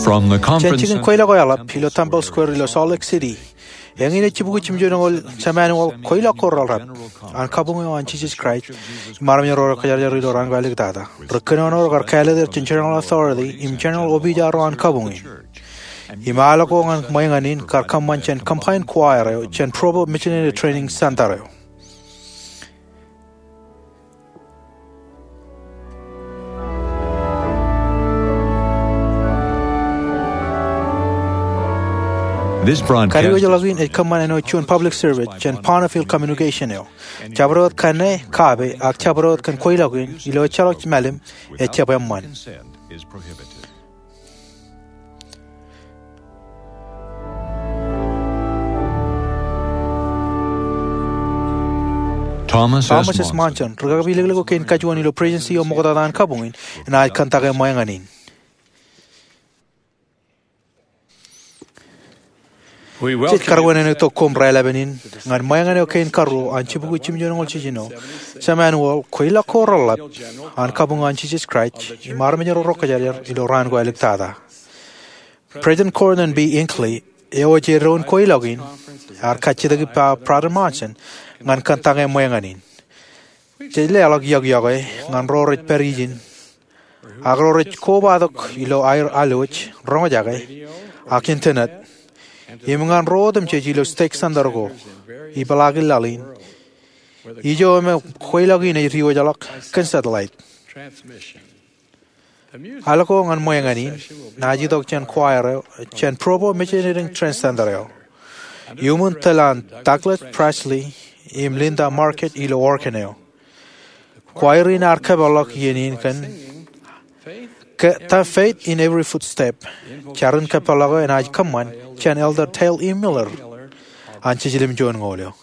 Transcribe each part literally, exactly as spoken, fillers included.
Jān jikin kweilọk eo eḷap ilo Temple Square ilo Salt Lake City, eñin ej jibukwi jimjuonñoul jemanual kweilọk ko reḷap an kabuñ eo an Jisōs Kraist im armej ro rekwōjarjar ilo raan ko āliktata. Ri kōnono ro kar kāālōt er jān General Authority im General Opijaar ro an kabuñ in. Im aolep ko ñan ṃweeñan in kar kōṃṃan jān combined choir eo jān Provo Missionary Training Center eo. Kadiwōjḷọk in ej kōṃṃan āinwōt juon public service jān Bonneville Communication eo. Jabdewōt kanne, kaabe, ak jabdewōt kōn kweilọk in ilo ejjeḷọk mālim ejjab eṃṃan. Thomas S. Monson, ri kakapeilōklōk eo kein kajuon ilo Presidency eo ṃoktata an kabuñ in, enaaj kōntake ṃweeñan in. Jej karwin āinwōt itok koṃ raelepin in ñan ṃweeñan eo kein karuo an jibukwi jimjuonñoul jiljino jemanual kweilọk ko reḷap an kabuñ an Jisōs Kraist im armej ro rekwōjarjar ilo raan ko āliktata. President Gordon B. Hinckley, eo ej eddoin kweilọk in, ear kajjitōk ippa Brother Monson ñan kōntake ṃweeñan in. Jej leḷọk iọkiọkwe ñan ro rej pād ijin ak ro rej kobatok ilo aer alwōj, roñjake, ak internet, im ñan ro otemjej ilo stake center ko, ipeḷaakin laḷ in, ijo me kweilọk in ej diwōjḷọk kōn satellite. Al ko ñan ṃweeñan in naaj itok jān choir eo jān Provo Missionary Training Center eo. Iuṃwin tōl an Douglas Presley im Linda Markett ilo organ eo. Choir in ear kōpeḷḷọk iien in kōn The Faith in Every Footstep. Jar in kōpeḷḷọk eo enaaj kōṃṃan jān Elder Dale E. Miller an Jiljilimjuonñoul eo.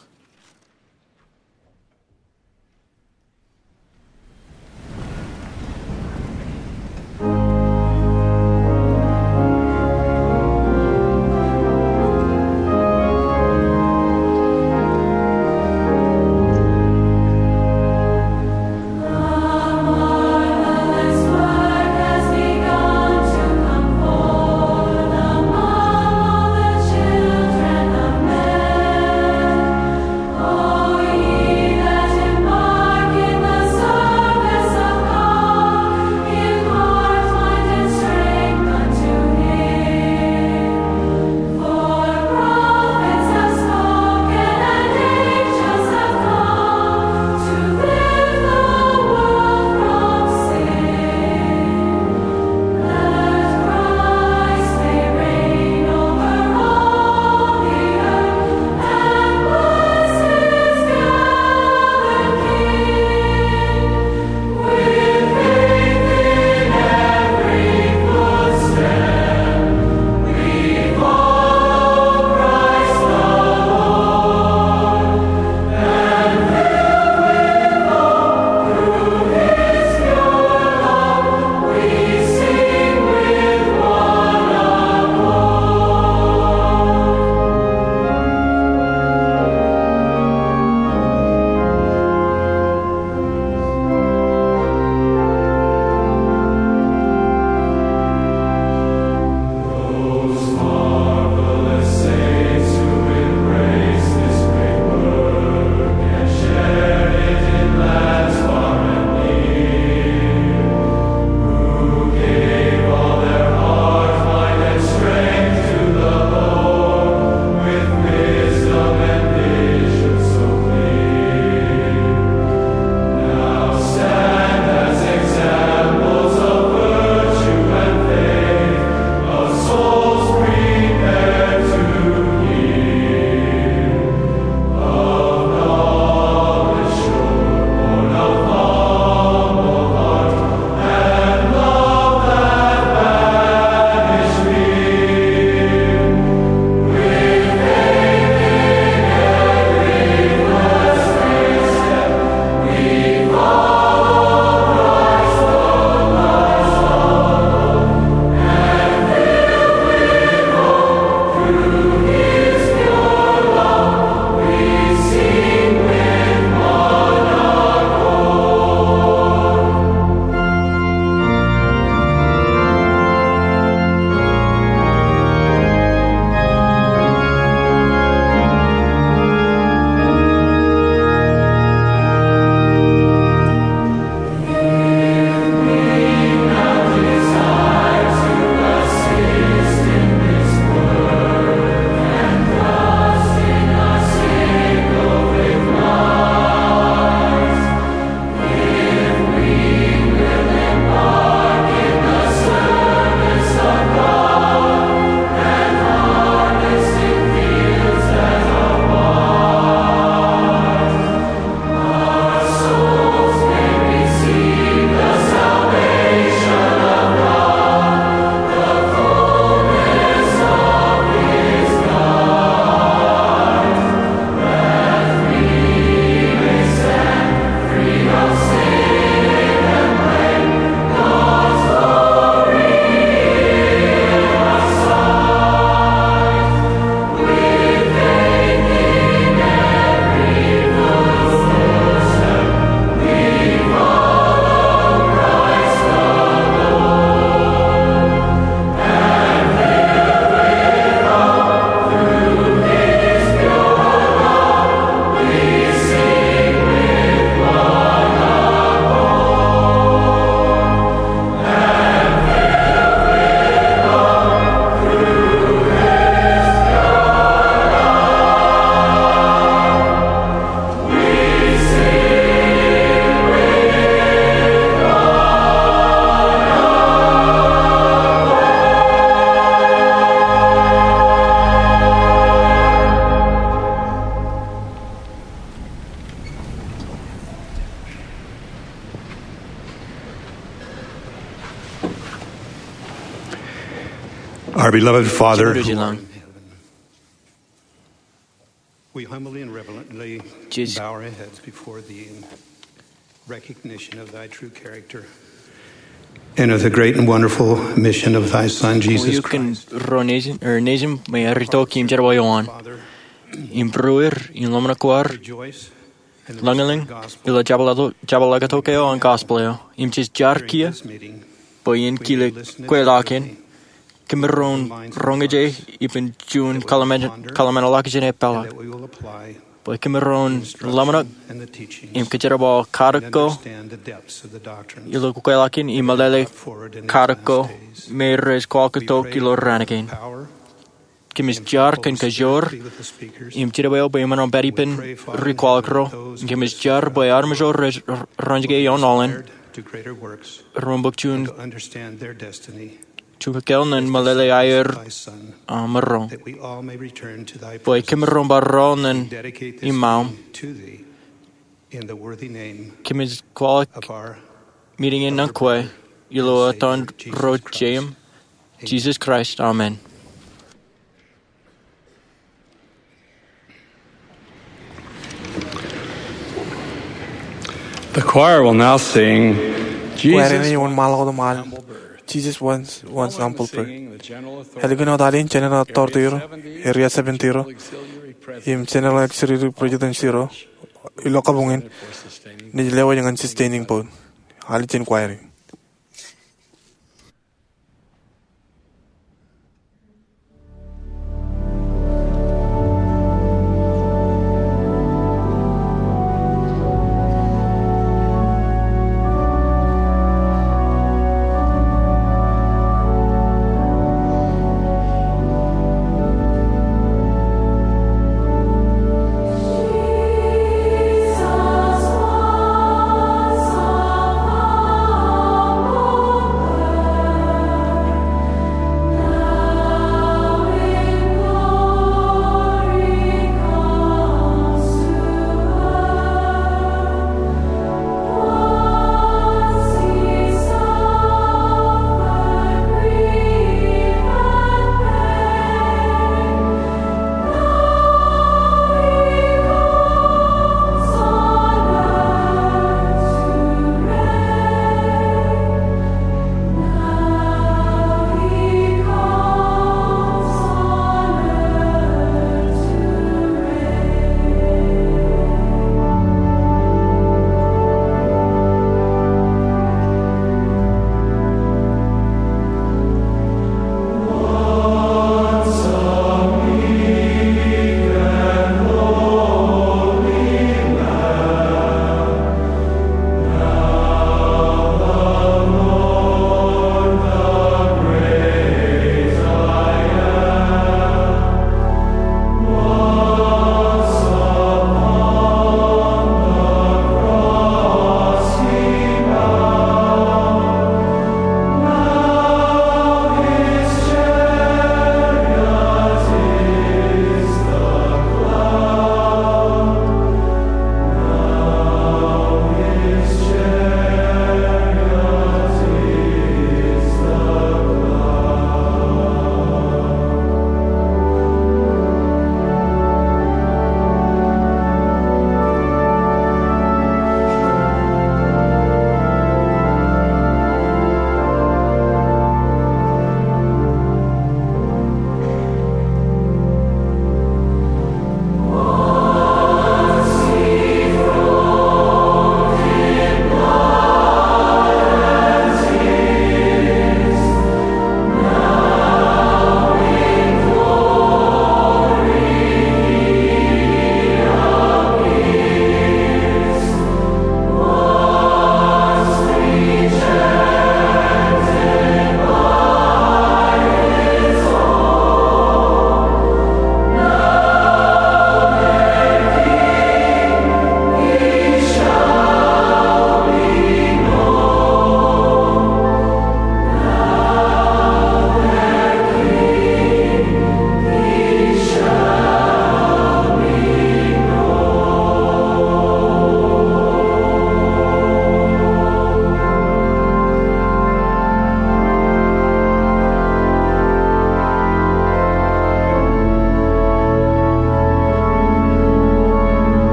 Our beloved Father, Jemedwōj ilañ. We humbly and reverently bow our heads before thee in recognition of thy true character and of the great and wonderful mission of thy Son, Jesus Christ. Ro nejin, er nejin, me ej itok im jerbal eo an. Im būruer, im ḷōmṇak ko ad, lañlōñ ilo jabdewōt, jabdewōt ḷọk tok eo an gospel eo. Im jej jar kiiō bwe en kile kweilọk in. Kōmro roñjake ippān juon kōḷmānḷọkjeṇ eo epeḷḷọk. Bwe kōmro ḷōmṇak im kōjerbal katak ko ilo kweilọk in im meḷeḷe katak ko me rej kwaḷọk tok ilo raan kein. Kōmij jar kōn kajoor im jidebeo bwe eṃṃan aṃ pād ippān ri kwaḷọk ro. Kōmij jar bwe armej ro rej roñjake ioon aolep ren bōk juon, juon kōkkōl ñan meḷeḷe aer, uh, maroñ. Bwe kōmro bar rọọl ñan iṃaaṃ. Kōmij kwaḷọk meeting in ñan kwe ilo etan Ro jeim, Jesus Christ, amen. The choir will now sing Kwōjarjar Jesus in wōnṃaanḷọk otemjej, Jesus Wants, Wants an Humble Person. Ālikin wōt al in, General Authority ro, Area seventy ro, im General Auxiliary President ro, ilo kabuñ in, naaj lewōj ñan sustaining vote. Al ijin choir in.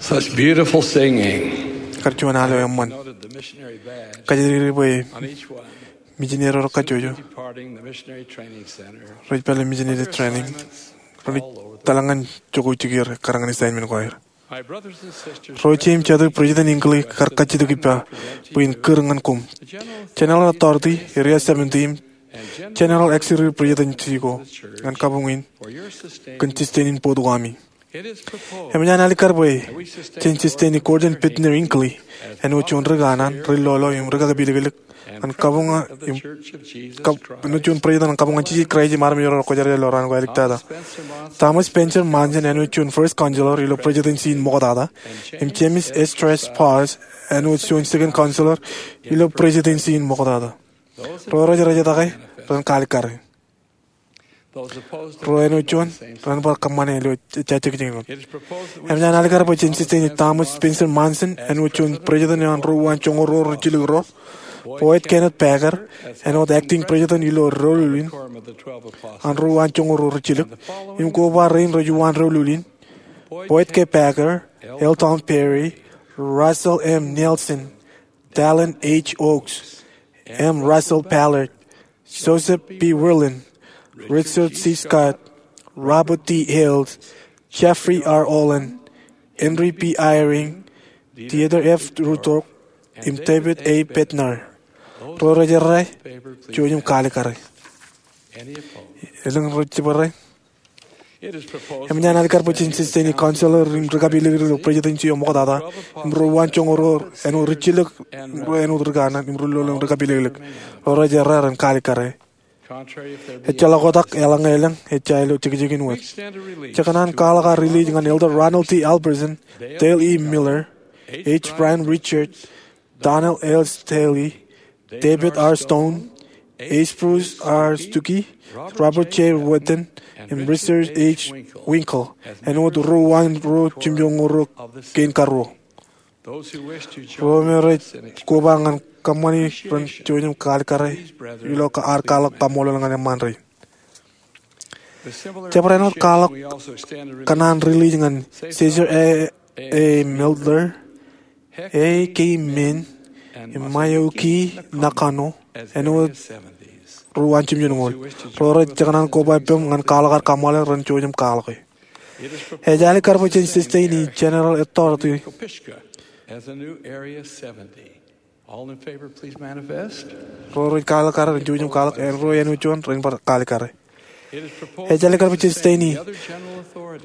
Such beautiful singing. Kar juon alo eṃṃan. Kajjitōk bwe mijineri ro kajjojo rej pād ilo missionary training, rej tōl ñan jokwe jikier ekkar ñan assignment ko aer. Ro jet im jatū, President Hinckley kar kajjitōk ippa bwe in kūr ñan koṃ. General Authority, Area seventy, im General Auxiliary Presidency ko ñan kabuñ in kōn sustain in board ko ami. Eṃōj an alikkar bwe jen sustain e Gordon Bitner Hinckley āinwōt juon ri kanaan, ri lolo im ri kakapilōklōk ñan kabuñ, im kab-, āinwōt juon president ñan kabuñ an Jisōs Kraist im armej ro rekwōjarjar ilo raan ko āliktata. Thomas Spencer Monson āinwōt juon first counselor ilo presidency in ṃoktata, im James Esdras Parrs āinwōt juon second counselor ilo presidency in ṃoktata. Ro rej rejjitōk ren kaalikkare. Ro āinwōt juon ren bar kōṃṃane ilo ejja jikin wōt. Eṃōj an alikkar bwe jen sustain e Thomas Spencer Monson āinwōt juon president an ro uwaan joñoul ruo rijilōk ro, Boyd Kenneth Packer āinwōt acting president ilo doulul in an ro uwaan joñoul ruo rijilōk, im koba rein rej uwaan doulul in: Boyd K. Packer, L. Tom Perry, Russell M. Nelson, Dallin H. Oaks, M. Russell Ballard, Joseph B. Wirthlin, Richard C. Scott, Robert D. Hales, Jeffrey R. Holland, Henry B. Eyring, Dieter F. Uchtdorf, im David A. Bednar. Ro rej errā, jouj im kaalikkare. Elōñ rej jibwe errā? Eṃōj an alikkar bwe jen sustain e counselor im ri kapilōklōk ilo presidency eo ṃoktata, im ro uwaan joñoul ruo āinwōt rijilōk, im ro āinwōt ri kanaan, im ri lolo im ri kapilōklōk. Ro rej errā ren kaalikkare. Ejjeḷọk oktak, eḷaññe elōñ, ejja ilo jekjekin wōt. Jekōṇaan kwaḷọk ad release ñan Elder Ronald T. Alperson, Dale E. Miller, H. Bryan Richards, Donald L. Stanley, David R. Stone, H. Bruce R. Stuckey, Robert J. Whitten, im Richard H. Winkill āinwōt ro uwaan ruo jimjuon ñoul ruo kein karuo. Ro me rej koba ñan kōṃṃani ren jouj im kaalikkare ilo ad kwaḷọk kaṃṃoolol ñan eṃṃaan rein. Jabdewōt āinwōt kwaḷọk, kōṇaan release ñan Caesar A. A. Milner, A. K. Min, im Masayuki Nakano āinwōt ro uwaan jimjuon ñoul. Ro rej jekōṇaan koba ippaṃ ñan kwaḷọk ad kaṃṃoolol ren jouj im kwaḷọke. Ej alikkar bwe jen sustain e General Authority. All in favor, please manifest. Ro rej kaalikkare ren jouj im kwaḷọk, āinwōt juon ren bar kaalikkare. Ej alikkar bwe jen sustain e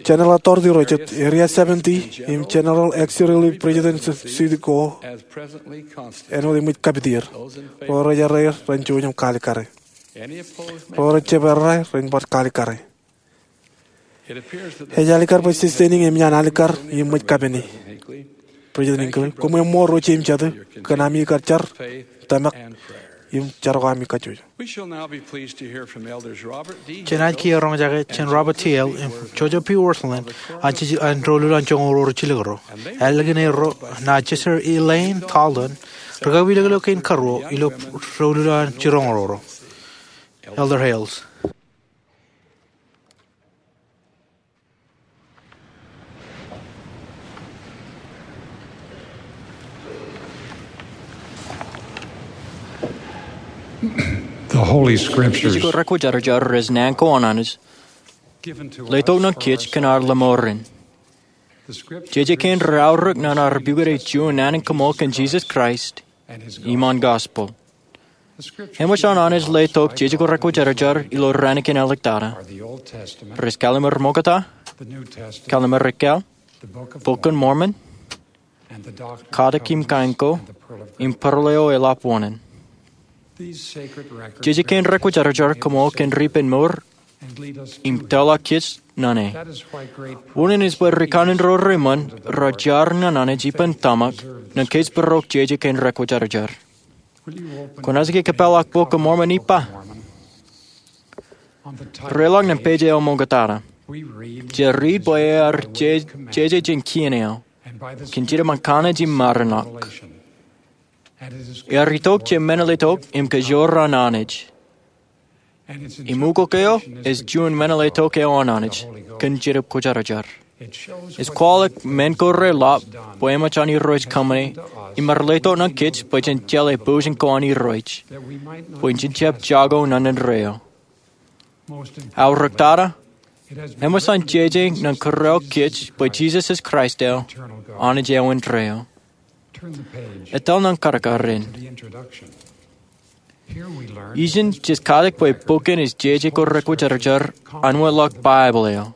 General Authority ro jet, Area seventy, im General Auxiliary Presidency ko āinwōt eṃōj kapit er. Ro rej errā ren jouj im kaalikkare. Ro rej jab errā ren bar kaalikkare. Ej alikkar bwe sustaining eṃōj an alikkar im ṃōj kapene. President Hinckley, koṃ eṃṃool ro jet im jatū kōn ami kar jar, tōmak, im jar ko ami kajjojo. Jen naaj kiiō roñjake jān Robert T. Hales im Joseph B. Wirthlin an doulul an joñoul ruo rijilōk ro. Ālikin erro, naaj Sister Elaine Talden, ri kapilōklōk kein karuo ilo doulul an jiroñ ro. Elder Hales. The Holy Scriptures. Jeje ko rekwōjarjar ej naan ko an Anij, letok ñan kōj kōn ad lọmọọren. Jeje kein reaorōk ñan ad pukot juon naan in kaṃool kōn Jisōs Kraist im an gospel. Eṃōj an Anij letok jeje ko rekwōjarjar ilo raan kein āliktata: rej Kallim̧ur Ṃokta, Kallim̧ur Ekkāāl, Bok in Mormon, Katak im Kain ko, im Parleo eḷap wōṇāān. Jeje kein rekwōjarjar kaṃool kōn ri ippān mour im tōl kōj ñan e. Wōṇāān ej bwe ri kanaan ro reṃṃan rej jar ñan Anij ippān tōmak ñan kōjparok jeje kein rekwōjarjar. Kwōnaaj ke kōpeḷḷọk Bok in Mormon ippa? Reiḷọk ñan page eo ṃoktata. Jej riit bwe ear je-, jeje jān kien eo, kōn jidik ñan kanniōk im maroñ ṇe. Ear itok jān meñeḷetok im kajoor an Anij. Im ukok eo ej juon meñeḷetok eo an Anij kōn Jetōb Kwōjarjar. Ej kwaḷọk men ko reḷap bwe eṃōj an Irooj kōṃṃane im rej letok ñan kōj bwe jen jeḷā pousen ko an Irooj bwe jen jab jako naan indeeo. Aorōk tata, eṃōj an jeje ñan kōrā kōj bwe Jisōs ej Kraist eo, Anij eo indeeo. Etal ñan kadkadin. Ijin jej katak bwe bok in ej jeje ko rekwōjarjar an wōtlọk Baibōḷ eo.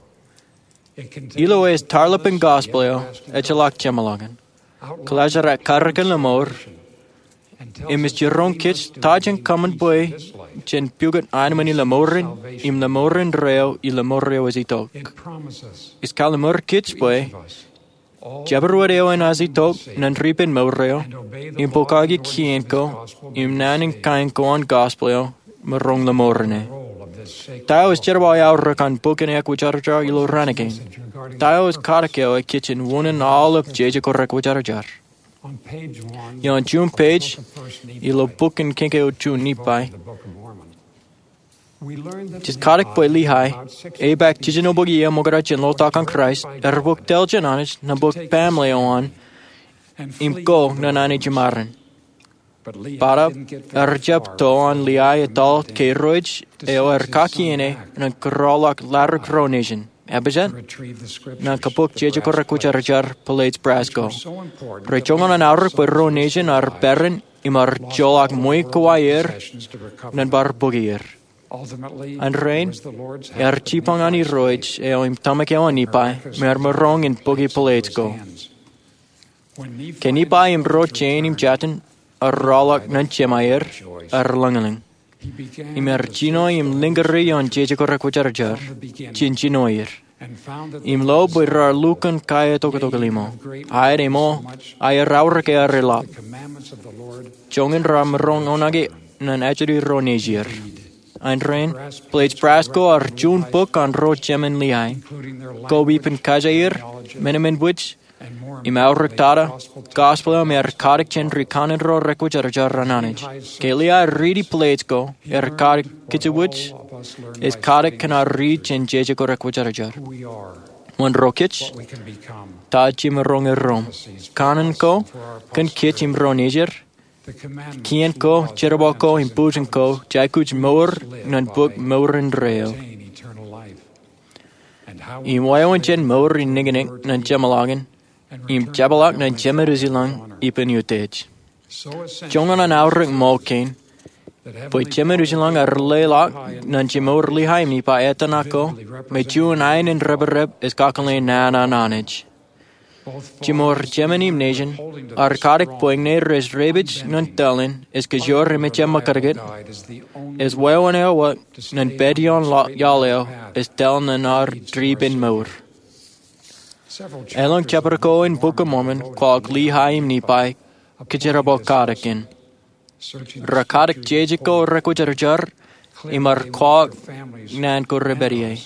Ilo ej tarlepen gospel eo ejjeḷọk jeṃḷọkin, kōḷaajrak karōkin lemour, im ej jiroñ kōj ta jen kōṃṃan bwe jen pukot aenōṃṃan in lemour in im lemour indeeo ilo mour eo ej itok. Ej kalliṃur kōj bwe jabdewōt eo enaaj itok ñan ripen mour eo im pokake kien ko im naan in kain ko an gospel eo, maroñ lemour ṇe. Ta eo ej jerbal aorōk an bok in ekwōjarjar ilo raan kein? Ta eo ej katak eo ej kōj in unin aolep jeje ko rekwōjarjar? Ioon juon page ilo bok in Kiiñ ko juon Nifai, jej katak bwe Lehi, epaak jiljino bok iiō ṃokta jān ḷotak an Kraist, ear bōk tōl jān Anij ñan bōk baaṃle eo an im ko ñan Anij iṃaroñ. Bōtab, ear jab to an Lehi etal ke irooj eo ear kakkien e ñan kōrọọlḷọk ladik ro nejin, epijet, ñan kabok jeje ko rekwōjarjar Blades Brass ko. Rej joñan an aorōk bwe ro nejin ear peran im ear joḷọk ṃweiuk ko aer ñan bar bōk er. Āindein, ear jipañ an Irooj eo im tōmak eo an Nifai im ear maroñ in bōki blades ko. Ke Nifai im ro jein im jatin ear rọọlḷọk ñan jemāer, ear lōñlōñ im ear jino im lōñ kōrā ioon jeje ko rekwōjarjar jān jinoin er im lo bwe raar lukkuun kaeoktok limo. Aet, āinwōt aer aorōk ear eḷap, joñan raar maroñ oṇāke ñan ajri ro nejier. Āindein, Blades Brass ko ear juon bok an ro jemān Lehi, ko ippān kajeir, men eṃṃan bwij, im aorōk tata, gospel eo me ear katak jān ri kanaan ro rekwōjarjar an Anij. Ke Lehi riiti blades ko, ear katak kōjwōj, ej katak kōn ad riit jān jeje ko rekwōjarjar. Wōn ro kōj? Ta jemaroñ erro? Kanaan ko kōn kōj im ro nejier? Kien ko, jerbal ko im bōjjān ko, jej aikuj mour ñan bōk mour indeeo. Im wāween jān mour in niknik ñan jeṃḷọkin im jepḷaak ñan Jemān Ijlōñ ippān utiej. Joñan an aorōk ṃōk kein bwe Jemān Ijlōñ ear leḷọk ñan jimour Lehi im Nifai etan ko me juon aenōṃṃan reprep ej kakōḷḷe naan an Anij. Jimour jemān im nejin ear katak bwe ñe rej repeej ñan tōl in ej kōjoor im ejjab ṃakūtkūt, ej wāween āinwōt ñan pād ioon iaḷ eo ej tōl ñan ad dipen mour. Elōñ jepād ko in Bok in Mormon kwaḷọk Lehi im Nifai kōjerbal katak in. Raar katak jeje ko rekwōjarjar im raar kwaḷọk naan ko repād ie.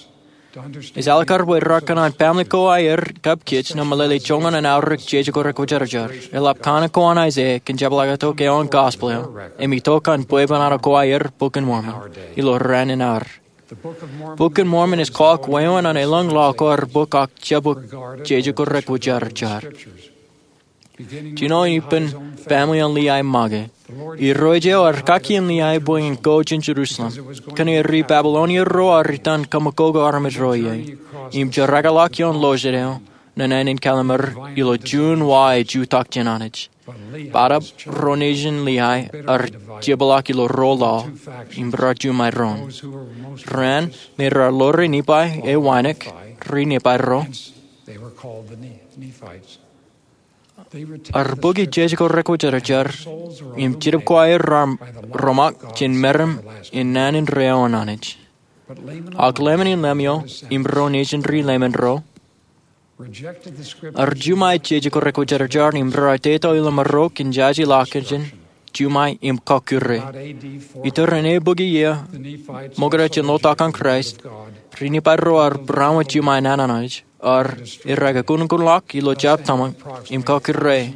Ej alikkar bwe raar kōṇaan baaṃle ko aer kab kōj ñan meḷeḷe joñan an aorōk jeje ko rekwōjarjar. Eḷap kanaan ko an Aiseia kōn jepḷaaktok eo an gospel eo im itok an bwebwenato ko aer, Bok in Mormon, ilo raan in ad. Bok in Mormon ej kwaḷọk wāween an elōñ laḷ ko ear bōk ak jebōk jeje ko rekwōjarjar. Jino ippān baaṃle an Lehi make. Irooj eo ear kakkien Lehi bwe en go jān Jerusalem, kōnke ri Babilonia ro ear itan kaṃakoko armej ro ie, im jerkakḷọk ioon ḷọjet eo ñan ānen kalliṃur ilo juon wa ej jutak jān Anij. Bōtab ro nejin Lehi ear jepḷaak ilo ro laḷ im raar juṃaeroñ. Raan me raar ḷoore Nifai e wānōk, ri Nifai ro, ear bōki jeje ko rekwōjarjar im jidip ko aer raar roṃak jān meram in naan indeeo an Anij. Ak Leman in Lemuel im ro nejin ri Leman ro ear juṃae jeje ko rekwōjarjar im raar teto ilo marok in jaje ḷọk jān juṃae im kọkkure. Iturin eabukwi iiō ṃokta jān ḷotak an Kraist, ri Nifai ro ear būroṃōj juṃae naan an Anij, ear irreke kunkunḷọk ilo jab tōmak im kọkkure.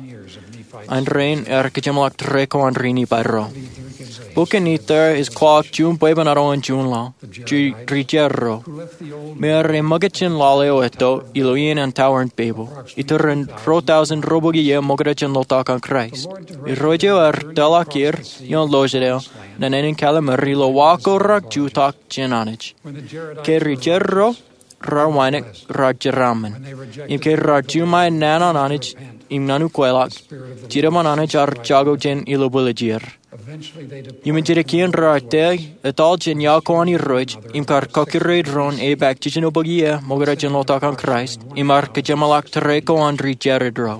Āindein ear kōjeṃḷọk tōre ko an ri Nifai ro. Bok in Ether ej kwaḷọk juon bwebwenato in juon laḷ, ri-, rijerro, me ear eṃōkaj jān laḷ eo etto ilo iien an tower in Babel. Iturin ruo thousand ruo bukwi iiō ṃokta jān ḷotak an Kraist. Irooj eo ear tōḷọk er ioon ḷōsād eo ñan ānen Kallimur ilo wa ko rak jutak jān Anij. Ke rijerro rar wānōk, rar jeraaṃṃan. Im ke rar juṃae naan an Anij im ñan ukweḷọk, Jidem an Anij ear jako jān ilo bwiljier. Iṃōn jidik iien rar tōl etal jān iaḷ ko an Irooj im kar kọkkure doon epaak jiljino bukwi iiō ṃokta jān ḷotak an Kraist im ear kōjeṃḷọk tōre ko an rijerro.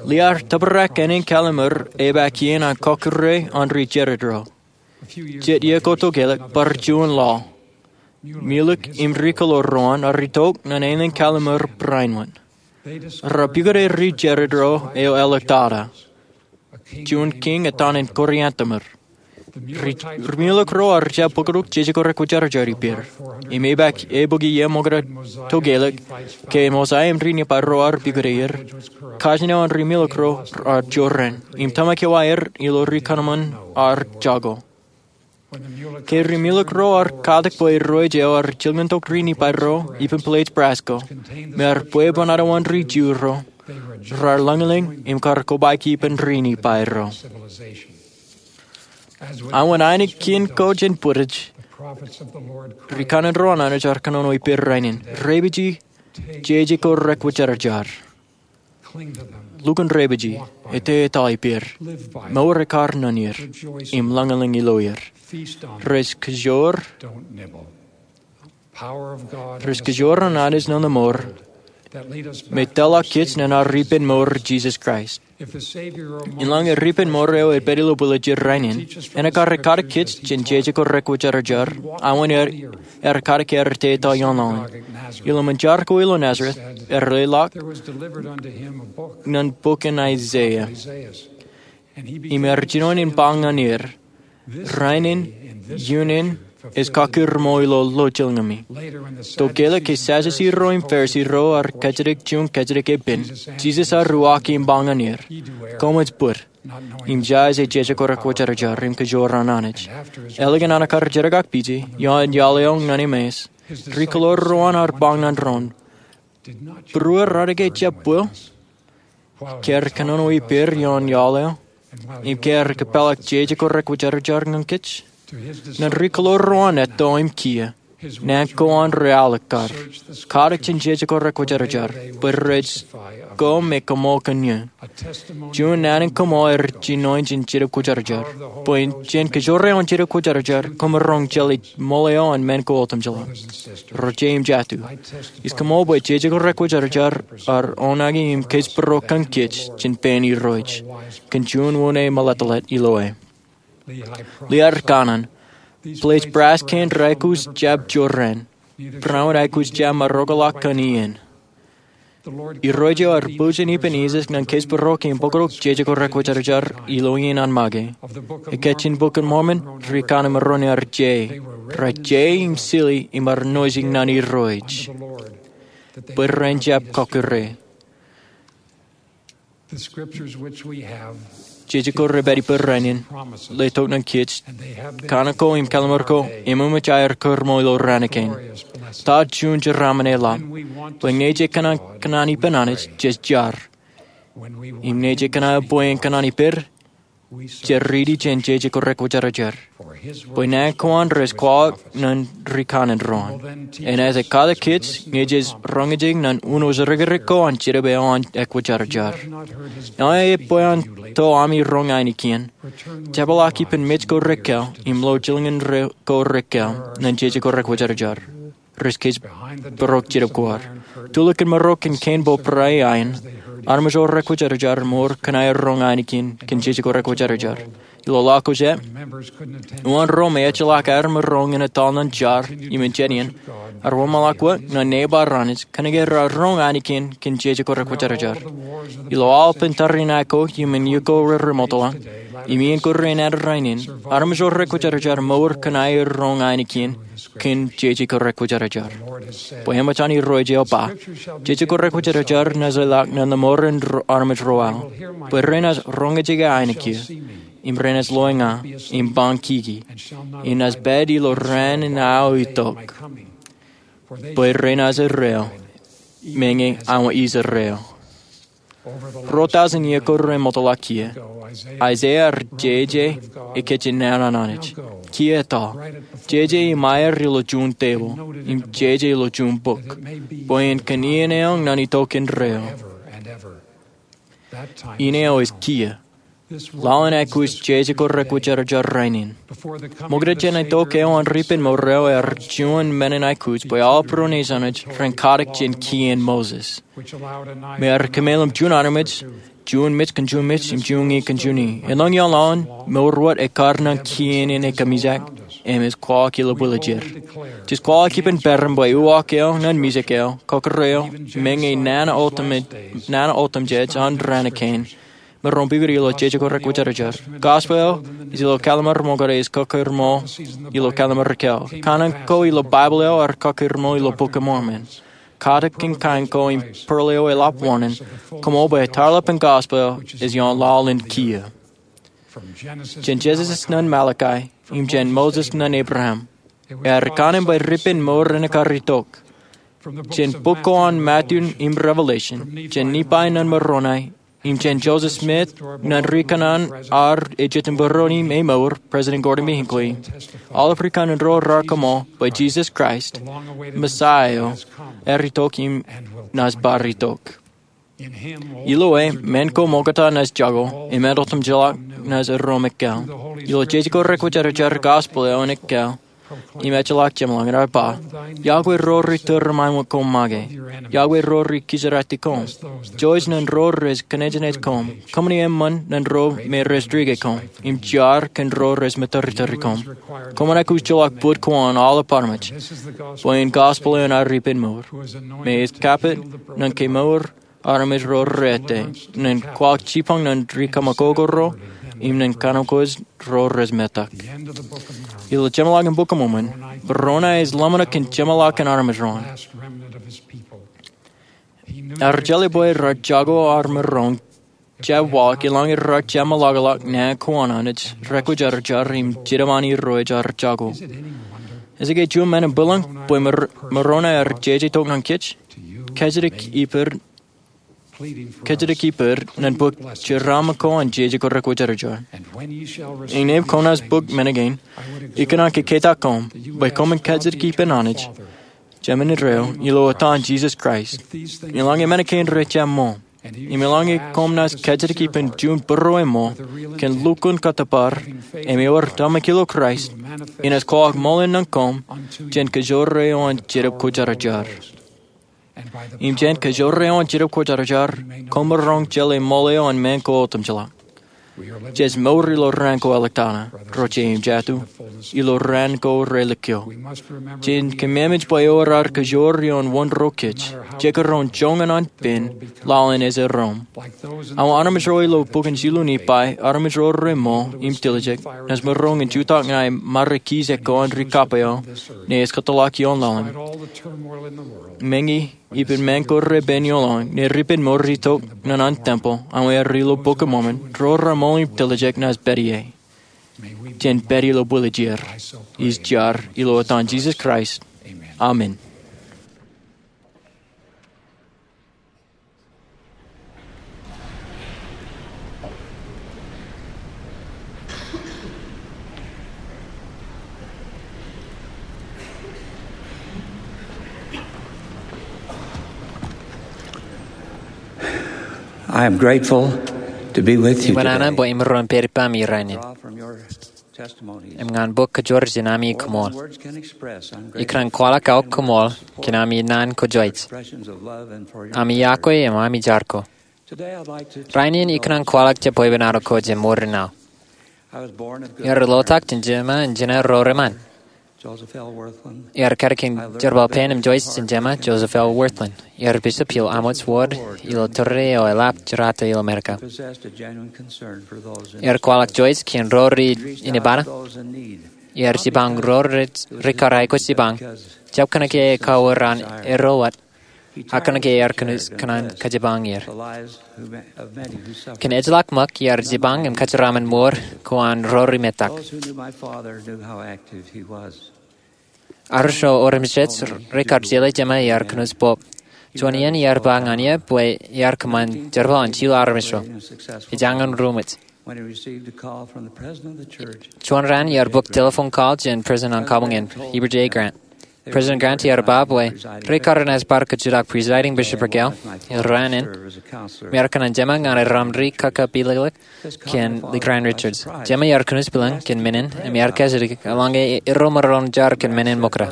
Lehi ear tōprak ānen Kallimur epaak iien an kọkkure an rijerro. Jet iiō ko tokālik bar juon laḷ, Mulek im ri-kōḷoor ro an ear itok ñan ānen Kallimur barāinwōt. Rar pukot rijerro eo āliktata, juon kiiñ etan in koriantemir. Ri-, ri-Mulek ro ear jab bōktok jeje ko rekwōjarjar ippāer. Im epaak eō bukwi iiō ṃokta tokālik, ke Mosaia im ri-Nifai ro ear pukot er, kajin eo an ri-Mulek ro ear jorrāān, im tōmak eo aer ilo ri-kōṃṃan ear jako. Ke ri-Mulek ro ear katak bwe Irooj eo ear jilkintok ri-Nifai ro ippān plate brass ko, me ear bwebwenato an ri-Ju ro, rar lōñlōñ im kar kobaiki ippān ri-Nifai ro. Aō wōt ainikien ko jān bwidej, ri-kanaan ro an Anij ear kōnono ippāer rainin, reipaji jeje ko rekwōjarjar. Lukkuun reipaji, etetal ippāer, mour ekkar naan er, im lōñlōñ ilo er. Rej kōjoor, rej kōjoor an Anij ṇe mour, me tōḷọk kōj ñan ad ippān mour Jisōs Kraist. Eḷaññe ripen mour eo ej pād ilo bwiljier rainin, enaaj kar katak kōj jān jeje ko rekwōjarjar, aō wōt ear, ear katak er etetal ioon laḷ in. Ilo ṃōn jar ko ilo Nazareth, ear leḷọk ñan bok in Isaiah. Im ear jinoin in ba ñan er, rainin, iunin, ej kakūrṃo ilo lọjilñōṃi. Tokālik ke Sadducee ro im Pharisee ro ear kōjatdikdik juon kōjatdikdik epen, Jisōs ear uwaak im ba ñan er, koṃij bōd, im jaje jeje ko rekwōjarjar im kōjoor an Anij. Ālikin an kar jerkakpeje ioon iaḷ eo ñan Emmaus, ri-kōḷoor ro an ear ba ñan doon, būruō raan eo ke jab bwil, ke ear kōnono ippāer ioon iaḷ eo, im ke ear kōpeḷḷọk jeje ko rekwōjarjar ñan kōj? Ñan ri-kōḷoor ro an etto im kiiō, naan ko an rej alikkar, katak jān jeje ko rekwōjarjar, bwe rej ko me koṃṃool kōn eō. Juon naan in koṃṃool ear jinoin jān Jetōb Kwōjarjar, bwe jān kōjro eo an Jetōb Kwōjarjar, koṃ roñ jeḷā ṃool eo an men ko otemjeḷọk. Ro jet im jatū, ij koṃṃool bwe jeje ko rekwōjarjar ear oṇāān im kōjparok kōn kōj jān pein Irooj, kōn juon wōṇāān meḷeḷe ilo e. Lehi ear kanaan, plate brass kein rej aikuj jab jorrāān, barāinwōt aikuj jab maroñḷọk kōn iien. Irooj eo ear pojak ippān Jisōs ñan kōjparok im bōktok jeje ko rekwōjarjar ilo iien an make. Ekāāj in Bok in Mormon, ri-kanaan ro an ear je, rej je im sili im ear noijin ñan Irooj, bwe ren jab kọkkure. Jeje ko rej pād ippāer rainin, letok ñan kōj, kanaan ko im kallimur ko eṃōṃōj aer kūrṃo ilo raan kein. Ta juon jeraaṃṃan eḷap, bwe ñe jej kōṇaan, kōṇaan ippān Anij, jej jar. Im ñe jej kōṇaan bwe en kōṇaan ippāer, jej riiti jān jeje ko rekwōjarjar. Bwe naan ko an rej kwaḷọk ñan ri-kanaan ro an. Enaaj katak kōj ñe jej roñjake ñan uno ri-kanaan ko an Jetōb eo an ekwōjarjar. Eḷaññe bwe en to ami roñ ainikien, jepḷaak ippān mej ko rej kāāl im lọjilñin ko rej kāāl ñan jeje ko rekwōjarjar. Rej kōjparok Jetōb ko ad. Tulikin maroñ kōn kein bōbrae iien, armej ro rekwōjarjar mour kōn aer roñ ainikien kōn jeje ko rekwōjarjar. Ilo laḷ ko jab, uwaan ro me ejjeḷọk aer maroñ in etal ñan jar im jet iien, ear wōnṃaanḷọk wōt ñan neebar Anij kōnke raar roñ ainikien kōn jeje ko rekwōjarjar. Ilo aolepān tariṇae ko im in iiō ko reremootḷọk, Im iien kōrā in ad rainin, armej ro rekwōjarjar mour kōn aer roñ ainikien kōn jeje ko rekwōjarjar. Bwe eṃōj an Irooj eo ba, jeje ko rekwōjarjar naaj lelọk naan mour in armej ro ao, bwe renaaj roñjake ainikien, im renaaj loe ña, im bañ kiki, im naaj pād ilo raan in aō itok. Bwe renaaj erreo, meñe aṃ ij erreo. Ruo tọujin iiō kōrā eṃootḷọk kiiō, Aiseia ear jeje ikijjien naan an Anij. Kiiō etto, jeje im aer ilo juon tebōḷ, im jeje ilo juon bok, bwe en kōn iien eoñ naan itok indeeo. Iien eo ej kiiō. Lale in aikuj jeje ko rekwōjarjar rainin. Ṃokta jān itok eo an ri-ippān mour eo ear juon men in aikuj bwe aolep ro nejin ren katak jān kien Moses, me ear kōmeḷeḷe juon armej, juon mej kōn juon mej im juon ñe kōn juon ñe. Elōñ ioon lale in, mour wōt ekar naan kien in ekōmijak, im ej kwaḷọk ilo bwiljier. Jej kwaḷọk ippān peran bwe uwaak eo naan mijak eo, kōkōrā eo, meñe naan otemjej an raan kein, me roñ pukot ilo jeje ko rekwōjarjar. Gospel eo ej ilo kallim̧ur ṃokta, ej kōkōrmool ilo kallim̧ur ikōḷ. Kanaan ko ilo Baibōḷ eo ear kōkōrmool ilo Bok in Mormon. Katak in kain ko im pearl eo eḷap wōṇāān, koṃṃool bwe tarlaḷ in gospel ej ioon lale in kiiō. Jān Genesis naan Malachi, im jān Moses naan Abraham, ear kanaan bwe ri-ippān mour renaaj kar itok. Jān bok ko an Matthew im Revelation, jān Nephi naan Moroni, im jān Joseph Smith naan ri kanaan ar ejjetin būruon im emour, President Gordon B. Hinckley, aolep ri kanaan ro raar koṃṃool bwe Jisōs Kraist, Messiah eo, ear itok im naaj bar itok. Ilo e, men ko ṃokta naaj jako, im ānotemjeḷọk naaj erom ekkā. Ilo jeje ko rekwōjarjar, gospel eo en ekkā im ejjeḷọk jeṃḷọkin, ear ba, Yahweh ro rej tūriṃaṃwe koṃ make. Yahweh ro rej kijeratikkoṃ. Joy naan ro rej kōnejenej koṃ. Kōṃṃani eṃṃan naan ro me rej dike koṃ, im jar kōn ro rej metartari koṃ. Koṃ aikuj ejjeḷọk bōd ko an aolep armej. Bwe en gospel eo an ri-ippān mour, me ej kapit naan kemour armej ro rejjab, naan kwaḷọk jipañ naan ri kōṃakoko ro, im naan kōṇaan kwōj ro rej metak. Ilo jeṃḷọkin Bok in Mormon, Moroni ej ḷōmṇak kōn jeṃḷọkin armej ro an. Ear jeḷā bwe raar jako armej ro an jab waḷọk, eḷaññe raar jab meḷọkḷọk naan ko an Anij rekwōjarjar im jidim an Irooj ear jako. Ej ke juon men in bwilōñ bwe Mor-, Moroni ear jeje tok ñan kōj? Kōjatdikdik ippād, kōjatdikdik ippād naan bok jeraaṃṃan ko an jeje ko rekwōjarjar. Innām koṃ naaj bōk men kein, ikōṇaan kōkōjatdikdik koṃ bwe koṃwin kōjatdikdik ippān Anij, Jemān Indeeo, ilo etan Jisōs Kraist. Eḷaññe men kein rej jab ṃool, im eḷaññe koṃ naaj kōjatdikdik ippān juon būrueṃṃool kōn lukkuun kōttōpar im ewōr tōmak ilo Kraist, enaaj kwaḷọk ṃool in naan koṃ jān kajoor eo an Jetōb Kwōjarjar. Im jān kajoor eo an Jetōb Kwōjarjar, koṃ maroñ jeḷā ṃool eo an men ko otemjeḷọk. Jej mour ilo raan ko āliktata, ro jeiū im jatū, ilo raan ko relikio. Jen kōmmeṃōj bwe ewōr ad kajoor ioon wōn ro kōj, jekdọọn joñan an pen, lale in ej erom. Awa armej ro ilo bok in jilu Nephi, armej ro reṃool im tiljek, naaj maroñ in jutak ñan mare kijeek ko an ri kab eo, naaj kōtḷọk ioon laḷ in. Meñe ippān men ko repen ioon laḷ in, ri-ippān mour rej itok naan an tempel, awa ear ilo Bok in Mormon, ro reṃool im tiljek naaj pād ie. Jen pād ilo bwiljier. Ij jar ilo etan Jisōs Kraist. Amen. I am grateful to be with you today. Im ṃōṇōṇō bwe im maroñ pād ippaṃ rainin. Im ñan bōk kōjwōr jān ami koṃṃool. Ikōṇaan kwaḷọk aō koṃṃool kōn ami naan kōjwōj, ami iọkwe im ami jar ko. Rainin ikōṇaan kwaḷọk jabdewōt ippān ko jān mour in aō. Iar lotak jān jeṃḷọkin ro reṃṃan. Ear kadkōn jerbal pen im joij jān jema, Joseph L. Wirthlin. Ear bishop ilo Amos Ward ilo tōre eo eḷap jerata ilo Amerika. Ear kwaḷọk joij kōn ro rej inepata. Ear jipañ ro rej rikkar aikuj jipañ, jab kōnke ekawōr an erro wōt, ak kōnke ear kōn kōṇaan kajipañ er. Kōn ejjeḷọk ṃōk ear jipañ im kajeraṃṃan mour ko an ro rej metak. Armej ro otemjej rekar jeḷā jema ear kōnooj pop. Juon iien ear ba ñan eō bwe ear kōṃṃan jerbal an jilu armej ro. Ej añin ruṃwij. Juon raan ear bōk telephone call jān president an kabuñ in, Heber J. Grant. President Grant ear ba bwe rekar naaj bar kōjutḷọk presiding bishopric eo ilo raan in im ear kōṇaan jema ñan eramri kōkā pilōkḷọk kōn Lee Grant Richards. Jema ear kōnooj bwilōñ kōn men in im ear kajjitōk eḷaññe erro maroñ jar kōn men in ṃokta.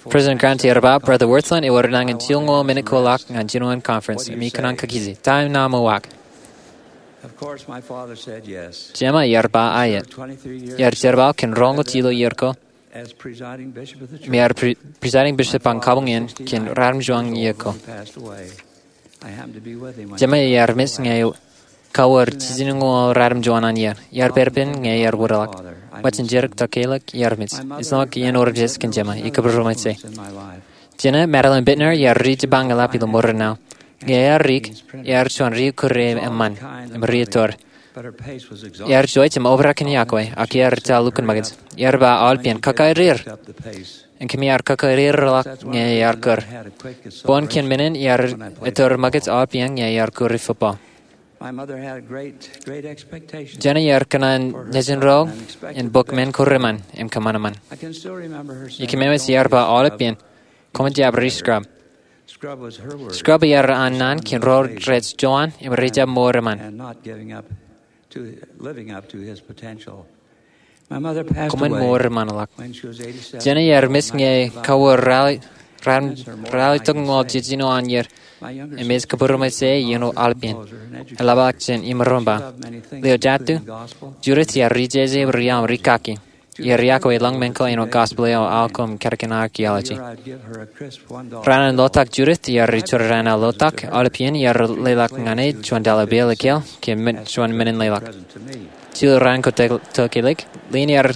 President Grant ear ba, Brother Wirthlin, ewōr nañin jilñoul minit ko ḷọk ñan jinoin conference im ikōṇaan kakije. Ta eo ṇa ṃōwōj? Jema ear ba aet. Ear jerbal kōn roñoul jilu iiō ko im ear presiding bishop an kabuñ in kōn ratimjuon iiō ko. Jema ear mej ñe ekawōr jiljinoñoul ratimjuon an iiō. Ear pād ippān ñe ear wōtlọk. Ṃōjin jidik tokālik ear mej. Ij lōñ iien otemjej kōn jema. Ij kōpooruṃōje. Jena, Madeline Bittner, ear ri jipañ eḷap ilo ṃoor in aō. Ñe ear ri, ear juon ri kūr eṃṃan im ri ettoor. Ear joij im obrak in yokwe, ak ear etal lukkuun ṃōkaj. Ear ba aolepān, kōkāerir. Im kōm ar kōkāerirḷọk ñe ear kūr. Boñ kōn men in ear ettoor ṃōkaj aolepān ñe ear kūr football. Jena ear kōṇaan nejin ro in bōk men ko reṃṃan im kōṃṃan eṃṃan. Ij kōmemej ear ba aolepān, koṃwin jab ri scrub. Scrub ear an naan kōn ro rej jowan im ri jab mour eṃṃan. Koṃwin mour eṃṃanḷọk. Jena ear mej ñe ekawōr ralitōkñoul jiljino an iiō im ej kōpooruṃōje iien aolepān. Eḷapḷọk jān imaroñ ba. Leo jatū, Judith ear ri jeje im ri aṃ ri kaki. Ear yokwe lōñ men ko āinwōt gospel eo, aō ko im kadkōn archaeology. Raan an lotak Judith ear ri jorrāān aō lotak, aolepān ear leḷọk ñan e juon dollar bill ekkā kōn juon men in leḷọk. Jilu raan ko tokālik, Lynn ear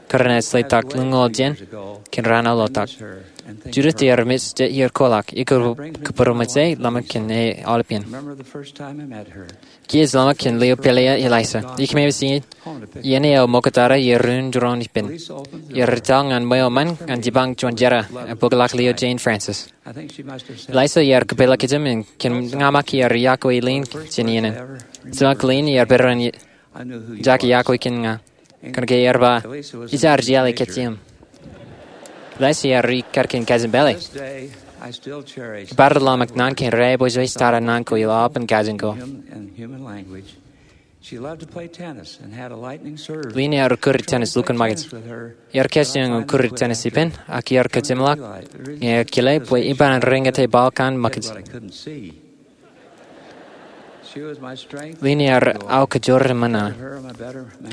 kōrā naaj letak lōñoul jen kōn raan aō lotak. Judith ear mej jet iiō ko ḷọk, ij kōpooruṃōje ḷōmṇak kōn e aolepān. Kiiō ej ḷōmṇak kōn Leo pālle eo Eliza. Ij kōmemej iien eo ṃoktata ear rūin jiroñ ippān. Ear etal ñan ṃweo eṃṃan ñan jipañ juon jera, im bōkḷọk Leo Jane Frances. Eliza ear kōpeḷḷọk kōjām im kōn ña ṃōk ear yokwe Lynn jān iien in. Ij ḷōmṇak Lynn ear pād ippān jake yokwe kōn ña. Kōnke ear ba, ij ar jeḷā kōj im. Eliza ear ri kadkōn kajin pālle. Ij bar ḷōmṇak naan kein raepojpoj tata naan ko ilo aolepān kajin ko. Lynn ear kūr tennis lukkuun ṃōkaj. Ear kajjioñ kūr tennis ippān, ak ear kōjeṃḷọk ñe ear kile bwe ippān reñate ball ko an ṃōkaj. Lynn ear aō kōjro eṃṃan.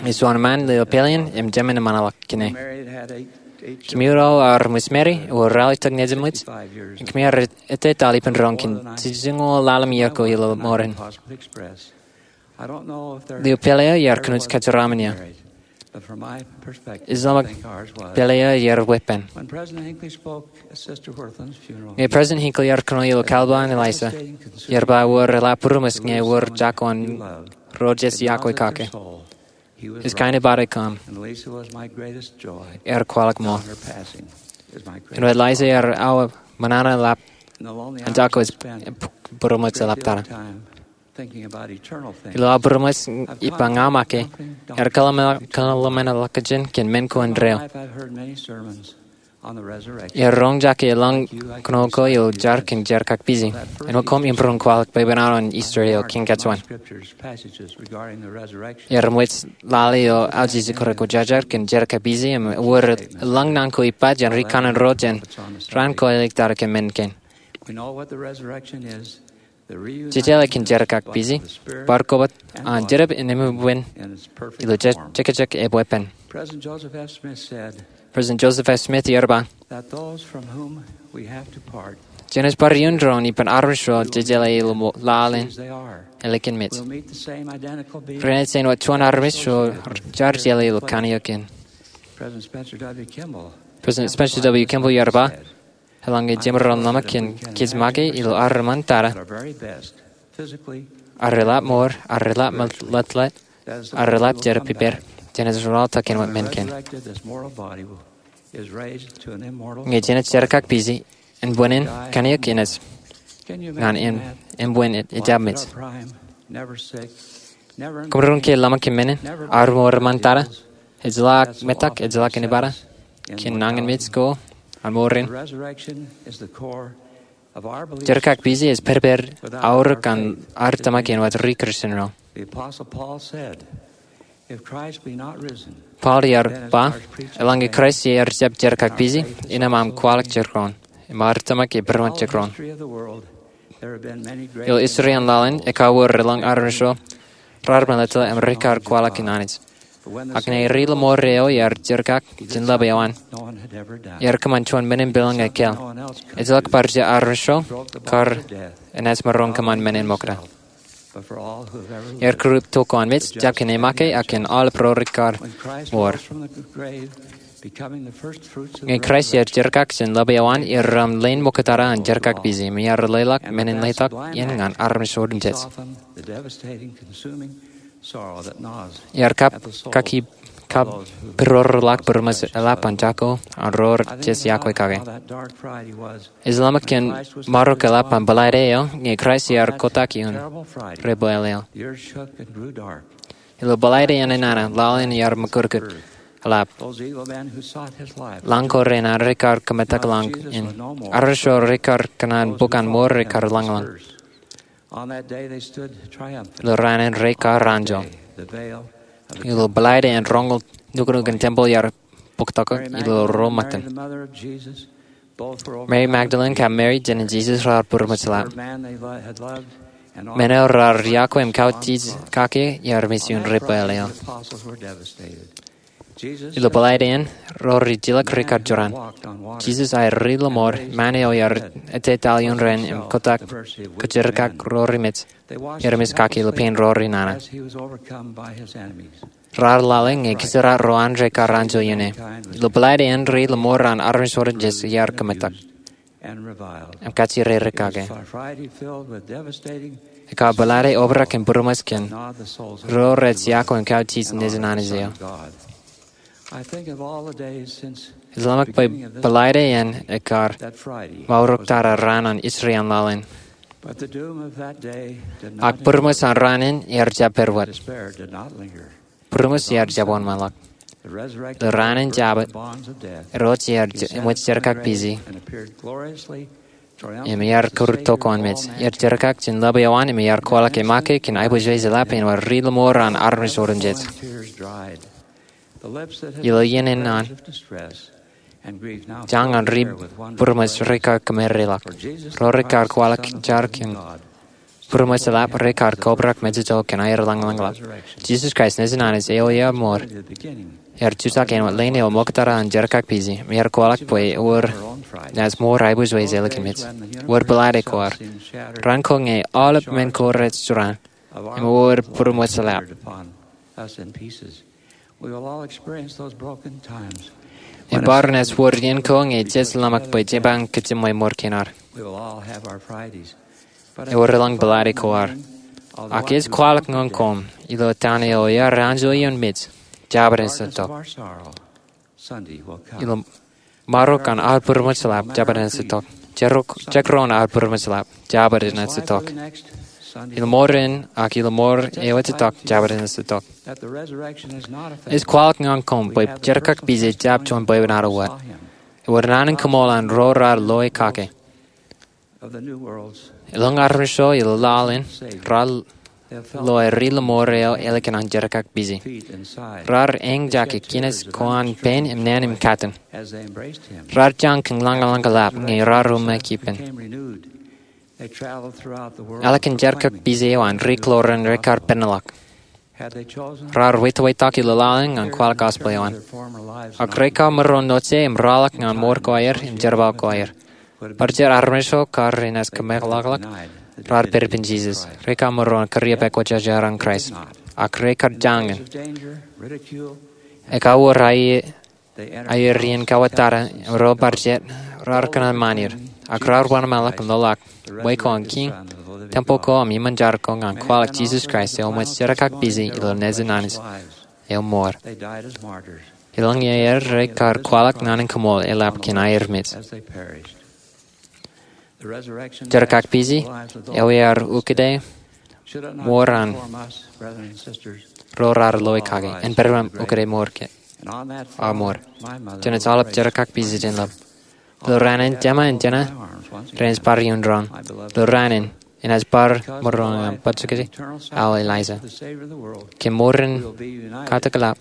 Ej juon ṃaan leo pālle in im jemān eṃṃanḷọk kōn e. Kōm iien eo ar ṃōj married, ewōr ralitōk nejin ṃōj. Im kōm ar etetal ippān roñ kōn jiljinoñoul ḷalem iiō ko ilo ṃoran. Leo pālle eo ear kōnooj kōjeraṃṃan eō. Ij ḷōmṇak pālle eo ear weeppān. Ñe President Hinckley ear kōnono ilo kalba an Eliza, ear ba ewōr eḷap būroṃōj ñe ewōr jako an ro jej yokwe kake. Ej kain eo bar ekōṃ. Ear kwaḷọk ṃool. Āinwōt Eliza ear aō ṃōṇōṇō eḷap an jako ej būroṃōj eḷaptata. Ilo aō būroṃōj ippa ña ṃōk e, ear kōḷmānḷọkjeṇ kōn men ko indeeo. Ear roñ jake elōñ kōnono ko ilo jar kōn jerkakpije. Āinwōt koṃ im būroṃōj kwaḷọk bwebwenato in Easter eo kōn kōjwōj. Ear ṃōj lale ilo aujije kōrā ko jajar kōn jerkakpije im ewōr elōñ naan ko ippa jān ri kanaan ro jān raan ko āliktata kōn men kein. Jejeḷā kōn jerkakpeje bar kobōt an jenōb in eṃṃan ilo jekjek ebwepen. President Joseph F. Smith ear ba, Jenaaj bar iuun doon ippān armej ro jejeḷā ilo laḷ in ālikin mej. Renaaj āinwōt juon armej ro jaar jeḷā ilo kanniōk in. President Spencer W. Kimball ear ba, eḷaññe jemaroñ ḷōmṇak kōn kōj make ilo ad eṃṃan tata, ad reḷap mour, ad reḷap meḷeḷe, ad reḷap jerbal ippād, jenaaj rọọltok āinwōt men kein. Ñe jenaaj jerkakpeje, ānbwinnin kanniōk enaaj ñan ānbwin ejjab mej. Kōmro ke ḷōmṇak kōn men in? Ad mour eṃṃan tata, ejjeḷọk metak, ejjeḷọk inepata kōn nañinmej ko an mour in. Jerkakpeje ej pedped aorōk an ad tōmak āinwōt ri-Kūrjin ro. Paul ear ba, eḷaññe Kraist ear jab jerkakpeje, innām aṃ kwaḷọk jekdọọn, im ad tōmak ke būruon jekdọọn. Ilo history an laḷ in, ekauwōr elōñ armej ro raar meḷeḷe im rekar kwaḷọk kōn Anij. Ak ñe ri-lọmọọr eo ear jerkak jān ḷap eo an, ear kōṃṃan juon men in peḷḷọk ñe kāāl. Ejjeḷọk bar jea armej ro kar enaaj maroñ kōṃṃan men in ṃokta. Ear kūr to ko an mej, jab kōn e make, ak kōn aolep ro rekar mour. Ñe Kraist ear jerkak jān ḷap eo an, ear rōṃ leen ṃoktata an jerkakpeje, im ear leḷọk men in letok in ñan armej otemjej. Ear kab, kaki, kab, būroorḷọk būrmōs eḷap an jako an ro rej yokwe kake. Ej ḷōmṇak kōn marok eḷap an Bōḷaide eo ñe Kraist ear kotak iuun ri-bweḷeḷe eo. Ilo Bōḷaide in enana, laḷ in ear mukūtkūt eḷap. Lañ ko rein an rekar kōmetak lañ in. Armej ro rekar kōṇaan bok an mour rekar lañlōñ. Ilo raan in rekar anjọ. Ilo Bōḷaide in roñoul nuknuk in tempeḷ ear bōktōktok ilo ro ṃōttan. Mary Magdalene kab Mary, jenaaj Jisōs, raar būrmōs eḷap. Men eo raar yokwe im kautiej kake ear mej iuun ri-bweḷeḷe eo. Ilo Bōḷaide in, ro rijilōk rekar jorrāān. Jisōs aer ri-lọmọọr, ṃaan eo ear ettetaḷ iuun rainin im kotak kōjerkak ro remej, ear mej kake ilo pein ro renana. Raar lale ñe kōjerkak ro an rekar anjọ iuun e. Ilo Bōḷaide in, ri-lọmọọr an armej otemjej ear kōmetak im kajjirere kake. Ekar Bōḷaide obrak im būrmōs kōn ro rej yokwe im kautiej Nejin Anij eo. Ij ḷōmṇak bwe Bōḷaide in ekar maorōktata raan an history an laḷ in. Ak būrmōs an raan in ear jab pād wōt. Būrmōs ear jab wōnṃaanḷọk. Ilo raan in Jabōt, Irooj ear eṃōj jerkakpeje im ear kūr to ko an mej. Ear jerkak jān ḷap eo an im ear kwaḷọk e make kōn aiboojoj eḷap āinwōt ri-lọmọọr an armej otemjej. Ilo iien in an, jañ an ri-būrmōs rekar kōmereḷọk. Ro rekar kwaḷọk jar kōn būrmōs eḷap rekar kobrak mejejjo kōn aer lañlōñḷọk. Jisōs Kraist, Nejin Anij eo ear mour, ear jutak āinwōt leen eo ṃoktata an jerkakpeje, im ear kwaḷọk bwe ewōr naaj mour aiboojoj ālikin mej. Wōr Bōḷaide ko ad. Raan ko ñe aolep men ko rej jorrāān, im ewōr būrmōs eḷap. Im bar naaj wōr iien ko ñe jej ḷōmṇak bwe jepañ kōjimwe mour kein ad. Ewōr elōñ Bōḷaide ko ad. Ak ij kwaḷọk ñan koṃ, ilo town eo ear anjọ iuun mej, Jabōt enaaj itok. Ilo marok an ad būrmōs eḷap, Jabōt enaaj itok. Jekdọọn ad būrmōs eḷap, Jabōt enaaj itok. Ilo mour in, ak ilo mour eo ej itok, Jabōt enaaj itok. Ij kwaḷọk ñan koṃ bwe jerkakpeje ejjab juon bwebwenato wōt. Ewōr naan in koṃṃool an ro raar loe kake. Elōñ armej ro ilo laḷ in raar loe ri-lọmọọr eo ālikin an jerkakpeje. Raar eñjake kinas ko an pein im naan im katten. Raar jañ kōn lañlōñ eḷap ñe raar uṃwij ippān. Ālikin jerkakpeje eo an ri kloor in rekar penḷọk. Raar wāweentok ilo laḷ in ñan kwaḷọk gospel eo an. Ak rekar maroñ note im ralitōk ñan mour ko aer im jerbal ko aer. Bar jet armej ro kar inaaj kōmeḷeḷe raar pād ippān Jesus. Rekar maroñ kūr ippaṃ kwōjarjar an Kraist. Ak rekar jañin. Ekar wōr aer iien kawōtata, ro bar jet, raar kōṇaan ṃaan er. Ak raar wōnṃaanḷọk im loḷọk. Wāween ko an kiiñ, tempel ko im iṃōn jar ko ñan kwaḷọk Jesus Kraist eo eṃōj jerkakpeje ilo Nejin Anij eo ṃool. Elōñ er rekar kwaḷọk naan in kaṃool eḷap kōn aer mej. Jerkakpeje eo ear ukōte mour an ro raar loe kake, en pād ippān ukōte mour ke, a mour. Jenaaj aolep jerkakpeje jān ḷap. Ilo raan in, jema im jena renaaj bar iuṃwin doon. Ilo raan in, enaaj bar maroñ im bajjek aō Eliza. Kōn mour in katak eḷap,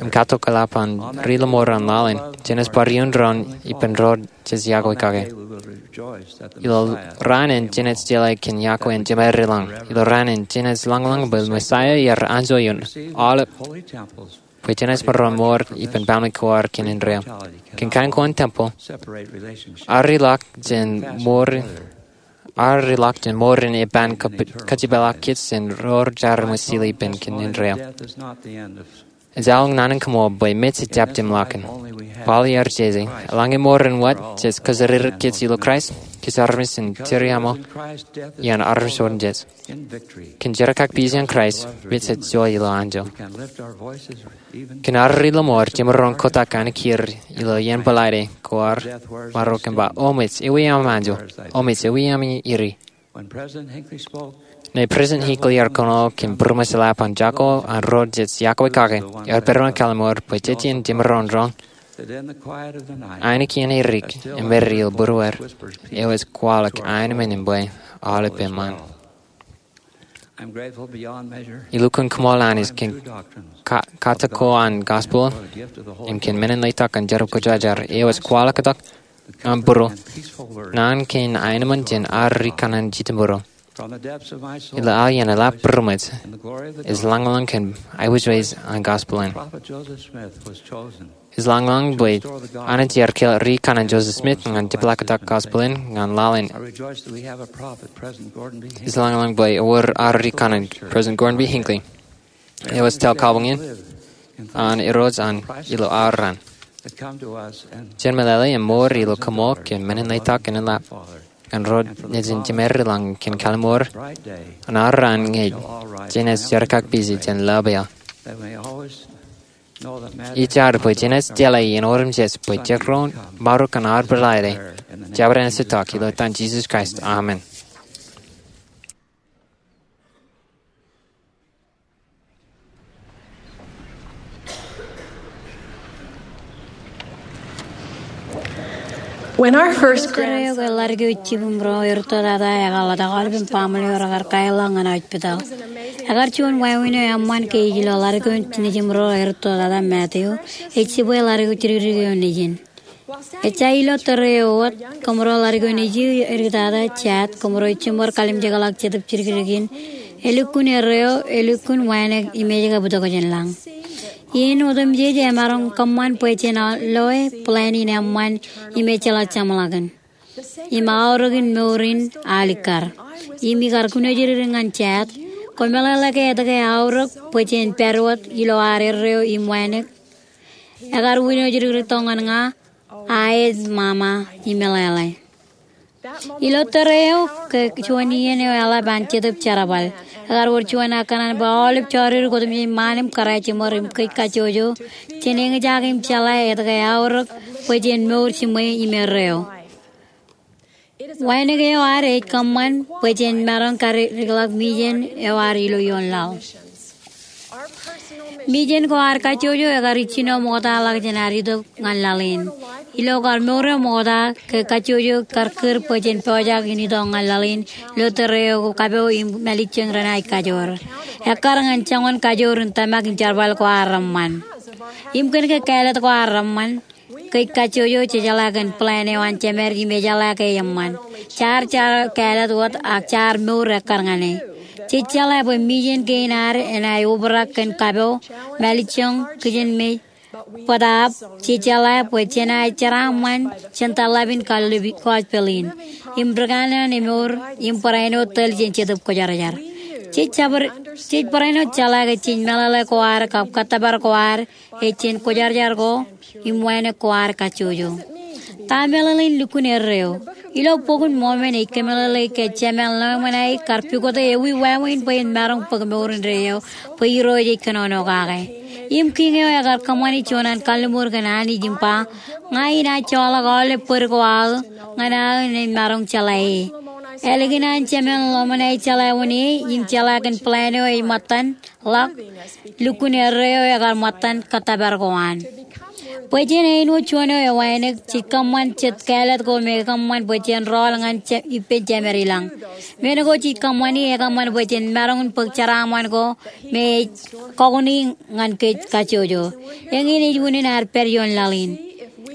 im katak eḷap an ri lọmọọr an laḷ in, jenaaj bar iuṃwin doon ippān ro jej yokwe kake. Ilo raan in jenaaj jeḷā kōn yokwe in jemedlaḷ. Ilo raan in jenaaj lañlōñ bwe Messiah ear anjọ ioon aolep, bwe jenaaj maroñ mour ippān baaṃle ko ad kōn indeeo. Kōn kain ko an tempel, ear ri ḷọk jān mour, ear ri ḷọk jān mour in eban kab-, kajipeḷḷọk kōj jān ro jar eṃōj sile ippān kōn indeeo. Ejjaḷọk naan in kaṃool bwe mej ejjab jemḷọkin. Paul ear jeje, eḷaññe mour in wōt jej kōjatdikdik kōj ilo Kraist, kōj armej in tiriaṃo iaan armej otemjej. Kōn jerkakpeje an Kraist, mej ej juon ilo anjọ. Kōn ad ri lọmọọr jemaroñ kotak ainikien ilo iien bōḷaide ko ad maroñ kōṃṃan, O mej, ewi aṃ anjọ? O mej, ewi aṃ iri? Ñe President Hinckley ear kōṇaan kōn būroṃōj eḷap an jako an ro jej yokwe kake, ear pād ippān kallim̧ur bwe jej jemaroñ doon ainikien edik im ṃōttan būruer, eo ej kwaḷọk aenōṃṃan im bwe aolep eṃṃan. Ilukkuun kaṃool Anij kōn ka-, katak ko an gospel im kōn men in letok an Jetōb Kwōjarjar eo ej kwaḷọk tok ñan būruon naan kein aenōṃṃan jān ad ri kanaan jidik būruon. Ilo aelōñ in eḷap būroṃōj, ij lañlōñ kōn aiboojoj an gospel in. Ij lañlōñ bwe Anij ear kiiō ri kanaan Joseph Smith ñan jepḷaaktok gospel in ñan laḷ in. Ij lañlōñ bwe ewōr ad ri kanaan President Gordon B. Hinckley, eo ej tōl kabuñ in an Irooj an ilo ad raan. Jen meḷeḷe im mour ilo kaṃool kōn men in letok in eḷap ñan ro nejin jemedlaḷ kōn kalliṃur an ad raan ñe jenaaj jerkakpeje jān lọpḷọk. Ij jar bwe jenaaj jeḷā iien otemjej bwe jekdọọn maroñ kōn ad bōḷaide. Jabdewōt ej tok ilo etan Jesus Christ, amen. When our first grandson, ḷadik eo ej jibūṃro erūtto tata, ekar ḷotak aolep im baaṃle eo rekar kaeḷḷọk ñan hospital. Ekar juon wāween eo eṃṃan ke ij lo ḷadik eo nejim̧ro erūtto tata, Matthew, ej jibwe ḷadik eo jidikdik eo nejin. Ejja ilo tōre eo wōt, kōmro ḷadik eo nejū edik tata, Chad, kōmro ej jiṃor kalimjekḷọk Jetōb jidikdik in. Elukkuun erreo, elukkuun wānōk im ej kab itok jān lañ. Iien otemjej emaroñ kōṃṃan bwe jen loe plan in eṃṃan im ejjeḷọk jeṃḷọkin. Im aorōkin mour in alikkar. Im ikar kūnooj dikdik ñan Chad, koṃeḷeḷe ke etke eaorōk bwe jen pād wōt ilo ad erreo im wānōk. Ekar wūnooj dikdik tok ñan ña, aet, Mama, im meḷeḷe. Ilo tōre eo, ke juon iien eo eḷap an Jetōb Jerbal. Ekar wōr juon aō kōṇaan bwe aolep jọridik otemjej ṃaan im kōrā jiṃor im kōj kajjojo, jen eñjake im jeḷā etke eaorōk bwe jen mour jiṃwe im erreo. Wānōk eo ad ej kōṃṃan bwe jen maroñ kadikḷọk mission eo ad ilo ioon laḷ. Mission ko ad kajjojo ekar ijjino ṃoktaḷọk jān ad itok ñan laḷ in. Ilo kar mour eo ṃokta, ke kajjojo kar kūr bwe jen pojak in itok ñan laḷ in ilo tōre eo kapo im mālejjoñ renaaj kajoor. Ekkar ñan joñan kajoor in tōmak im jerbal ko ad reṃṃan im kōn ke kāālōt ko ad reṃṃan. kōj kajjojo, jejeḷā kōn plan eo an Jemed im ejeḷā ke eṃṃan. Jaar, jaar kāālōt wōt ak jaar mour ekkar ñan e. Jej jeḷā bwe mission kein ad enaaj obrak kōn kapo, mālejjoñ, kijenmej, bōtaab jej jeḷā bwe jenaaj jeraaṃṃan jān tōḷḷap in gospel in im rūkanaan emour im barāinwōt tōl jān Jetōb Kwōjarjar. Jej jab, jej barāinwōt jeḷā ke jej meḷeḷe ko ad kab kōttōpar ko ad ej jān kwōjarjar ko im wānōk ko ad kajjojo. Ta meḷeḷein lukkuun erreo? Ilo Bok in Mormon ej kōmeḷeḷe ke Jemān ḷōmṇak kar pukot e ewi wāween bwe en maroñ bōk mour indeeo bwe Irooj ej kōnono kake. Im kiiñ eo ekar kōṃṃani juon an kalliṃur kōn Anij im ba, ña inaaj joḷọk aolep bōd ko aō ñan aō im maroñ jeḷā e. Ālikin an Jemān ḷōmṇak jeḷā wōn e im jeḷā kōn plan eo ej ṃōttan ḷọk, lukkuun erreo ekar ṃōttan kōttōpar ko an. Bwe jen āinwōt juon eo ewānōk, jej kōṃṃan jet kāālōt ko me ekōṃṃan bwe jen rọọl ñan ippān Jemed ilañ. Men ko jej kōṃṃani ekōṃṃan bwe jen maroñ in bōk jeraaṃṃan ko me ej kọkoṇi ñan kōj kajjojo. Eñin ej unin ad pād ioon laḷ in.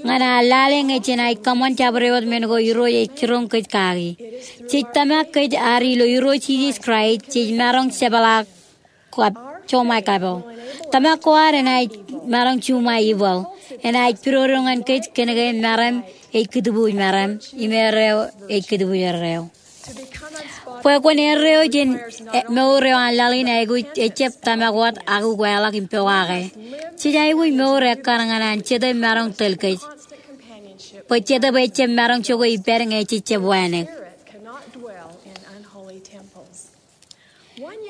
Ñan ad lale ñe jenaaj kōṃṃan jabdewōt men ko Irooj ej jiroñ kōj kaki. Jej tōmak kōj ad ilo Irooj Jisōs Kraist, jej maroñ jepḷaak kab joṃae kapo. Tōmak ko ad enaaj maroñ juṃae ippān. Enaaj pidodo ñan kōj kōnke meram ej kūtbuuj meram im erreo ej kūtbuuj erreo. Bwe kwōn erreo jān mour eo an laḷ in aikuj ejjab tōmak wōt ak ukeḷọk im pokake. Jej aikuj mour ekkar ñan an Jetōb maroñ tōl kōj. Bwe Jetōb ejjab maroñ jokwe ippād ñe jejjab wānōk.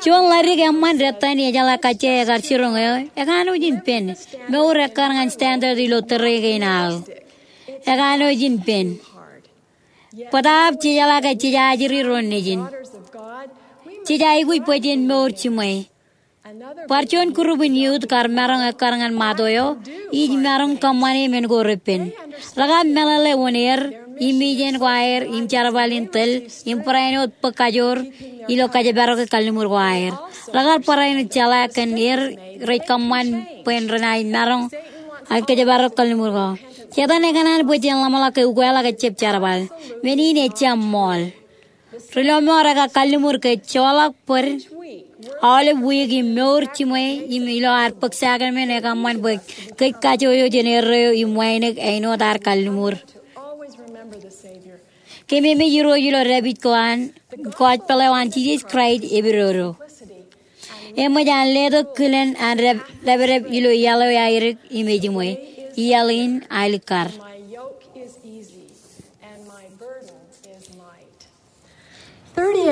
Juon ḷadik eṃṃan dettan ejeḷā kajjie ekar jiroñ eo, ekanooj in pen. Mour ekkar ñan standard ilo tōre kein aō. Ekanooj in pen. Bōtaab jejeḷā ke jej ajri ro nejin. Jej aikuj bwe jen mour jiṃwe. Bar juon group in youth kar maroñ ekkar ñan ṃōtto eo, ij maroñ kōṃṃane men ko repen. Rekar meḷeḷe wōn er, im ijeṇ ko aer, im jerbal in tōl, im barāinwōt bōk kajoor ilo kōjparok kalliṃur ko aer. Rekar barāinwōt jeḷā kōn er rej kōṃṃan bwe renaaj maroñ an kōjparok kalliṃur ko. Setan ekōṇaan bwe jen ḷōmṇak ke ukeḷọk ejjab jerbal. Men in ejjab ṃool. Ri lọmọọr ekar kalliṃur ke joḷọk bōd aolep wiik im mour jiṃwe im ilo ad bōk sakramen ekōṃṃan bwe kōj kajjojo jān erreo im wānōk āinwōt ad kalliṃur. Kememej Irooj ilo dāpij ko an gospel eo an Jisōs Kraist epidodo. Eṃōj an letok kilen an dāpdep ilo iaḷ eo aerōk im ejiṃwe. Iaḷ in alikkar.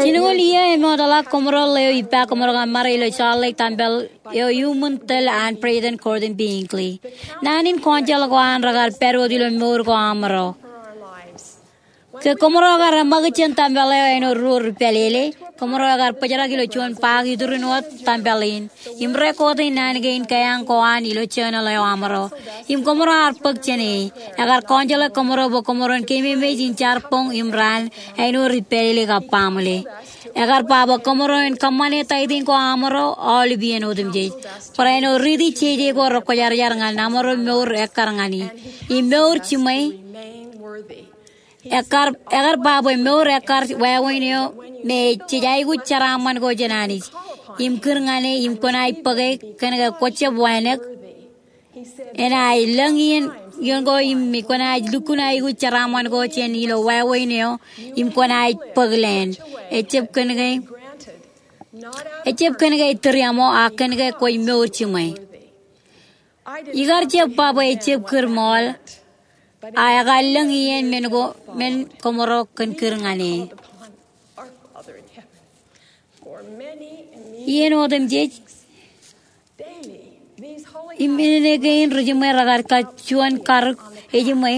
Jinoñoul iiō eṃootḷọk koṃro ḷeo ippa koṃro kaṃṃare ilo Salt Lake tempel eo iuṃwin tōl an President Gordon B. Hinckley. Naan in council ko an rekar pād wōt ilo mour ko aṃro. Ke koṃro kar eṃṃakūt jān tempel eo āinwōt ruo ri pālele, koṃro ekar bōjrak ilo juon paak iturin wōt tempel in im record e naan kein kaiañ ko an ilo journal eo aṃro. Im koṃro ar bōk jān e. Ekar counsel e koṃro bwe koṃro en kememej in jar boñ im raan āinwōt ri pālele kab baaṃle. Ekar ba bwe koṃro en kōṃṃane tithing ko aṃro aolep iien otemjej. Barāinwōt riiti jeje ko rekwōjarjar ñan aṃro mour ekkar ñan e. Im mour jiṃwe. Ekar, ekar ba bwe mour ekkar wāween eo me jej aikuj jeraaṃṃan ko jān Anij im kūr ñan e im kwōnaaj bōke kōnke kwōjab wānōk. Enaaj lōñ iien, iien ko im kwōnaaj lukkuun aikuj jeraaṃṃan ko jān ilo wāween eo im kwōnaaj bōk land. Ejjab kōnke, ejjab kōnke tūriaṃo, ak kōnke kwōj mour jiṃwe. Ikar jab ba bwe ejjab kūr ṃool, a ekar lōñ iien men ko, men koṃro kōn kūr ñan e. Iien otemjej, im men kein ri jiṃwe rekar kar juon karōk ejiṃwe,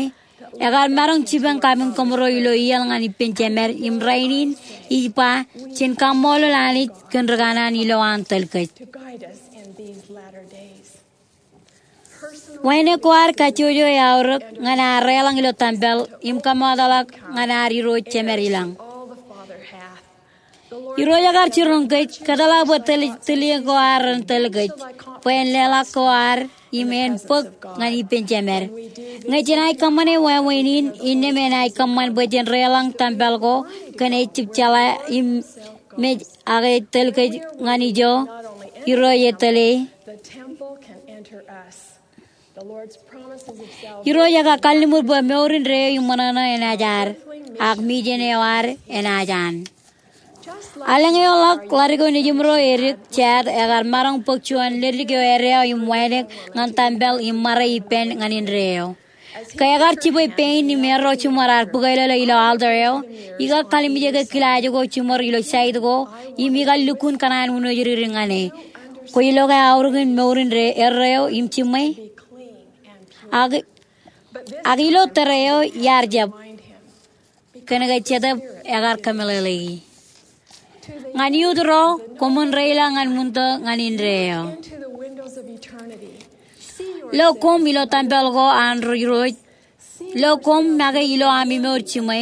ekar maroñ jipañ kapiñ koṃro ilo iaḷ ñan ippān Jemed, im rainin ij ba, jen kaṃṃoolol Anij kōn ri kanaan ilo an tōl kōj. Wānōk ko ad kajjojo eaorōk ñan ad deḷọñ ilo tempel im kōṃṃootḷọk ñan ad Irooj Jemed ilañ. Irooj ekar jiroñ kōj, kōtḷọk bwe tōl, tōl iien ko ad ren tōl kōj, bwe en leḷọk ko ad im en bōk ñan ippān Jemed. Ñe jenaaj kōṃṃane wāween in, innām enaaj kōṃṃan bwe jen deḷọñ tempel ko kōn ej jab jeḷā im mej, ak ej tōl kōj ñan ijo Irooj etōle. Irooj ekar kalliṃur bwe mour indeeo im ṃōṇōṇō enaaj ad, ak mijen eo ad enaaj an. Elōñ eo ḷọk ḷadik eo nejiṃro edik, Chad ekar maroñ bōk juon ledik eo edeeo im wānōk ñan tempel im ṃare ippān ñan indeeo. Ke ekar jibwe pein im erro jiṃor ad bōk elōḷo ilo altar eo, ikar kalimjeke kilaaj ko jiṃor ilo side ko im ikar lukkuun kōṇaan uno jidik ñan e. Kwōj lo ke aorōkin mour indeeo, erreo im jiṃwe? Ak, ak ilo tōre eo iar jab, kōnke Jetōb ekar kōmeḷeḷeiki. Ñan iuṃwin ro, koṃwin deḷọñ ñan ṃwinto ñan indeeo. Lo koṃ ilo tempel ko an Irooj. Lo koṃ make ilo ami mour jiṃwe.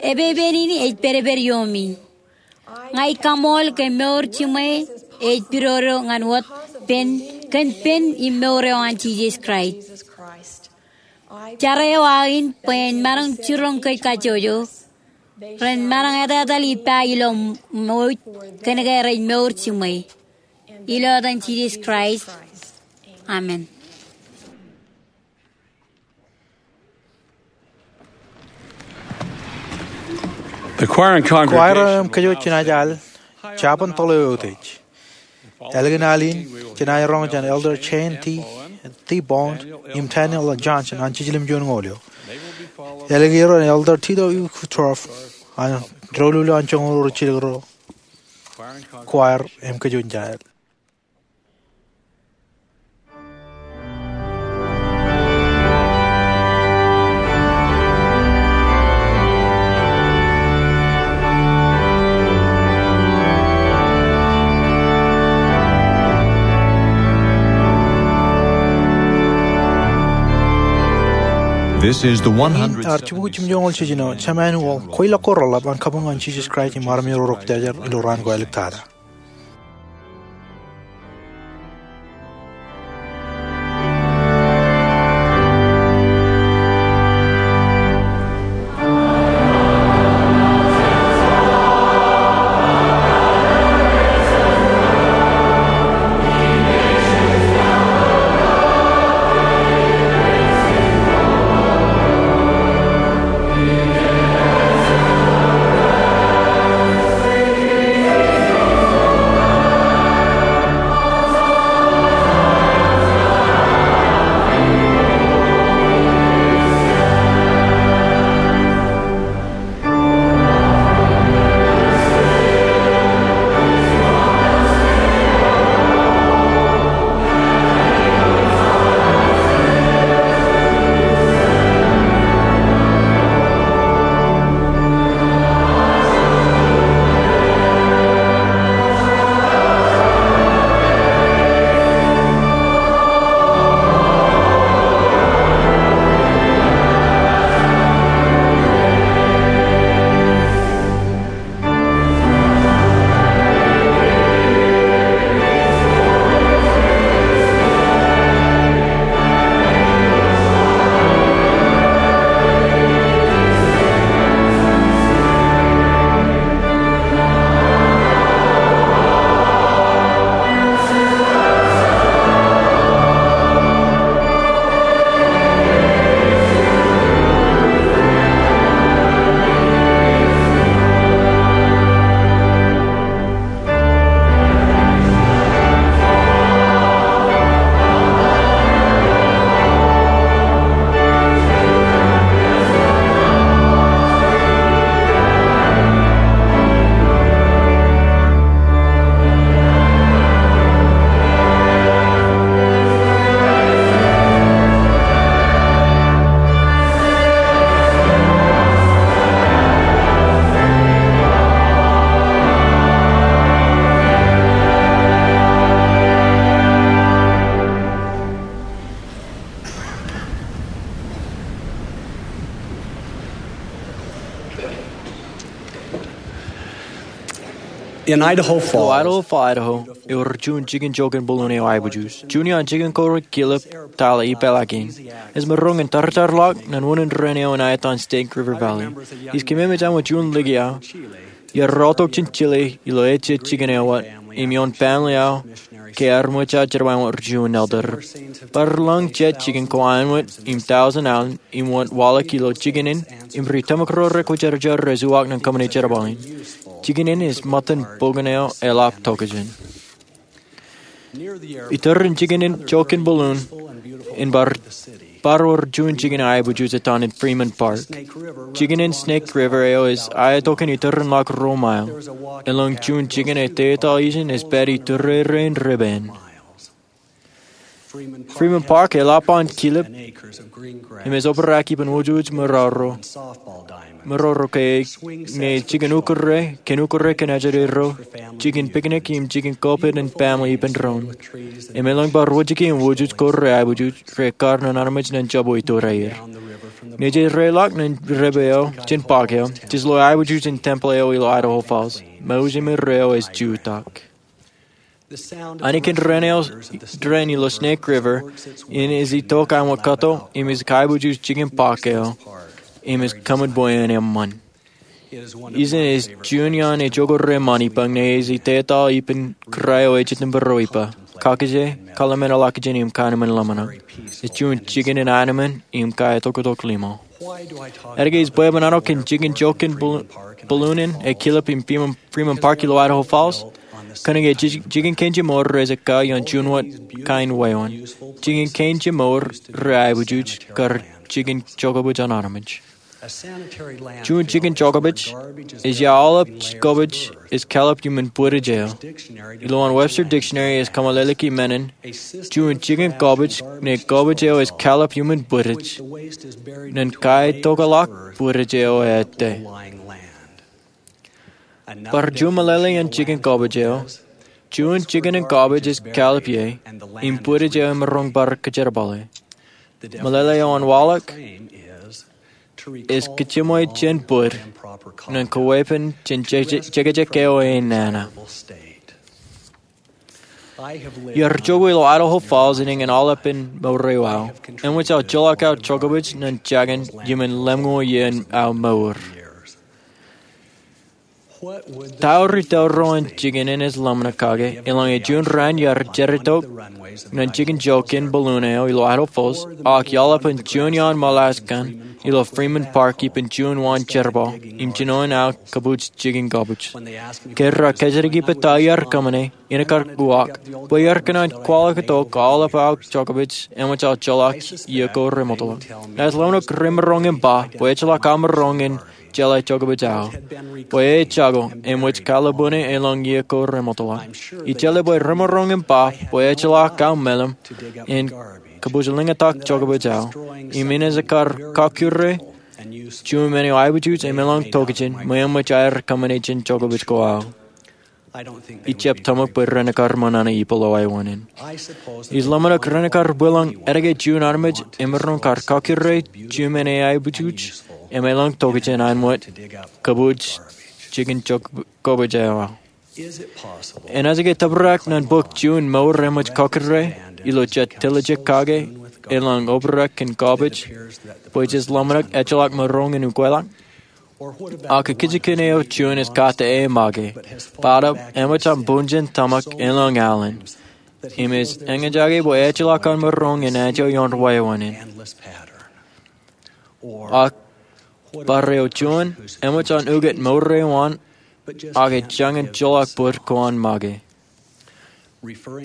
Epepen in ej pedped iiomi. Ña ij kaṃool ke mour jiṃwe ej pidodo ñan wōt pen, kōn pen im mour eo an Jisōs Kraist. Jar eo aō in bwe en maroñ jiroñ kōj kajjojo. Ren maroñ etetal ippa ilo ṃōj, kōnke rej mour jiṃwe. Ilo etan Jisōs Kraist. Amen. Kwaer im kōjwōj jenaaj al jabōn toḷ eo eutiej. Ālikin al in, jenaaj roñ jān Elder Jane T. Bond im Daniel L. Johnson an Jiljilimjuonñoul eo. Ālikin er Elder Tito E. Woodruff an doulul eo an joñoul ro jilkinro. Kwaer im kōjwōj jenaaj al. This is the one hundred. Im ar jibukwi jimjuonñoul jiljino, Jemānuel, kweilọk ko reḷap an kabuñ ñan Jisōs Kraist im armej ro rej pojak ilo raan ko āliktata. In Idaho Falls, Idaho Falls, Idaho, ewōr juon jikin jokin bōlōn eo aiboojoj. Juon iaan jikin ko re kilep tōl ippaḷọk in. Ej maroñ in tarjarḷọk ñan unin raṇ eo in aetan Snake River Valley. Ij kememej aṃ wōt juon liki aō iar rọọltok jān Chile ilo ejjet jikin eo wōt im ioon family eo ke ear ṃōj aō jerbal wōt ri juon elder. Bar lōñ jet jikin ko āinwōt im tọujin aolep im wōt waḷọk ilo jikin in im ri tōmak ro rekwōjarjar rej uwaak ñan kōṃṃane jerbal in. Jikin in ej ṃōttan bōk in eo eḷap tokjān. Iturin jikin in jokin bōlōn in bar, bar wōr juon jikin aiboojoj etan in Freeman Park. Jikin in Snake River eo ej aetok in iturin ḷọk ruo mile. Elōñ juon jikin ej tetaḷ ijin ej pād iturere in river in. Freeman Park eḷap an kilep im ej obrak ippān wōjwōj maroro, maroro ke ñe jikin ukōrre, kōn ukōrre kōn ajri ro, jikin picnic im jikin koppet in family ippān doon. Im elōñ bar wōjke im wōjwōj ko re aiboojoj re kar ñan armej ñan jabwe iturin aer. Ñe jej reiḷọk ñan river eo jān park eo, jej lo aiboojoj in tempeḷ eo ilo Idaho Falls, mour eo ej jutak. Āinwōt raṇ eo, raṇ ilo Snake River in ej itok āinwōt kato im ej kaiboojoj jikin park eo im ej kōṃṃan bwe en eṃṃan. Ijin ej juon iaan ejokōt reṃṃan ippa ñe ej tetaḷ ippān kōrā eo ejjetin būruō ippa, kakije, kōḷmānḷọkjeṇ im kōṇaan ḷōmṇak. Ej juon jikin in ānmān im kaetoktok limo. Etke ij bwebwenato kōn jikin jokin bōlōn in ekilep in Freeman Park ilo Idaho Falls? Kōnke jikin kein jemour rej ekkā ioon juon wōt kain wāween. Jikin kein jemour rej aiboojoj kar jikin jokabōj an armej. Juon jikin jokabōj ej ia aolep kobōj ej kallib iuṃwin bwidej eo. Ilowaan Webster Dictionary ej kōmeḷeḷeiki men in juon jikin kobōj ñe kobōj eo ej kallib iuṃwin bwidej ñan kaetokḷọk bwidej eo ettā. Bar juon meḷeḷe in jikin kobōj eo, juon jikin in kobōj ej kallib ie im bwidej eo emaroñ bar kōjerbale. Meḷeḷe eo an waḷọk ej kōjeṃwe jān bwid ñan kaweepen jān jekjek eo enana. Iar jokwe ilo Idaho Falls in eñin aolepān mour eo aō. Eṃōj aō joḷọk aō jokabōj ñan jakin iuṃwin lemñoul iien aō mour. Ta ri tōl ro an jikin in ej ḷōmṇak kake, elōñ juon raṇ iar jeratok ñan jikin jokin bōlōn eo ilo Idaho Falls, ak iaḷapin juon iaan moḷaaj kaṇ ilo Freeman Park ippān juon waan jerbal im jinoin aō kōbuuj jikin kobōj. Ke rej kōjatdikdik bwe ta iar kōṃṃane, inaaj kar uwaak bwe iar kōṇaan kwaḷọk tok aolep aō jokabōj eṃōj aō joḷọk iiō ko remootḷọk. Naaj ḷōmṇak remaroñ im ba bwe ejjeḷọk aō maroñ in jeḷā jokabōj aō, bwe e jako eṃōj kallib ṇe elōñ iiō ko remootḷọk. Ij jeḷā bwe remaroñ im ba bwe ejjeḷọk aō meḷeḷe in kōbuuj lōñtak jokabōj aō im inaaj kar kakkure juon men eo aiboojoj im elōñ tokjān ṃōṃan aer kōṃṃane jān jokabōj ko aō. Ij jab tōmak bwe ren kar ṃōṇōṇō ippaḷ eo aō wōṇāān. Ij ḷōmṇak ren kar bwilōñ etke juon armej emaroñ kar kakkure juon men eo aiboojoj im elōñ tokjān āinwōt kōbuuj jikin kobōj eo aō. Enaaj ke tōprak ñan bōk juon mour eṃōj kakkure ilo jet tiljek kake elōñ obrak kōn kobōj bwe jej ḷōmṇak ejjeḷọk maroñ in ukweḷọk? Ak ikijjien eo juon ej kate make, bōtab eṃōj an buñjān tōmak elōñ alen im ej eñjake bwe ejjeḷọk an maroñ in aō ioon wāween in. Ak bar eo juon eṃōj an ukōt mour eo an ak ej jañin joḷọk bōd ko an make.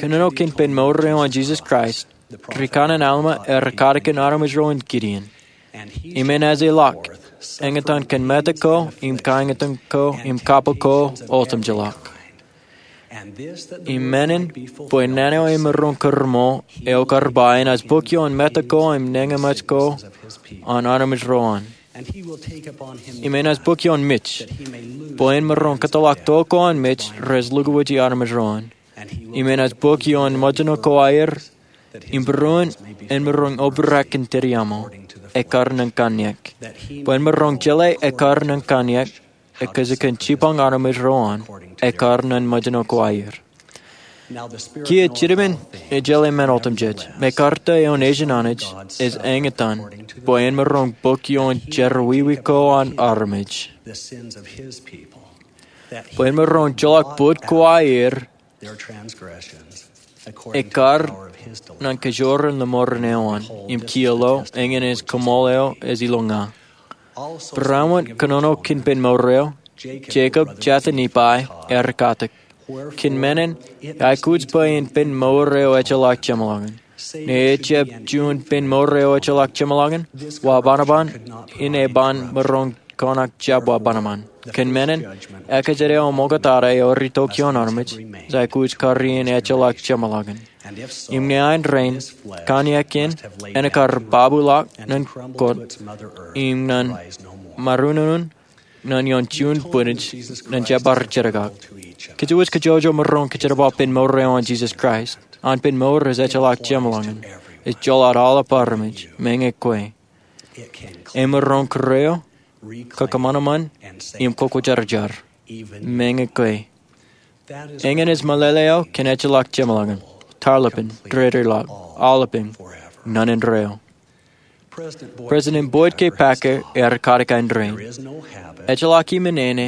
Kōnono kōn pen mour eo an Jisōs Kraist, ri kanaan Alma ear katakin armej ro in Gideon. Im enaaj ḷak, eñtaan kōn metak ko im kaeñtaan ko im kappok ko otemjeḷọk. Im men in bwe naan eo emaroñ kōrṃool eo kar ba enaaj bōk ioon metak ko im neñeṃōj ko an armej ro an. Im enaaj bōk ioon mej bwe en maroñ kōtḷọk to ko an mej rej lukkuwōji armej ro an. Im enaaj bōk ioon ṃōjṇo ko aer im būruon en maroñ obrak kōn dān eo aṃ ekkar ñan kanniōk, bwe en maroñ jeḷā ekkar ñan kanniōk ekkā kōn jipañ armej ro an, ekkar nōn mejān ko aer. Kiiō jitōmen ejjeḷọk men otemjej, me karōk eo Nejin Anij ej eñtaan, bwe en maroñ bōk ioon jerọwiwi ko an armej, bwe en maroñ joḷọk bōd ko aer, ekkar nōn kajoor in ḷōṃoor eo an, im kiiō lo, eñin ej koṃṃool eo ej ilo ña. Būruon kōnono kōn pen mour eo, Jekob jatū Nifai ear katak, kōn men in, aikuj bwe in pen mour eo ejjeḷọk jeṃḷọkin. Ñe ejjab juon pen mour eo ejjeḷọk jeṃḷọkin, wa banaban in eban maroñ kōṇaan jab wa banaban. Kōn men in, ekōjkan eo ṃokta eo ej ritok ioon armej, ej aikuj kari in ejjeḷọk jeṃḷọkin. Im ñe ain rein, kōn iien kein, en kar babuḷọk nōn kōt, im nōn maroñ unin nōn ioon juon bwinij, nōn jab bar jerkak. Kōjwōj kajjojo maroñ kōjerbal pen mour eo an Jisōs Kraist. An pen mour ej ejjeḷọk jeṃḷọkin. Ej joḷọk aolep armej, meñe kwe. Emaroñ kūr eo, kōkōṃanṃan, im kwōjarjar, meñe kwe. Eñin ej meḷeḷe eo kōn ejjeḷọk jeṃḷọkin, tarlepen, dedeḷọk, aolepen, nōn indeeo. President Boyd K. Packer ear katak ain rein, ejjeḷọk iminene,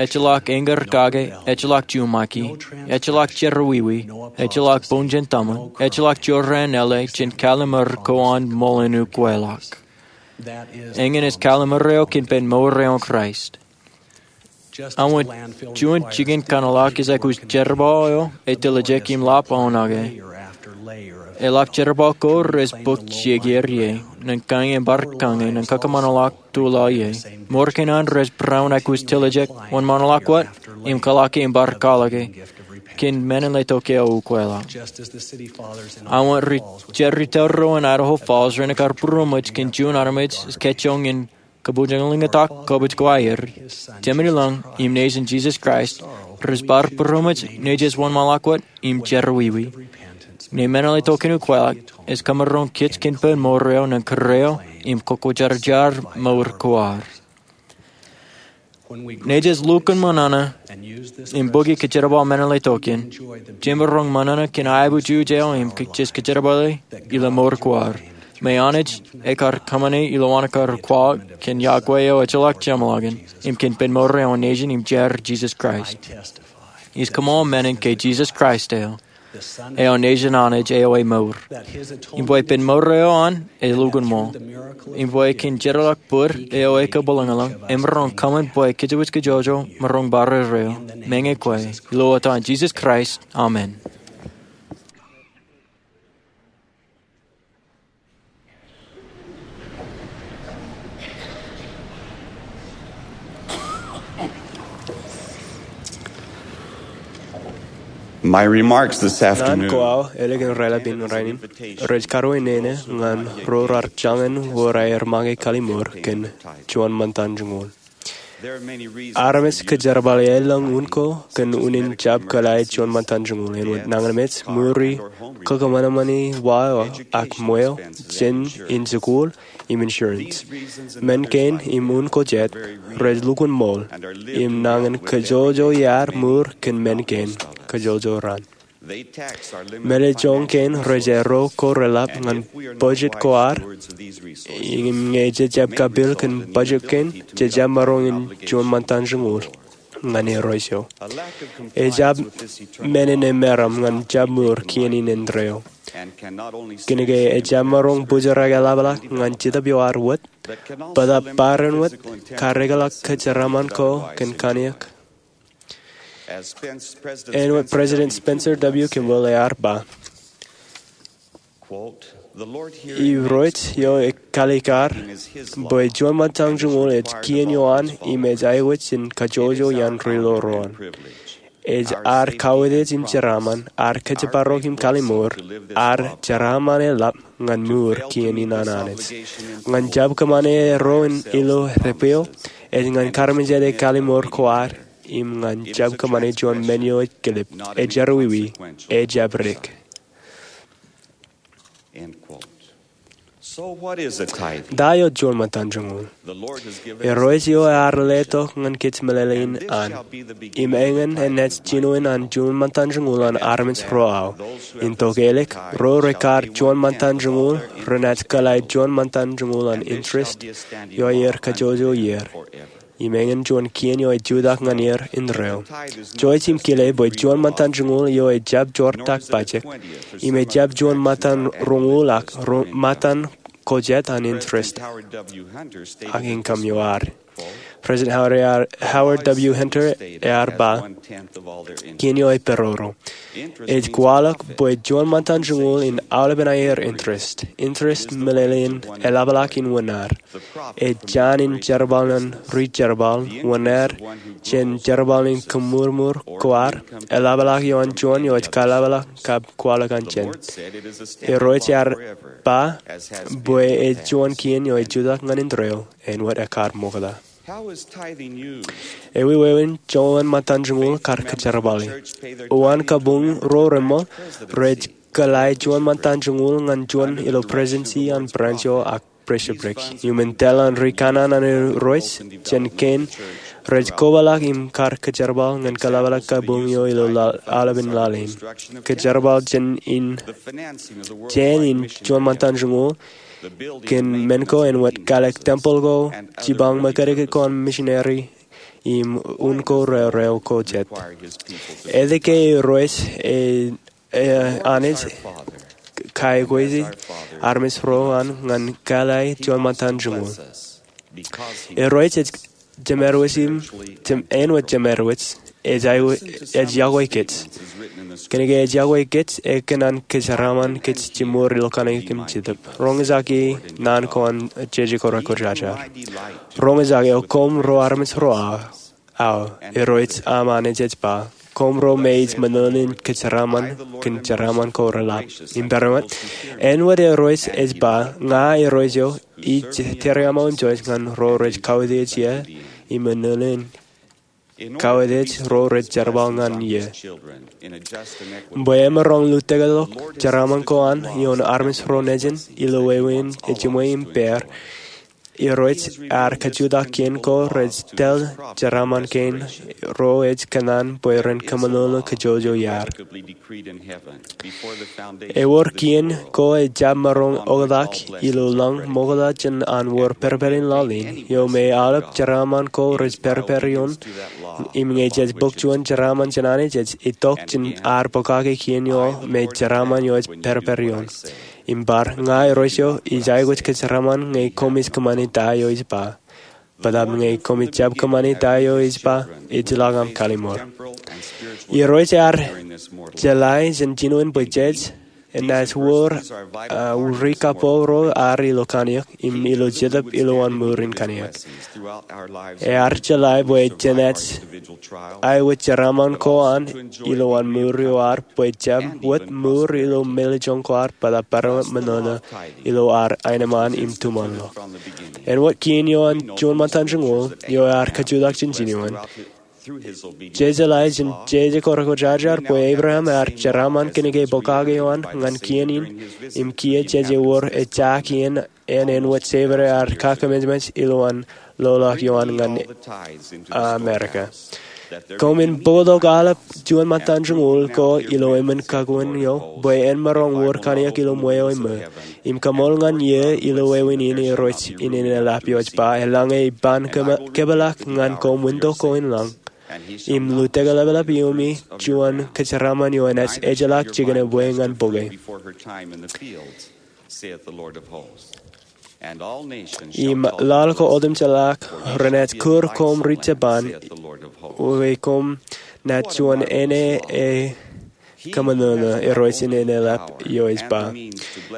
ejjeḷọk eñin kake, ejjeḷọk juṃaki, ejjeḷọk jerọwiwi, ejjeḷọk bōn jān tōmak, ejjeḷọk jorrāān āle jān kallimur ko an ṃool in ukweḷọk. Eñin ej kallimur eo kōn pen mour eo an Kraist. Awa juon jikin kaṇḷọk ej aikuj jerbal eo etiljek im lap aō nake. Eḷap jerbal ko rej bōk jikier ie, nōn kañin bar kañin nōn kōkōṃanḷọk tuḷọk ie. Mour kein an rej būruon aikuj tiljek, wōnṃaanḷọk wōt, im kōḷọke im bar kōḷọke, kōn men in letok eo ukweḷọk. Awa ri jerrito ro in Idaho Falls ren kar būroṃōj kōn juon armej ej kajjoñ in kabwilōñlōñtak kobwij ko aer. Jemān ilōñ im nejin Jisōs Kraist rej bar būroṃōj nejū ej wōnṃaanḷọk wōt im jerọwiwi. Ñe men in letok in ukweḷọk, ej kōmaroñ kōj kōn pen mour eo nōn kūr eo im kwōjarjar mour ko ad. Nejū ej lukkuun ṃōṇōṇō im bōki kōjerbal men in letok in, jemaroñ ṃōṇōṇō kōn aebujuje eo im jej kōjerbale ilo mour ko ad. Me Anij ekar kōṃṃane ilowaan kar kwaḷọk kōn iọkwe eo ejjeḷọk jeṃḷọkin, im kōn pen mour eo an nejin im jar Jisōs Kraist. Ij kōṃṃan men in ke Jisōs Kraist eo, eo nejin Anij eo emour. Im bwe pen mour eo an ej lukkuun ṃool. Im bwe kōn jeorḷọk bōd eo ekabwilōñlōñ, emaroñ kōṃṃan bwe kōjwōj kajjojo maroñ barāinwōt eo, meñe kwe. Ilo etan Jisōs Kraist, amen. My remarks this afternoon. Ñan ko aō ālikin raelep in rainin rej karuwainene ñan ro raar jañin wōr aer make kalimour kōn juon ṃōttan joñoul. Armej kōjerbale aelōñ un ko kōn unin jab kōḷḷā juon ṃōttan joñoul āinwōt nañinmej, ṃuri, kōkōṃanṃani wa eo ak ṃweo, jān in jikuuḷ, im insurance. Men kein im un ko jet rej lukkuun ṃool, im nañin kōjwōjwōj iaad ṃur kōn men kein kōjwōjwōj raan. Meḷeḷein kein rej erro ko reḷap ñan budget ko ad, im ñe jej jab kapeel kōn budget kein, jej jab maroñ in juon ṃōttan joñoul ñan erro ijo. Ejab men in emeram ñan jab ṃur kien in indeeo. Kōnke ejab maroñ bōjrak eḷapḷọk ñan Jetōb eo ad wōt, bōtab barāinwōt, kareḷḷọk kōjeraaṃṃan ko kōn kaniōk. Āinwōt President Spencer W. Kimball ear ba, Irooj eo ej kaalikkar bwe juon ṃōttan joñoul ej kien ioan im ej aikuj in kajjojo iaan ri-lorooan. Ej ad kautiej im jeraaṃṃan, ad kōjparok im kalimour, ad jeraaṃṃan eḷap ñan mour kien in an Anij. Ñan jab kōṃṃane erro in ilo debweo, ej ñan karmejāde kalimour ko ad, im ñan jab kōṃṃane juon men eo ej kilip, ej jerọwiwi, ejab dik. Ta eo juon ṃōttan joñoul? Irooj eo ear letok ñan kōj meḷeḷein an, im eñin enaaj jinoin an juon ṃōttan joñoul an armej ro aō. Im tok ālikin ro rekar juon ṃōttan joñoul, renaaj kōḷḷā juon ṃōttan joñoul an interest eo aer kajjojo ier, im eñin juon kien eo ej jutak ñan er indeeo. Jouj im kile bwe juon ṃōttan joñoul eo ejjab joortak pajek, im ejjab juon ṃōttan roñoul ak ṃōttan ko jet an interest ak income eo ad. President Howard W. Hunter ear ba, kien eo eperoro ej kwaḷọk bwe juon ṃōttan joñoul in aolepen aer interest. Interest meḷeḷein eḷapḷọk in wūnar. Ej jaan in jerbal ñan ri jerbal, wūnar jān jerbal in kōṃṃurṃur ko ad, eḷapḷọk ioon juon eo ej kaḷapḷọk kab kwaḷọk an jān. Irooj ear ba bwe ej juon kien eo ej jutak ñan indeeo, āinwōt ekkar ṃokta. Ewi wāween joñan ṃōttan joñoul kar kōjerbali? Uwaan kabuñ ro reṃṃool, rej kōḷḷā juon ṃōttan joñoul ñan juon ilo presidency an branch eo ak bishopric. Iuṃwin tōl an ri kanaan an Irooj jān kein, rej kobaḷọk im kar kōjerbal ñan kaḷapḷọk kabuñ eo ilo aolepān laḷ in. Kōjerbal jān in jān in juon ṃōttan joñoul kōn men ko āinwōt kālōk tempeḷ ko, jipañ ṃōkajdik ko an misineri, im un ko raorao ko jet. Etke Irooj e Anij kaekweiki armej ro an ñan kōḷḷā juon ṃōttan joñoul? Irooj ej jemedwōj im āinwōt jemedwōj ej yokwe kōj. Kōnke ej yokwe kōj, ekōṇaan kōjeraaṃṃan kōj jimor ilo kanniōk im jetōb. Roñjake naan ko an jeje ko rekwōjarjar. Roñjake, O koṃ ro armej ro aō, Irooj aṃ Anij ej ba, koṃ ro me ij ṃōṇōṇō in kōjeraaṃṃan kōn jeraaṃṃan ko reḷap. Im peran wōt, āinwōt Irooj ej ba, ña Irooj eo ij tōre aṃ aō jouj ñan ro rej kautiej ie im ṃōṇōṇō in kautiej ro rej jerbal ñan ie. Bwe emaroñ lutōktok jeraaṃṃan ko an ioon armej ro nejin ilo wāween ejiṃwe im pād, Irooj ear kajutak kien ko rej tōl jeraaṃṃan kein ro ej kōṇaan bwe ren kōṃōṇōṇō kajjojo iaad. Ewōr kien ko ejjab maroñ oktak ilo lañ ṃokta jān an wōr pedped in laḷ in, eo me aolep jeraaṃṃan ko rej pedped ioon. Im ñe jej bōk juon jeraaṃṃan jān Anij, ej itok jān ad pokake kien eo me jeraaṃṃan eo ej pedped ioon. Im bar, ña Irooj eo ij aikuj kōjeraaṃṃan ñe koṃij kōṃṃani ta eo ij ba. Bōtab ñe koṃij jab kōṃṃani ta eo ij ba, ejjeḷọk aṃ kallimur. Irooj ear jeḷā jān jinoin bwe jej enaaj wōr ri kapo ro ad ilo kanniōk im ilo jetōb ilowaan mour in kanniōk. Ear jeḷā bwe jenaaj aikuj jeraaṃṃan ko an ilowaan mour eo ad bwe jab wōt mour ilo mālejjoñ ko ad bōtab peran wōt ṃōṇōṇō ilo ad aenōṃṃan im tuṃanḷọk. Āinwōt kien eo an juon ṃōttan joñoul eo ear kajutak jān jinoin, jejeḷā jān jeje ko rekwōjarjar bwe Ebream ear jeraaṃṃan kōnke pokake eo an ñan kien in im kiiō jej ewōr ejja kien āinwōt Jebede ear kakememej ilowaan loḷọk eo an ñan Amerika. Koṃwin bōktok aolep juon ṃōttan joñoul ko ilo emān kakuin eo bwe en maroñ wōr kanniōk ilo ṃweo eṃōj im kaṃool ñan ie ilo wāween in Irooj in enaaj lap iooj ba, eḷaññe iban kōpeḷḷọk ñan koṃ unin ko in lañ im lutōkḷapḷap iiō juon kōjeraaṃṃan eo enaaj ejjeḷọk jikin ebwe ñan bōke. Im laḷ ko otemjeḷọk renaaj kūr koṃ ri Japan, bwe koṃ naaj juon āne e kōṃōṇōṇō, Irooj in enaaj lap iooj ba.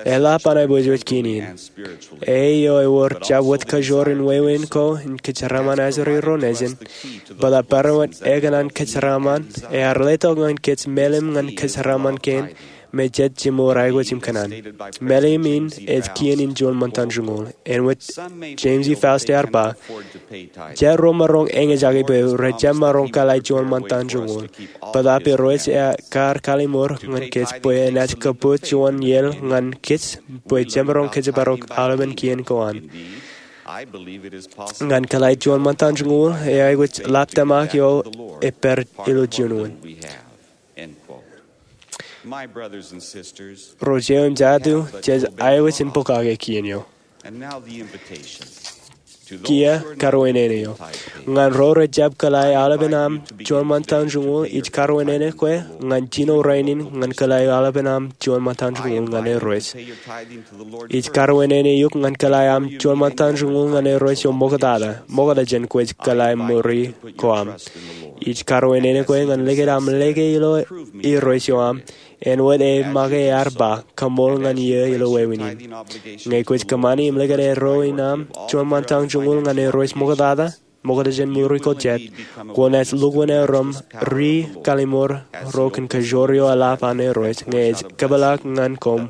Eḷap an aebwejbej kien in. Eo ewōr jab wōt kajoor in wāween ko in kōjeraaṃṃan ajri ro nejin. Bōtab peran wōt ekōṇaan kōjeraaṃṃan ear letok ñan kōj melim ñan kōjeraaṃṃan kein me jet jimor aikuj im kōṇaan. Mālim in ej kien in juon ṃōttan joñoul. Āinwōt James E. Faust ear ba, jet ro maroñ eñjake bwe rej jab maroñ kōḷḷā juon ṃōttan joñoul. Bōtaab Irooj ear kaliṃur ñan kōj bwe enaaj kōpooj juon iaḷ ñan kōj bwe jemaroñ kōjparok aolepen kien ko an. Ñan kōḷḷā juon ṃōttan joñoul, eo aikuj ḷap tōmak eo ej pād ilo juon wōt. Ro jeiū im jatū, jej aikuj in pokake kien eo. Kiiō karuwaineene eo. Ñan ro rej jab kōḷḷā aolepen aṃ juon ṃōttan joñoul, ij karuwaineene kwe ñan jino rainin ñan kōḷḷā aolepen aṃ juon ṃōttan joñoul ñan Irooj. Ij karuwaineene eok ñan kōḷḷā aṃ juon ṃōttan joñoul ñan Irooj eo ṃoktata, ṃokta jān kwōj kōḷḷā ṃuri ko aṃ. Ij karuwaineene kwe ñan likūt aṃ lōke ilo Irooj eo aṃ, āinwōt eo make ear ba, kaṃool ñan iiō ilo wāween in. Ñe kwōj kōṃṃani im likūt ro in aṃ juon ṃōttan joñoul ñan Irooj ṃoktata, ṃokta jān ṃuri ko jet, kwōnaaj lukkuun erom ri-kaliṃur ro kōn kajoor eo eḷap an Irooj, ñe ej kōpeḷḷọk ñan koṃ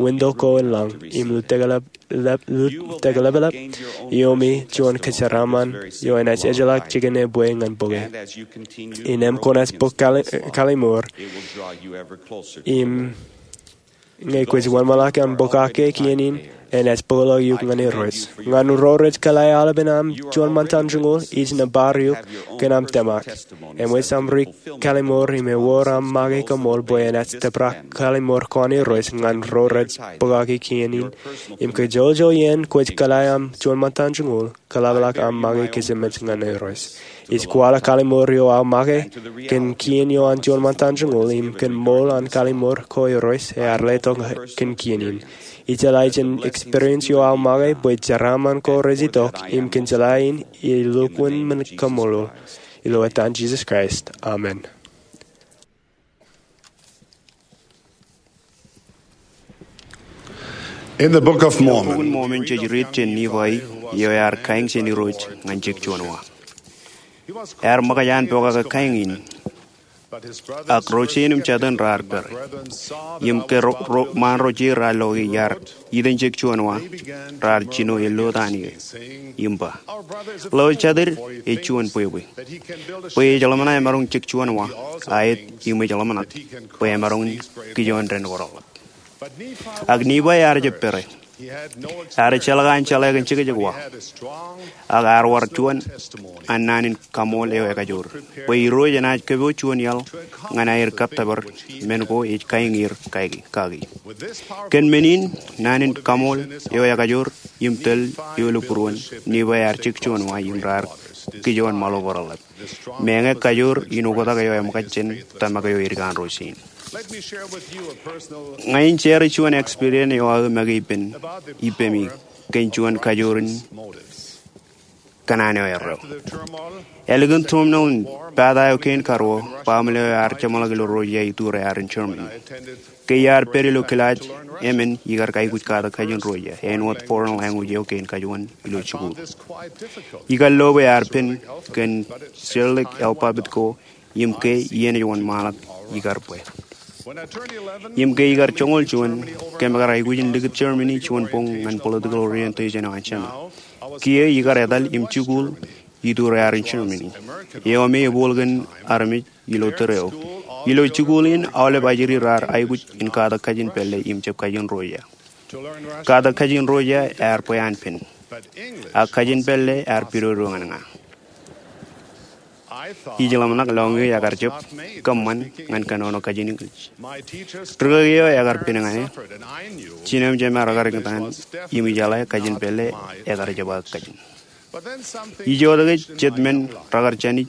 winto ko in lañ, im lutōkḷap, lep-, lutōkḷapḷap, iiō im juon kōjeraaṃṃan eo enaaj ejjeḷọk jikin ebwe ñan bōke. Innām kwōnaaj bōk kali-, kaliṃur, im ñe kwōj wōnṃaanḷọk im pokake kien in, enaaj bōkḷọk eok ñan Irooj. Ñan ro rej kōḷḷā aolepen aṃ juon ṃōttan joñoul, ij nōbar eok kōn aṃ tōmak. Eṃōj aṃ ri-kaliṃur im ewōr aṃ make kaṃool bwe enaaj tōprak kaliṃur ko an Irooj ñan ro rej pokake kien in. Im kajjojo iien kwōj kōḷḷā aṃ juon ṃōttan joñoul, kōḷapḷọk aṃ make kōjemāj ñan Irooj. Ij kwaḷọk kaliṃur eo aō make kōn kien eo an juon ṃōttan joñoul im kōn ṃool an kaliṃur ko Irooj ear letok kōn kien in. Ijeḷā jān experience eo aō make bwe jeraaṃṃan ko rej itok im kōn jeḷā in ij lukkuun men kaṃṃoolol. Ilo etan Jisōs Kraist, amen. In the Book of Mormon, Bok in Mormon jej riit jān Nifai eo ear kaeñ jān Irooj ñan jek juon wa. Ear ṃōkaj an pokake kaeñ in, ak ro jein im jatūn raar pere. Im ke ro, ro, ṃaan ro jein raar lo ke iar iten jek juon wa, raar jino eḷotaan eō im ba, lo jatid ej juon bwebwe, bwe ej ḷōmṇak emaroñ jek juon wa, aet im ej ḷōmṇak bwe emaroñ kijoon dān ko reḷḷap. Ak Nifai ear jab pere. Ear ejjeḷọk an jeḷā kōn jekjek wa, ak ear wōr juon an naan in kaṃool eo ekajoor, bwe Irooj enaaj kōpooj juon iaḷ ñan aer kōttōpar men ko ej kaeñier kaki, kaki. Kōn men in, naan in kaṃool eo ekajoor im tōl eo ilo būruon, Nifai ear jek juon wa im raar kijoon ṃaḷo ko reḷḷap. Meñe kajoor in oktak eo eṃōkaj jān tōmak eo eddik an ro jein. Ña in share juon experience eo aō make ippān, ippemi kōn juon kajoor in kōṇaan eo erreo. Ālikin turmoil in pata eo kein karuo, baaṃle eo ear jeṃḷọk ilo Russia itureaer in Germany. Ke iar pād ilo kilaaj emān ikar aikuj katak kajin Russia, āinwōt foreign language eo kein kajuon ilo jikuuḷ. Ikar lo bwe ear pen kōn Cyrillic alphabet ko, im ke iien ej wōnṃaanḷọk ikar bwe. Im ke ikar joñoul juon, kōm kar aikuj in likūt Germany juon boñ ñan political orientation eo an Germany. Kiiō ikar etal im jikuuḷ itureaer in Germany, eo me ebooḷ kōn armej ilo tōre eo. Ilo jikuuḷ in aolep ajri raar aikuj in katak kajin pālle im jab kajin Russia. Katak kajin Russia ear bwe an pen, ak kajin pālle ear pidodo ñan ña. Ij ḷōmṇak lọñiō ekar jab kōṃṃan ñan kōnono kajin English. Rikaki eo ekar pen ñan e, jinem jemān rekar iñtaan, im ijeḷā kajin pālle ekar jab aō kajin. Ij jota ke jet men rekar jānij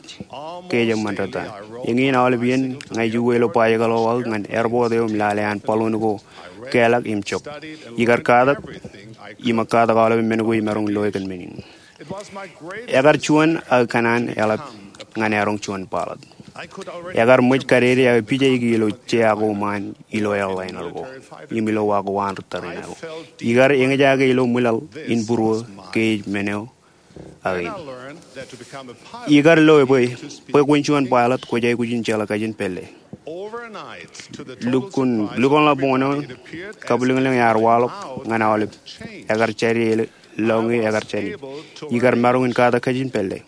ke ej eṃṃan rot an. Eñin aolep iien ña ij uwe ilo bajjek ḷọk ñan airport eo im lale an balloon ko keḷọk im jok. Ikar katak, im katak aolep men ko imaroñ loe kōn men in. Ekar juon aō kōṇaan eḷap ñan eroñ juon pilot. Ekar ṃōj kadedeaō pija ikijjien ilo jea ko ṃaan ilo airliner ko im ilo wa ko an ri tariṇae ko. Ikar eñjake ilo ṃwilaḷ in būruō ke ej men eo aō in. Ikar loe bwe, bwe kwōn juon pilot kwōj aikuj in jeḷā kajin pālle. Lukkuun, lukkuun ḷapḷọk eo, kabwilōñlōñ ear waḷọk ñan aolep. Ekar jāde ilo, lọñiō ekar jāde. Ikar maroñ in katak kajin pālle.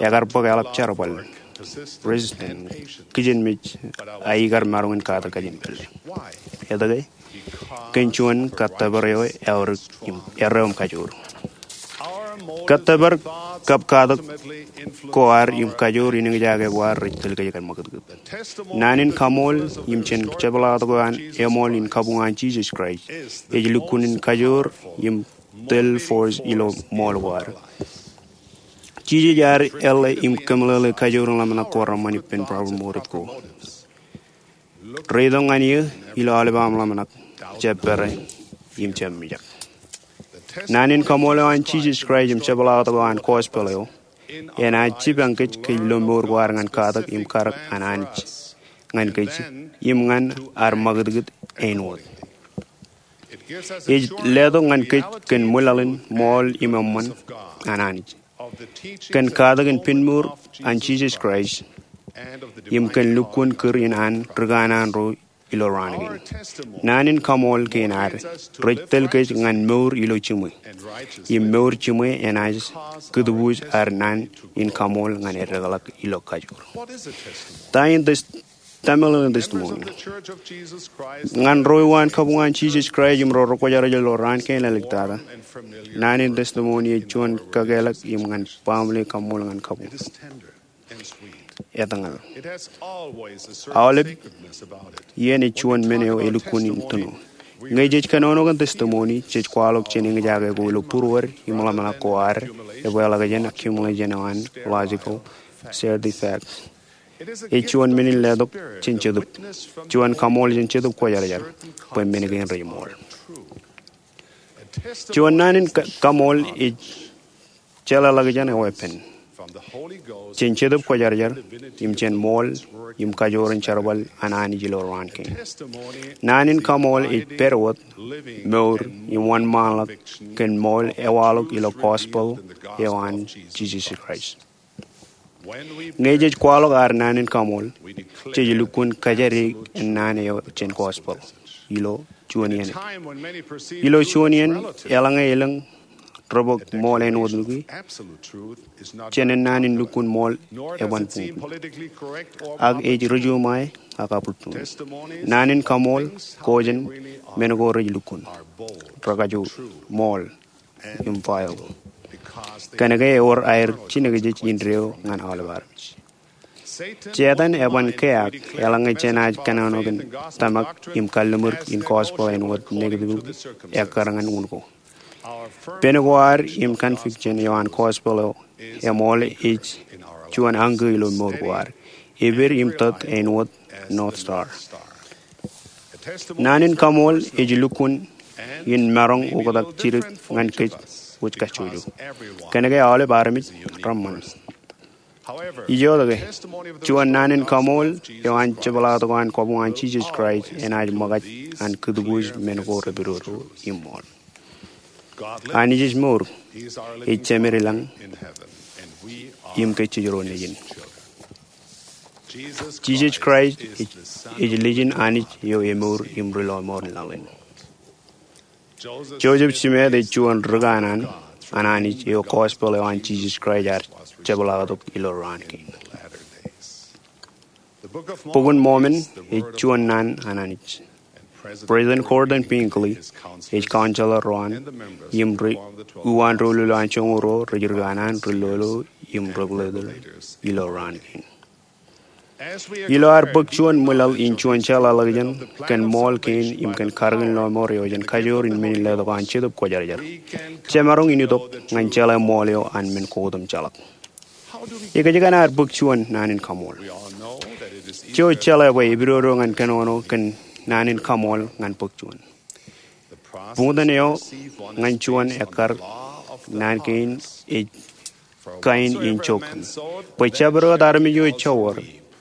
Ekar bōk eḷap jerbal, resistance, kijenmej, a ikar maroñ in katak kajin pālle. Etke? Kōn juon kōttōpar eo eaorōk im, erreo im kajoor. Kōttōpar kab katak ko ad im kajoor in eñjake ko ad rej tōl kōj kōn ṃakūtkūt. Naan in kaṃool im jān jepḷaaktok eo an eṃool in kabuñ an Jisōs Kraist ej lukkuun in kajoor im tōl force ilo ṃool ko ad. Jisōs ear eḷḷā im kōmeḷeḷe kajoor in ḷōmṇak ko reṃṃan ippān problem mour ko. Reitok ñan eō ilo aolep aṃ ḷōmṇak, jab pere im jab mijak. Naan in kaṃool eo an Jisōs Kraist im jepḷaaktok eo an gospel eo enaaj jipañ kōj kōj ilo mour ko ad ñan katak im karōk an Anij ñan kōj im ñan ad ṃakūtkūt āinwōt. Ej letok ñan kōj kōn ṃwilaḷ in ṃool im eṃṃan an Anij, kōn katak in pinmour an Jisōs Kraist, im kōn lukkuun kūr in an ri kanaan ro ilo raan kein. Naan in kaṃool kein ad rej tōl kōj ñan mour ilo jiṃwe, im mour jiṃwe enaaj kūtbuuj ad naan in kaṃool ñan eddekḷọk ilo kajoor. Ta in tes-, ta meḷeḷein testimony? Ñan ro eo an kabuñ an Jisōs Kraist im ro rekwōjarjar ilo raan kein āliktata, naan in testimony ej juon kakālōk im ñan baaṃle kaṃool ñan kabuñ. Etñal. Aolep iien ej juon men eo elukkuun in tūno. Ñe jej kōnono kōn testimony, jej kwaḷọk jān eñjake ko ilo būruod im ḷōmṇak ko ad epeḷḷọk jān accumulation eo an logical certificate. Ej juon men in letok jān Jetōb. Juon kaṃool jān Jetōb Kwōjarjar bwe men kein rej ṃool. Juon naan in ka-, kaṃool ej jeḷāḷọkjeṇ eo epen jān Jetōb Kwōjarjar im jān ṃool im kajoor in jerbal an Anij ilo raan kein. Naan in kaṃool ej pād wōt, mour im wōnṃaanḷọk kōn ṃool ewaḷọk ilo gospel eo an Jisōs Kraist. Ñe jej kwaḷọk ad naan in kaṃool, jej lukkuun kōjatdikdik naan eo jān gospel ilo juon iien. Ilo juon iien, eḷaññe elōñ rej bōk ṃool āinwōt nukwi, jān naan in lukkuun ṃool eban buñbuñ. Ak ej rijuṃae ak abūttuuṇ. Naan in kaṃool ko jān men ko rej lukkuun, rekajoor, ṃool, im viable. Kōnke ewōr aer jinōkjeej indeeo ñan aolep armej. Setan eban keaak eḷaññe jenaaj kōnono kōn tōmak im kalliṃur in gospel āinwōt negative ekkar ñan un ko. Pen ko ad im conviction eo an gospel eo eṃool ej juon añkō ilo mour ko ad. Epād im tōt āinwōt North Star. Naan in kaṃool ej lukkuun in maroñ oktak jidik ñan kōj wōj kajjojo. Kōnke aolep armej reṃṃan. Ijoke, juon naan in kaṃool eo an jepḷaaktok eo an kabuñ an Jisōs Kraist enaaj ṃōkaj an kūtbuuj men ko repidodo im ṃool. Anij ej mour, ej Jemed ilañ, im kōj jej ro nejin. Jisōs Kraist ej, ej Lijin Anij eo emour im ri-lọmọọr in laḷ in. Joseph Smith ej juon ri kanaan an Anij eo gospel eo an Jisōs Kraist ear jepḷaaktok ilo raan kein. Bok in Mormon ej juon naan an Anij. President Gordon B. Hinckley ej counselor ro an, im ri uwaan doulul eo an joñoul ruo rej ri kanaan, ri lolo, im ri leader ilo raan kein. Ilo ad bōk juon ṃwilaḷ in juon jeḷāḷọkjeṇ kōn ṃool kein im kōn karōk in lọmọọr eo jān kajoor in men in letok an Jetōb Kwōjarjar, jemaroñ in itok ñan jeḷā ṃool eo an men ko otemjeḷọk. Ekōjkan ad bōk juon naan in kaṃool? Jej jeḷā bwe epidodo ñan kōnono kōn naan in kaṃool ñan bōk juon. Buñtōn eo ñan juon ekkar naan kein ej kain in jook kōn. Bwe jabdewōt armej eo ejjab wōr,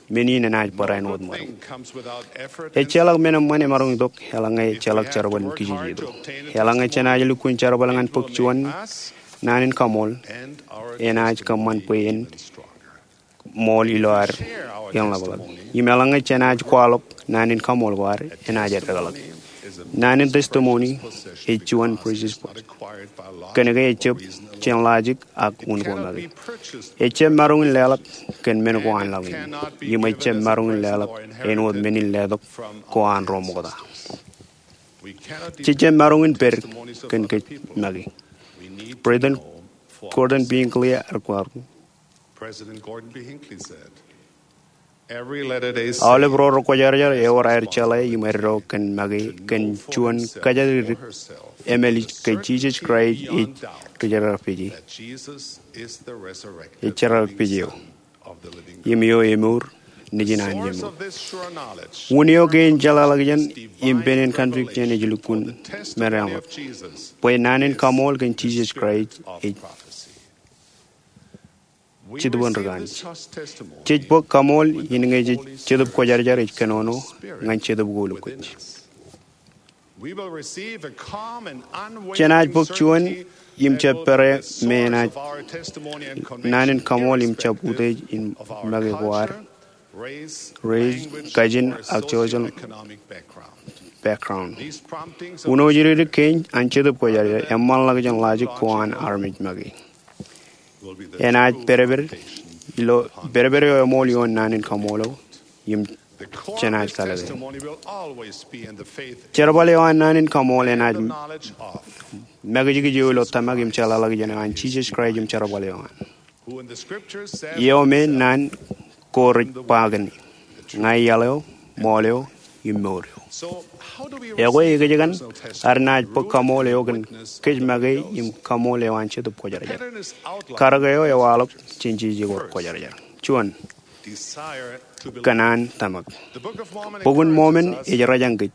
men in enaaj bar āinwōt ṃōk. Ejjeḷọk men eṃṃan emaroñ itok eḷaññe ejjeḷọk jerbal in kijejeto. Eḷaññe jenaaj lukkuun jerbal ñan bōk juon, Naan in kaṃool enaaj kōṃṃan bwe en ṃool ilo ad eḷapḷọk. Im eḷaññe jenaaj kwaḷọk naan in kaṃool ko ad, enaaj eddekḷọk. Naan in testimony ej juon precious book. Kōnke ejjab jān lọjik ak un ko make. Ejjab maroñ in leḷọk kōn men ko an laḷ in. Im ejjab maroñ in leḷọk āinwōt men in letok ko an ro ṃokta. Jejjab maroñ in pād kōn kōj make. President Gordon B. Hinckley ear kwaḷọk, President Gordon B. Hinckley said, "Every Latter-day Saint aolep ro rekwōjarjar ewōr aer jeḷā im eddo kōn make kōn juon kōjatdikdik emalij ke Jisōs Kraist ej ri jerkakpeje, that Jesus is the resurrected ej jerkakpeje eo, Son of the living God." Im eo emour nejin an jemour. Source of this sure knowledge, un eo kein jeḷāḷọkjeṇ im pein in conviction ej lukkuun men reḷap, bwe naan in kaṃool kōn Jisōs Kraist ej Jetōb bōk kaṃool in ñe jej Jetōb Kwōjarjar ej kōnono ñan Jetōb ko ilo kōj. Jenaaj bōk juon im jab pere me enaaj naan in kaṃool im jab utiej in make ko ad, race, kajin, ak social background. Uno jidik kein an Jetōb Kwōjarjar eṃṃanḷọk jān lọjik ko an armej make. Enaaj pedped ilo pedped eo eṃool ioon naan in kaṃool eo im jenaaj kalōke. Jerbal eo an naan in kaṃool enaaj makijkij eo ilo tōmak im jeḷāḷọkjeṇ eo an Jisōs Kraist im jerbal eo an. Eo me naan ko rej ba kōn, ña iaḷ eo, ṃool eo, im mour eo. Ekwe, ekōjkan ad naaj bōk kaṃool eo kōn kōj make im kaṃool eo an Jetōb Kwōjarjar? Karōk eo ewaḷọk jān jeje ko kwōjarjar. Juon, kōṇaan tōmak. Bok in Mormon ej rōjañ kōj.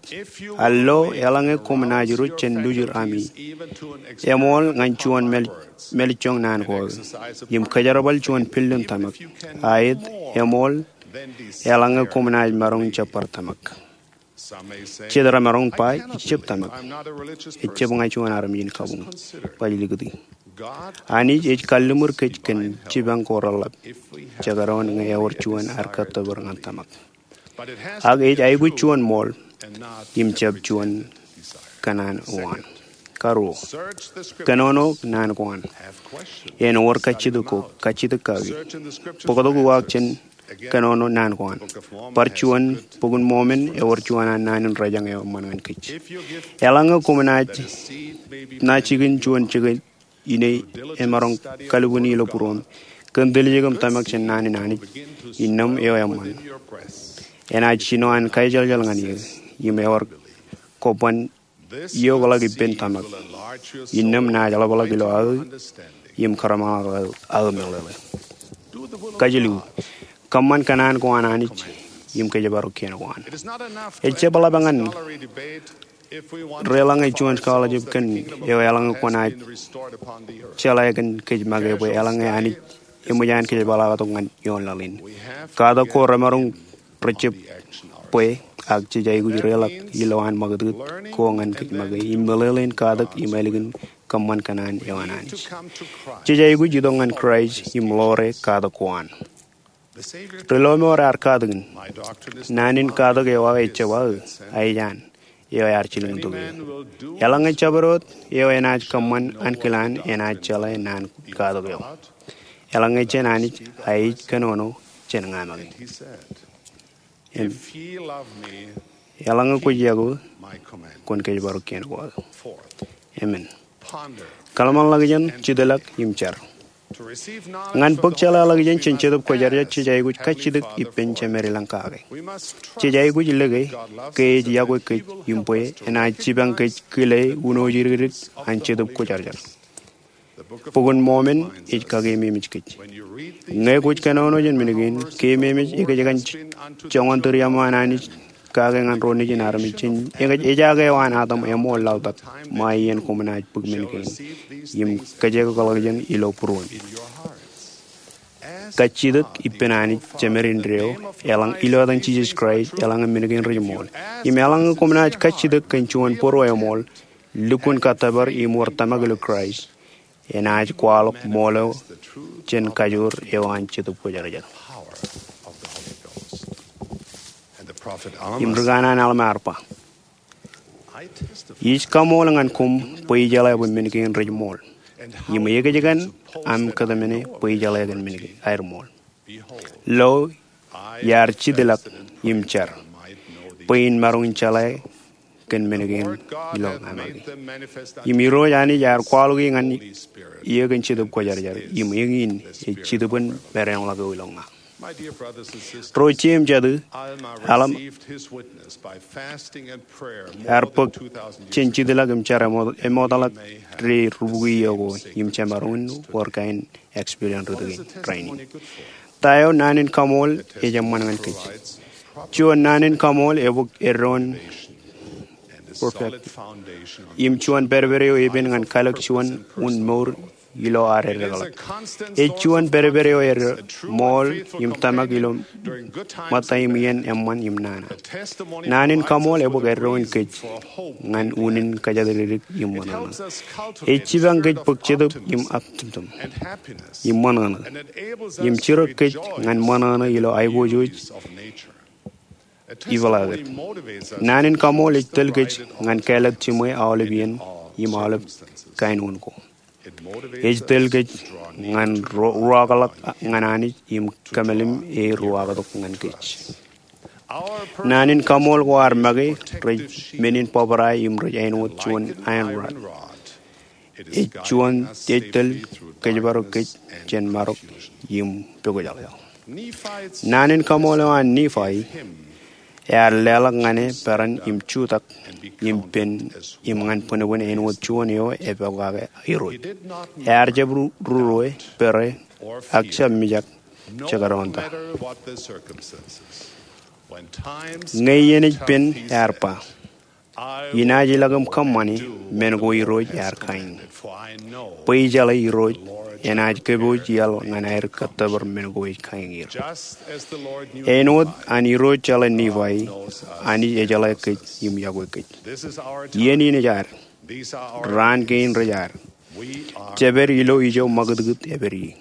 Al lo eḷaññe koṃ naaj ruj jān lujur ami, eṃool ñan juon māl- mālejjoñ naan ko aō im kōjerbal juon building tōmak. Aet, eṃool eḷaññe koṃ naaj maroñ jab bar tōmak. Jet remaroñ ba ijjab tōmak. Ejjab ña juon armej in kabuñ baj likūti. Anij ej kalliṃur kōj kōn jipañ ko reḷap jekdọọn ñe ewōr juon ad kōttōpar ñan tōmak. Ak ej aikuj juon ṃool im jab juon kōṇaan uwaan. Karuo, kōnono naan ko an. En wōr kajjitōk ko, kajjitōk kaki. Bōktok uwaak jān kōnono naan ko an. Bar juon, Bok in Mormon ewōr juon an naan in rōjañ eo eṃṃan ñan kōj. Eḷaññe koṃ naaj, naaj jikin juon jikin ine emaroñ kalbwini ilo būruōṃ kōn tiljek im tōmak jān naan in Anij, innām eo eṃṃan. Enaaj jino an kaejeḷjeḷ ñan eō im ewōr kobban iokḷọk ippān tōmak. Innām naaj ḷapḷọk ilo aō im kōrṃaḷọk aō meḷeḷe. Kajilu, kōṃṃan kōṇaan ko an Anij im kōjparok kien ko an. Ejjab ḷap ñan deḷọñe juon scholarship kōn eo eḷaññe kwōnaaj jeḷā kōn kōj make bwe eḷaññe Anij eṃōj an kōjparok ñan ioon laḷ in. Katak ko remaroñ rejab bwe ak jej aikuj deḷọñ ilowaan ṃakūtkūt ko ñan kōj make im meḷeḷein katak im ālikin kōṃṃan kōṇaan eo an Anij. Jej aikuj itok ñan Kraist im ḷoore katak ko an. Ri lọmọọr ear katakin, naan in katak eo aō ejjab aō, a ej an eo ear jilkintok eō. Eḷaññe jabdewōt eo enaaj kōṃṃan ankilaan enaaj jeḷā naan katak eo. Eḷaññe jān Anij, a ej kōnono jān ña make. Im eḷaññe kwōj yokwe, kwōn kōjparok kien ko aō. Amen. Kōḷmānḷọkjeṇ, jitḷọk im jar. Ñan bōk jeḷāḷọkjeṇ jān Jetōb Kwōjarjar jej aikuj kajjitōk ippān jemed ilañ kake. Jej aikuj lōke ke ej yokwe kōj im bwe enaaj jipañ kōj kile uno jidikdik an Jetōb Kwōjarjar. Bok in Mormon ej kakememej kōj. Ñe kwōj kōnono jān men kein, kememej ekōjkan joñan tūriaṃo an Anij kake ñan ro nejin armej jān ekōj ejake eo an Adam eṃool laḷtak ṃae iien koṃ naaj bōk men kein im kōjekḷọkjeṇ ilo būruon. Kajjitōk ippān Anij Jemed indeeo eḷaññe ilo etan Jisōs Kraist eḷaññe men kein rej ṃool. Im eḷaññe koṃ naaj kajjitōk kōn juon bōro eṃool, lukkuun kōttōpar im wōr tōmak ilo Kraist. enaaj kwaḷọk ṃool eo jān kajoor eo an Jetōb Kwōjarjar. Im ri kanaan Alma ear ba, Ij kaṃool ñan koṃ bwe ijeḷā bwe men kein rej ṃool, im ekōjkan aṃ kōtmāne bwe ijeḷā kōn men kein aer ṃool. Lo, iar jitḷọk im jar, bwe in maroñ in jeḷā kōn men kein ilo ña make. Im Irooj Anij ear kwaḷọk e ñan eō kōn Jetōb Kwōjarjar, im eñin ej Jetōb in maroñḷọk eo ilo ña. Ro jeiū im jatū, Alma ear bōk jān jitḷọk im jar emootḷọk ri rubukwi iiō ko im jemaroñ in wōr kain experience rūtto kein rainin. Ta eo naan in kaṃool ej eṃṃan ñan kōj? Juon, naan in kaṃool ebōk eddoin perfect im juon pedped eo epen ñan kalōk juon un mour ilo ad eddekḷọk. Ej juon pedped eo ej ṃool im tōmak ilo ṃōtta im iien eṃṃan im nana. Naan in kaṃool ebōk eddoin kōj ñan unin kōjatdikdik im ṃōṇōṇō. Ej jipañ kōj bōk jetōb im atimtim im ṃōṇōṇō, im jirōk kōj ñan ṃōṇōṇō ilo aiboojoj ipeḷaaket. Naan in kaṃool ej tōl kōj ñan kāālōt jiṃwe aolep iien im aolep kain un ko. Ej tōl kōj ñan ro- ruwaakḷọk ñan Anij im kōmālim e ruwaaktok ñan kōj. Naan in kaṃool ko ad make rej men in bōbrae im rej āinwōt juon iron rod. Ej juon ej tōl kōjparok kōj jān marok im pokjālḷọk. Naan in kaṃool eo an Nifai ear leḷọk ñan e peran im jutak im pen im ñan bwinbwin āinwōt juon eo epokake Irooj. Ear jab ru- ruo e, pere, ak jab mijak jekdọọn ta. Ñe iien ej pen ear ba, Inaaj ilọk im kōṃṃani men ko Irooj ear kain, bwe ijeḷā Irooj enaaj kōpooj iaḷ ñan aer kōttōpar men ko ej kain er. Āinwōt an Irooj jeḷā Nifai, Anij ejeḷā kōj im iọkwe kōj. Iien in ej ad. Raan kein rej ad. Jeped ilo ijo ṃakūtkūt epād ie.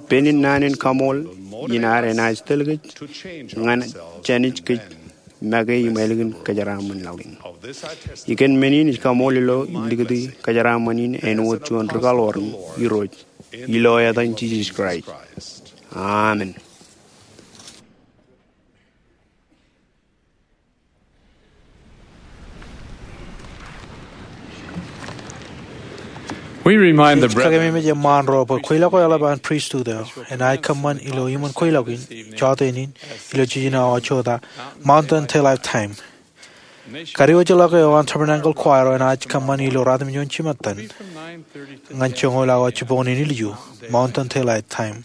Pen in naan in kaṃool in ad enaaj tōl kōj ñan jānij kōj make im ālikin kōjeraaṃṃan laḷ in. Ikōn men in ij kaṃool ilo likūti kōjeraaṃṃan in āinwōt juon ri kaḷoor in Irooj, ilo etan Jisōs Kraist. Amen. We remind the brethren. Ij kakememej eṃṃaan ro bwe kweilọk eo eḷap an pristut eo enaaj kōṃṃan ilo iṃōn kweilọk in, jọteen in, ilo jiljino awa jota, Mountain Daylight Time. Kadiwōjḷọk eo an Tabernacle Choir enaaj kōṃṃan ilo ratimjuon jimattan ñan joñoul awa jibboñōn in ilju, Mountain Daylight Time.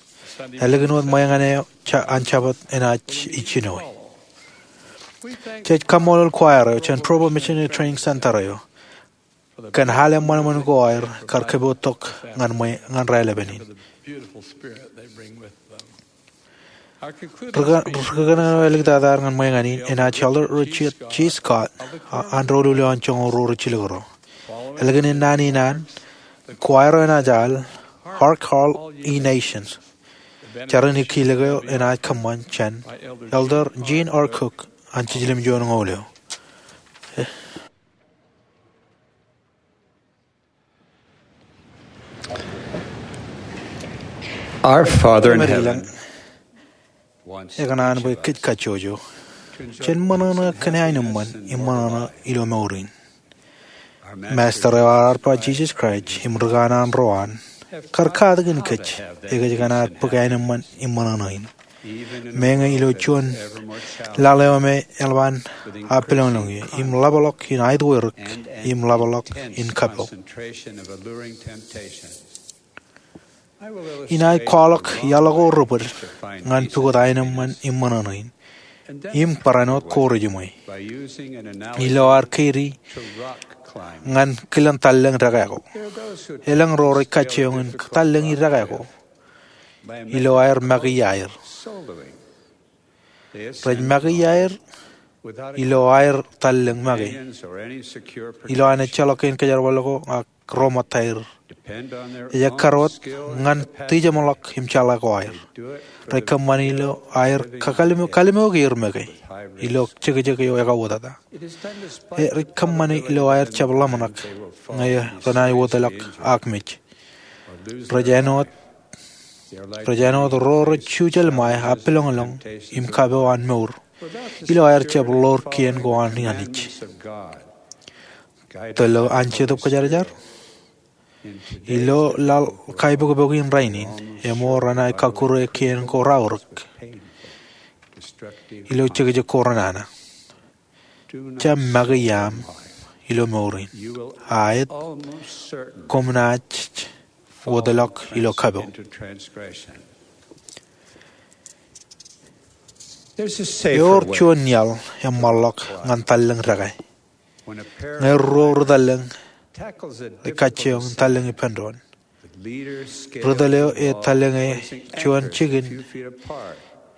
Ālikin wōt ṃweiñān eo ja- an Jabōt enaaj ijjino e. Jej kaṃṃoolol choir eo jān Provo Missionary Training Center eo kōn al eṃṃanṃan ko aer kar kōpooj tok ñan ṃwe- ñan raelepin in. Ri- rikōṇaan eo āliktata ñan ṃweiñān in enaaj Elder Richard G. Scott, a- an doulul eo an joñoul ruo rijjilōk ro. Ālikin naan in an, choir eo enaaj al Hark All Ye Nations. Jar in kilōk eo enaaj kōṃṃan jān Elder Gene R. Cook an jiljilimjuon ñoul eo. Our Father in heaven, ekōṇaan bwe kōj kajjojo jān ṃōṇōṇō kōn aenōṃṃan im ṃōṇōṇō ilo mour in. Master eo ar ba Jisōs Kraist im rikōṇaan ro an kar katakin kōj ekōjkan ad bōk aenōṃṃan im ṃōṇōṇō in. Meñe ilo juon laḷ eo me eḷap an aō pālōñlōñ eō im ḷapḷọk in aetweirōk im ḷapḷọk in kappok. Inaaj kwaḷọk iaḷ ko rebōd ñan pukot aenōṃṃan im ṃōṇōṇō in im barāinwōt ko rejiṃwe ilo ad keidi ñan kilen tallōñ dekā ko. Elōñ ro rej kajjioñ in tallōñ dekā ko ilo aer make iaer. Rej make iaer ilo aer tallōñ make ilo an ejjeḷọk kein kōjerbal ko ak ro ṃōttaer Ej ekkar wōt ñan dijeṃḷọk im jeḷā ko aer. Rej kōṃṃani ilo aer kallimoko er make ilo jekjek eo ekauwōtata. Rej kōṃṃani ilo aer jab ḷōmṇak ñe renaaj wōtlọk ak mej. Rej āinwōt ro rej jujjelṃae appiḷōñḷōñ im kapo an mour ilo aer jab ḷoor kien ko an Anij. Tōl ilo an Jetōb Kwōjarjar, ilo laḷ kaipokpok in rainin, eṃool renaaj kakkure kien ko raorōk ilo jekjek ko renana. Jab make iaam ilo mour in, aet koṃ naaj wōtlọk ilo kapo. Ewōr juon iaḷ eṃṃanḷọk ñan tallōñ deke. Ñe ruo ri-tallōñ rej kajjioñ tallōñ ippān doon, ri-tōl eo ej tallōñe juon jikin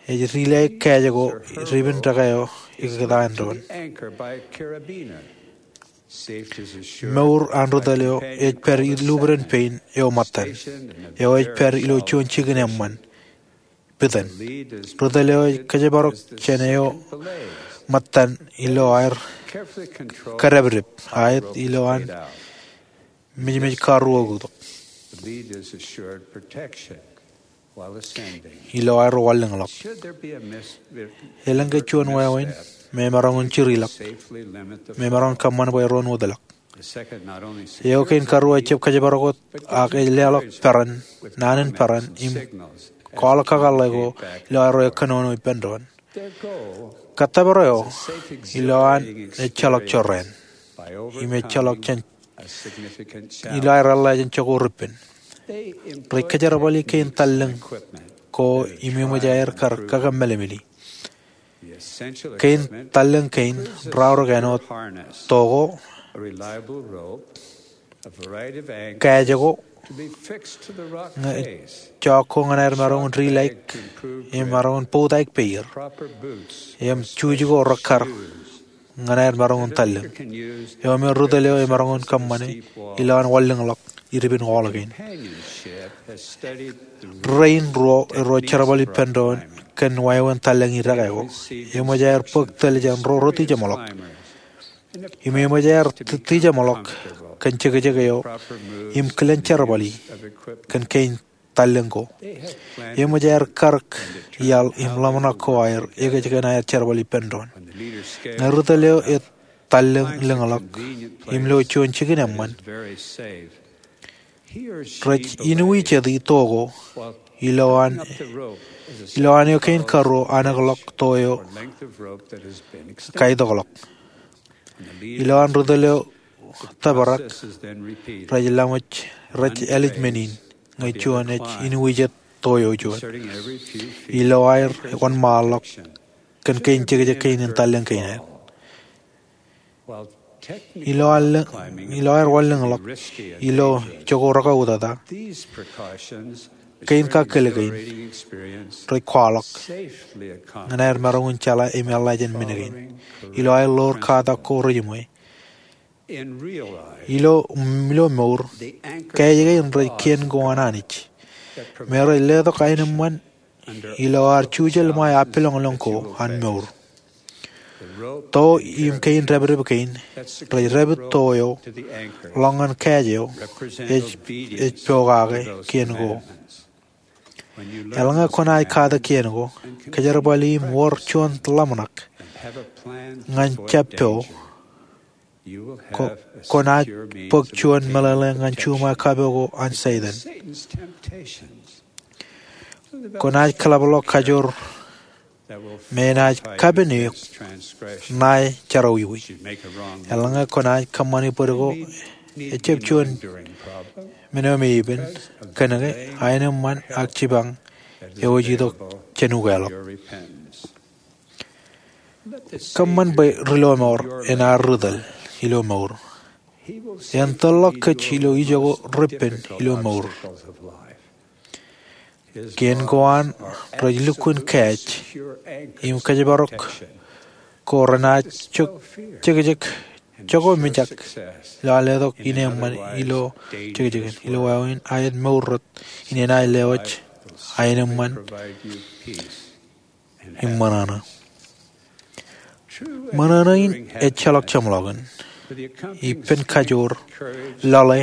ej dilaik kāāj ko ipin deke eo ikōtaan doon. Mour an ri-tōl eo ej pād ilubuden pein eo ṃōttan, eo ej pād ilo juon jikin eṃṃan pitōn. Ri-tōl eo ej kōjparok jān eo ṃōttan ilo aer kadepdep, aet ilo an mejmej karuo oktak ilo aer wanlōñḷọk. Elōñ ke juon wāween me emaroñ in jiriḷọk, me emaroñ in kōṃṃan bwe ren wōtlọk. Eo kein karuo ejjab kōjparok wōt, ak ej leḷọk peran, naan in peran im kwaḷọk kakōḷḷe ko ilo aerro ekkōnono ippān doon. Kōttōpar eo ilowaan ejjeḷọk jorrāān im ejjeḷọk jān ilo aer eḷḷā jān jokwe rippān. Rej kōjerbali kein tallōñ ko im eṃōj aer kar kakōmmelemeli. Kein tallōñ kein raorōk āinwōt to ko, kāāj ko, ñe jọọk ko ñan aer maroñ in dilaik im maroñ in botaik peier, im juuj ko rekkar ñan aer maroñ in tallōñ, eo me ri-tōl eo emaroñ in kōṃṃane ilowaan wanlōñḷọk ipin wall kein. Rein ruo erro jerbal ippān doon kōn wāween tallōñ in deke ko, eṃōj aer bōk tōl jān ro retijeṃḷọk im eṃōj aer tijeṃḷọk kōn jekjek eo im kilen jerbali kōn kein tallōñ ko. Eṃōj aer karōk iaḷ im ḷōmṇak ko aer ekōjkan aer jerbal ippān doon. Ñe ri-tōl eo ej tallōñḷọk im lo juon jikin eṃṃan, rej inuijeti to ko ilowaan eo kein karuo anōkḷọk to eo kaitokḷọk. Ilowaan ri-tōl eo tōprak, rej laṃōj, rej ālij men in ñe juon ej inuijet to eo juon ilo aer wōnṃaanḷọk kōn kein jekjek kein in tallōñ kein aer. Ilo aer wanlōñḷọk ilo jokwe rekautata, kein kakōl kein rej kwaḷọk ñan aer maroñ in jeḷā im eḷḷā jān men kein ilo aer ḷoor katak ko rejiṃwe. Ilo mour, kāāj kein rej kien ko an Anij me rej letok aenōṃṃan ilo ad jujjelṃae appiḷōñḷōñ ko an mour. To im kein dāpdep kein rej dāpit to eo ḷọk ñan kāāj eo ej pokake kien ko. Eḷaññe kwōnaaj katak kien ko, kōjerbali im wōr juon ḷōmṇak ñan jab po, kwōnaaj bōk juon meḷeḷe ñan juṃae kapo ko an Setan. Kwōnaaj kōḷapḷọk kajoor me enaaj kapen eok ṇae jerọwiwi. Eḷaññe kwōnaaj kōṃṃani bōd ko ejjab juon men eo me epen, kōnke aenōṃṃan ak jipañ eo ej itok jān ukeḷọk. Kōṃṃan bwe ri-lọmọọr en ad ri-tōl ilo mour. En tōl ḷọk kōj ilo ijoko rippān ilo mour. Kien ko an rej lukkuun kāāj im kōjparok ko renaaj jekjek Jokwe mijak ilo aer letok ineeṃṃan ilo jekjekin. Ilo wāween, aet mour rot in enaaj lewōj aenōṃṃan im ṃōṇōṇō. Ṃōṇōṇō in ejjeḷọk jeṃḷọkin. Ippān kajoor, lale,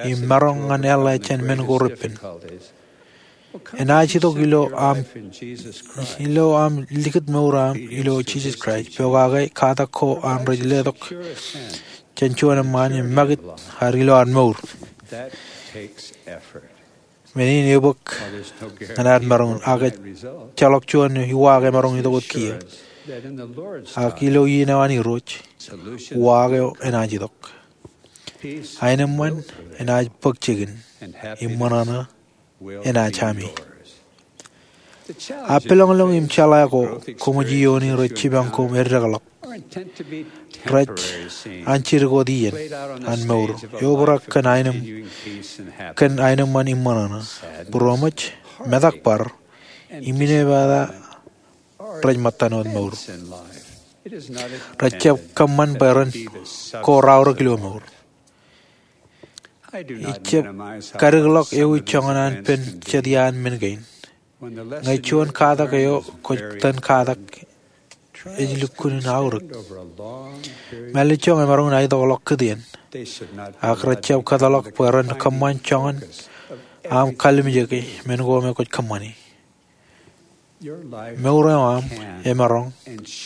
im maroñ ñan āinwōt jān men ko repen, enaaj itok ilo aṃ, ilo aṃ likūt mour eo aṃ ilo Jisōs Kraist, pokake katak ko an rej letok jān juon eṃṃaan im make it ad ilo ad mour. Men in ebōk ñan ad maroñ, ak ejjeḷọk juon uwaak emaroñ itok wōt kiiō. Ak ilo iien eo an Irooj, uwaak eo enaaj itok. Aenōṃṃan enaaj bōk jikin, im ṃōṇōṇō enaaj ami. Aō peḷōñḷōñ im jeḷā ko koṃij iiooni rej jipañ koṃ eddekḷọk, rej anjidikot iien an mour, eobrak kōn aenōṃ, kōn aenōṃṃan im ṃōṇōṇō. Būroṃōj, metak bar, im inepata rej ṃōttan wōt mour. Rejjab kōṃṃan bwe ren ko raorōk ilo mour. Ijjab kadikḷọk ewi joñan an pen jet iaan men kein. Ñe juon katak eo kwōj itōn katak ej lukkuun aorōk, mālejjoñ emaroñ in aetokḷọk kūtien, ak rejjab kōtḷọk bwe ren kōṃṃan joñan aṃ kalimjeke men ko me kwōj kōṃṃani. Mour eo aṃ emaroñ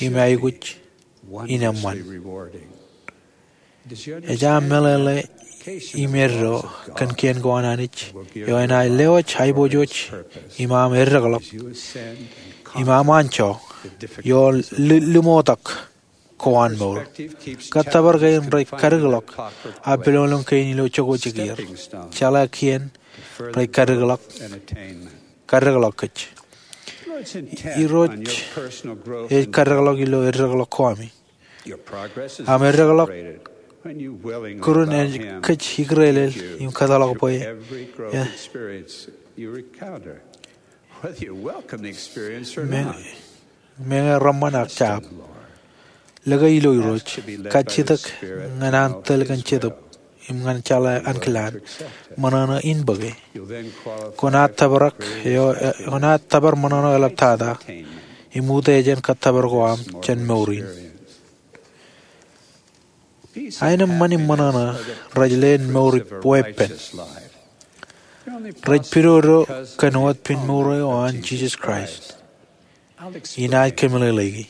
im aikuj in eṃṃan. Ej aṃ meḷeḷe im eddo kōn kien ko an Anij eo enaaj lewōj aiboojoj im aṃ eddekḷọk im aṃ anjọ ioon li-, limootōk ko an mour. Kōttōpar kein rej kadikḷọk aō peḷoñloñ kein ilo jokwe jikier. Jeḷā kien rej kadikḷọk, kadikḷọk kōj. Irooj ej kadikḷọk ilo eddekḷọk ko ami. Aṃ eddekḷọk kūrūn ej kōj ikūrelel im kōtḷọk bwe e, meñe reṃṃan ak jab. Lōke ilo Irooj, kajjitōk ñan an tōl kōn Jetōb im ñan jeḷā ankilaan, ṃōṇōṇō in bōke. Kwōnaaj tōprak eo, kwōnaaj tōpar ṃōṇōṇō eḷaptata im utiejān kōttōpar ko aṃ jān mour in. Aenōṃṃan im ṃōṇōṇō rej leen mour weeppān. Rej pidodo kōn wōt pen mour eo an Jisōs Kraist. Inaaj kōmeḷeḷeiki,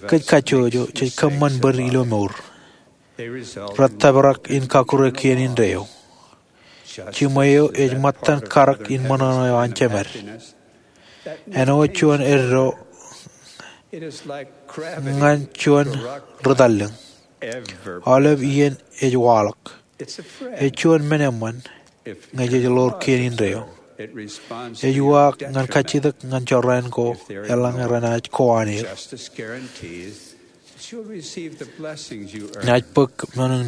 kōj kajjojo jej kōṃṃan bōd ilo mour. Rej tōprak in kakkure kien indeeo. Jiṃwe eo ej ṃōttan karōk in ṃōṇōṇō eo an Jemād. Āinwōt juon eddo ñan juon ri tallōñ. Aolep iien ej waḷọk. Ej juon men eṃṃan ñe jej ḷoor kien indeeo. Ej uwaak ñan kajjitōk ñan jorrāān ko eḷaññe renaaj ko aneer. Naaj bōk men in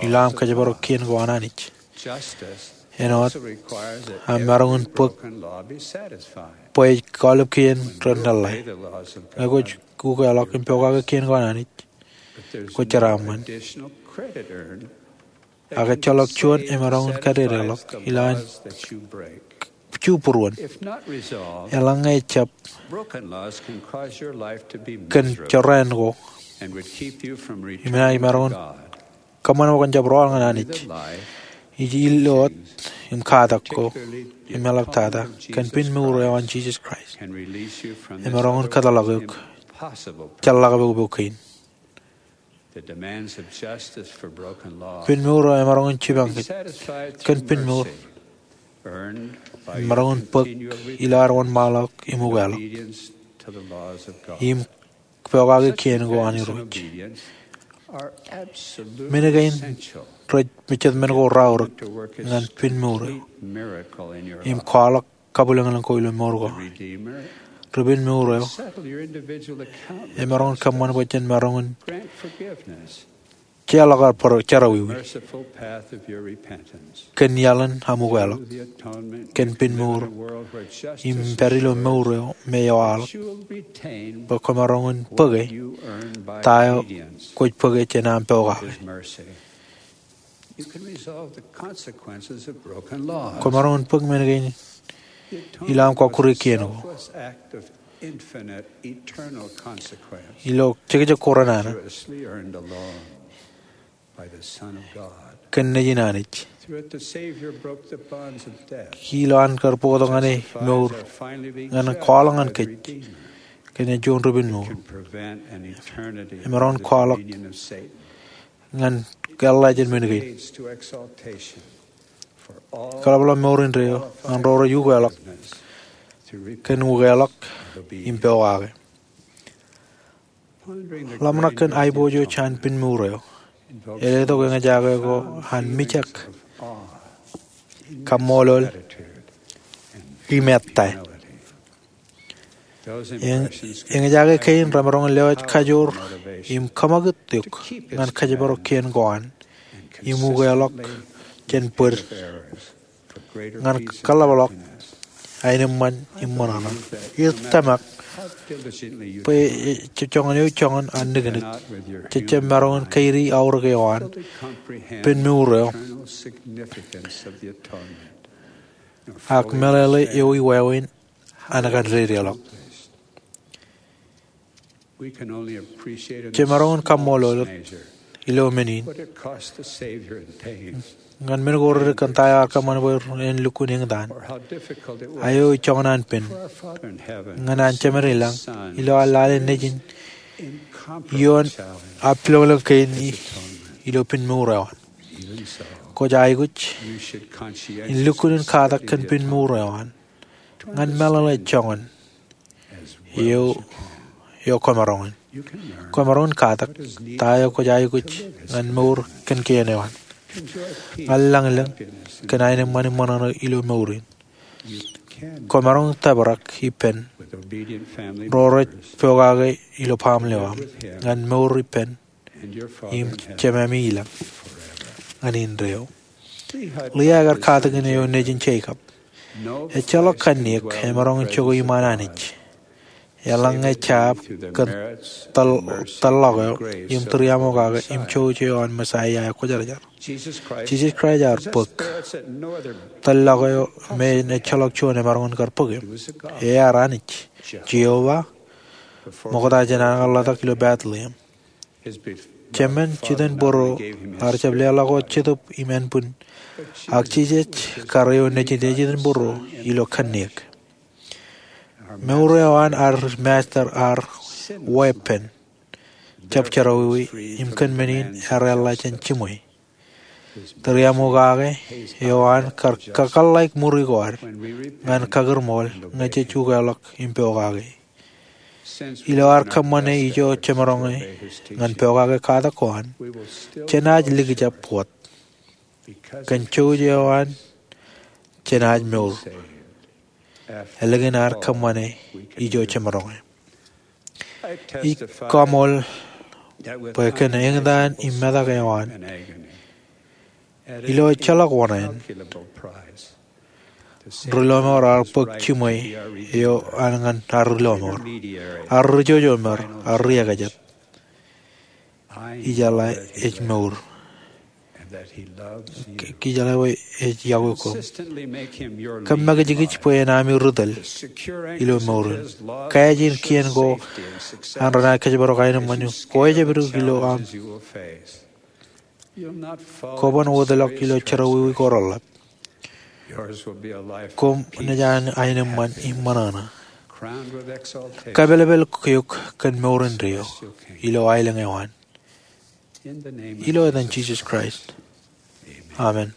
ilo aṃ kōjparok kien ko an Anij. Āinwōt aṃ maroñ in bōk bwe ej aolep kien ren lōḷḷā. Ñe kwōj ukeḷọk im pokake kien ko an Anij, kwōj jeraaṃṃan. Ak ejjeḷọk juon emaroñ in kadedeḷọk ilowaan ju būruon. Eḷaññe ejjab kōn jorrāān ko im enaaj maroñ in kōṃṃan bwe kwōn jab rọọl ñan Anij, ij ilowōt im katak ko im eḷaptata kōn pen mour eo an Jisōs Kraist. Emaroñ in kōtḷọk eok jeḷḷọk pokpok kein. Pen mour eo emaroñ in jipañ kōj kōn pen mour emaroñ in bōk ilo ad wōnṃaanḷọk im ukeḷọk im pokake kien ko an Irooj. Men kein rej jet men ko raorōk ñan pen mour eo im kwaḷọk kabwilōñlōñ ko ilo mour ko. Ri pen mour eo emaroñ in kōṃṃan bwe jen maroñ in jeorḷọk ad bar jerọwiwi kōn iaḷ in aṃ ukeḷọk, kōn pen mour, im pād ilo mour eo me ewaḷọk, bwe kwōmaroñ in bōke ta eo kwōj bōke jān aṃ pokake. Kwōmaroñ in bōk men kein ilo aṃ kọkkure kien ko, ilo jekjek ko renana, kōn Nejin Anij. Ilo an kar bōktok ñan e mour, ñan kwaḷọk ñan kōj kōn juon ri-penmour, emaroñ in kwaḷọk ñan eḷḷā jān men kein. Kaḷapḷọk mour indeeo ñan ro rej ukeḷọk kōn ukeḷọk im pokake. Ḷōmṇak kōn aiboojoj an pen mour eo ej letok eñjake ko an mijak, kaṃṃoolol, im ettā. Eñjake kein remaroñ in lewōj kajoor im kōṃakūt eok ñan kōjparok kien ko an im ukeḷọk jān bōd ñan kaḷapḷọk aenōṃṃan im ṃōṇōṇō. Ij tōmak bwe ejab joñan ewi joñan an niknik jej jab maroñ in kaidi aorōk eo an pen mour eo ak meḷeḷe ewi wāween an kōn dedeḷọk. Jemaroñ in kaṃṃoolol ilo men in ñan men ko redik kōn ta eo ear kōṃṃan bwe en lukkuun eñtaan, ak eo ej joñan an pen ñan an Jemān ilañ ilo ad lale Nejin ioon aō pilōñlōñ kein ilo pen mour eo an. Kwōj aikuj in lukkuun in katak kōn pen mour eo an ñan meḷeḷe joñan eo kwōmaroñ in. Kwōmaroñ in katak ta eo kwōj aikuj ñan mour kōn kien eo an, ñan lañlōñ kōn aenōṃṃan im ṃōṇōṇō ilo mour in. Kwōmaroñ in tōprak ippān ro rej pokake ilo baaṃle eo aṃ ñan mour ippān im Jemāmi ilañ ñan indeeo. Liai ekar katakin eo nejin Jekob. Ejjeḷọk kanniōk emaroñ in jokwe iṃaan Anij. Eḷaññe jab kōn tōl-, tōllọk eo im tūriaṃokake im jouj eo an Messaia eo kwōjarjar. Jisōs Kraist ear bōk tōllọk eo me en ejjeḷọk juon emaroñ in kar bōk im. Ear Anij, Jeova, ṃokta jān an ear laḷtak ilo Bethlehem. Jemān jitōnbōro ear jab leḷọk wōt Jetōb im ānbwin, ak Jisōs kar eo nejin ej jitōnbōro ilo kanniōk. Mour eo an ad Masta ear weeppān, jab jerọwiwi, im kōn men in ear eḷḷā jān jiṃwe. Tūriaṃokake eo an kar kakōḷḷāik ṃuri ko ad ñan kakūrṃool ñe jej ukeḷọk im pokake. Ilo ad kōṃṃane ijo jemaroñe ñan pokake katak ko an, jenaaj likjab wōt. Kōn jouj eo an, jenaaj mour ālikin ad kōṃṃane ijo jemaroñe. Ij kaṃool bwe kōn eñtaan im metak eo an, ilo ejjeḷọk wōṇāān, ri-lọmọọr ear bōk jiṃwe eo an ñan ad ri-lọmọọr, ad ri-jojomer, ad ri-ekajet. Ijeḷā ej mour. Ijeḷā bwe ej yokwe koṃ. Kōm make jekjek bwe en ami ri-tōl ilo mour in. Kāāj in kien ko an renaaj kōjparok aenōṃṃan in. Kwō ejjab itok ilo aṃ. Kwō ban wōtlọk ilo jerọwiwi ko reḷḷap. Koṃ naaj aenōṃṃan im ṃōṇōṇō, kōpelepel eok kōn mour indeeo ilo aelōñ eo an. Ilo etan Jisōs Kraist, amen.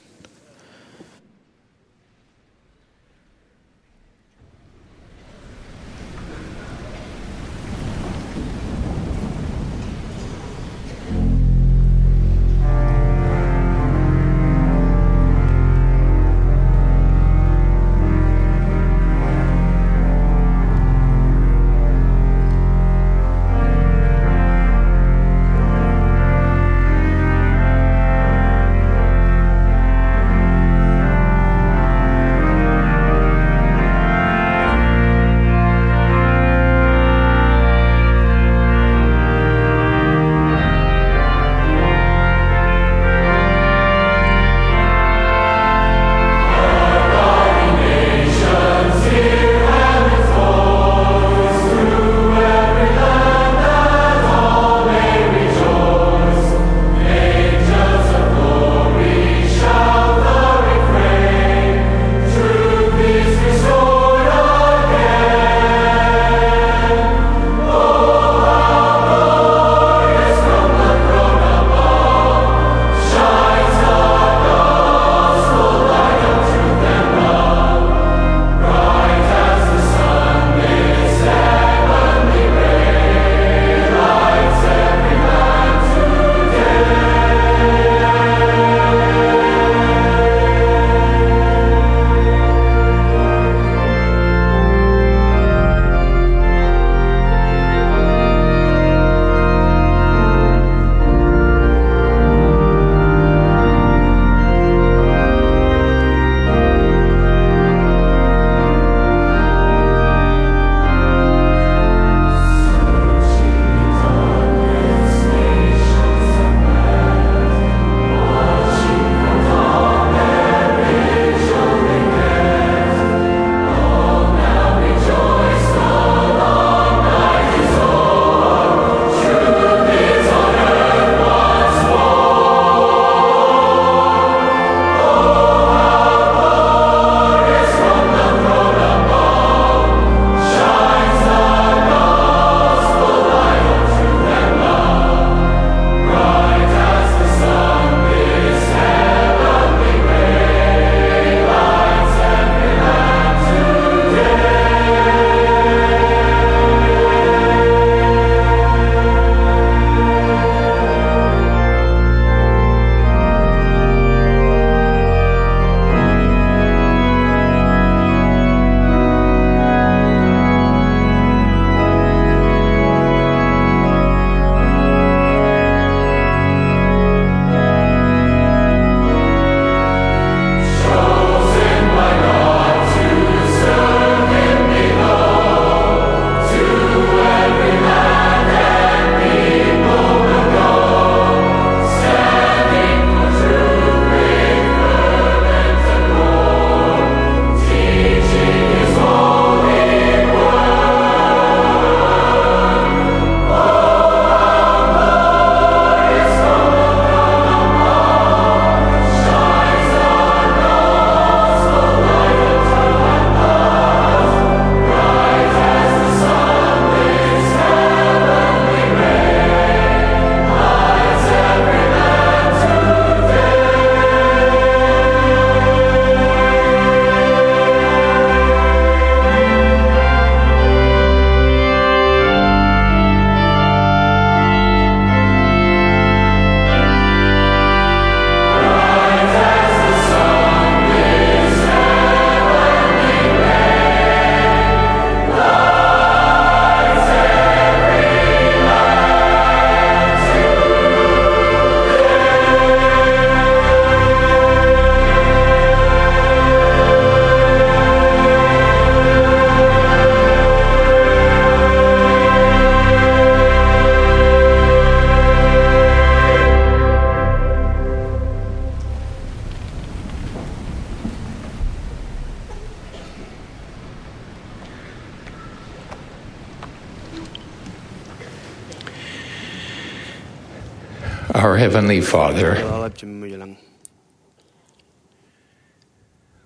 Our Heavenly Father, Ḷōḷḷap Jemem ilañ.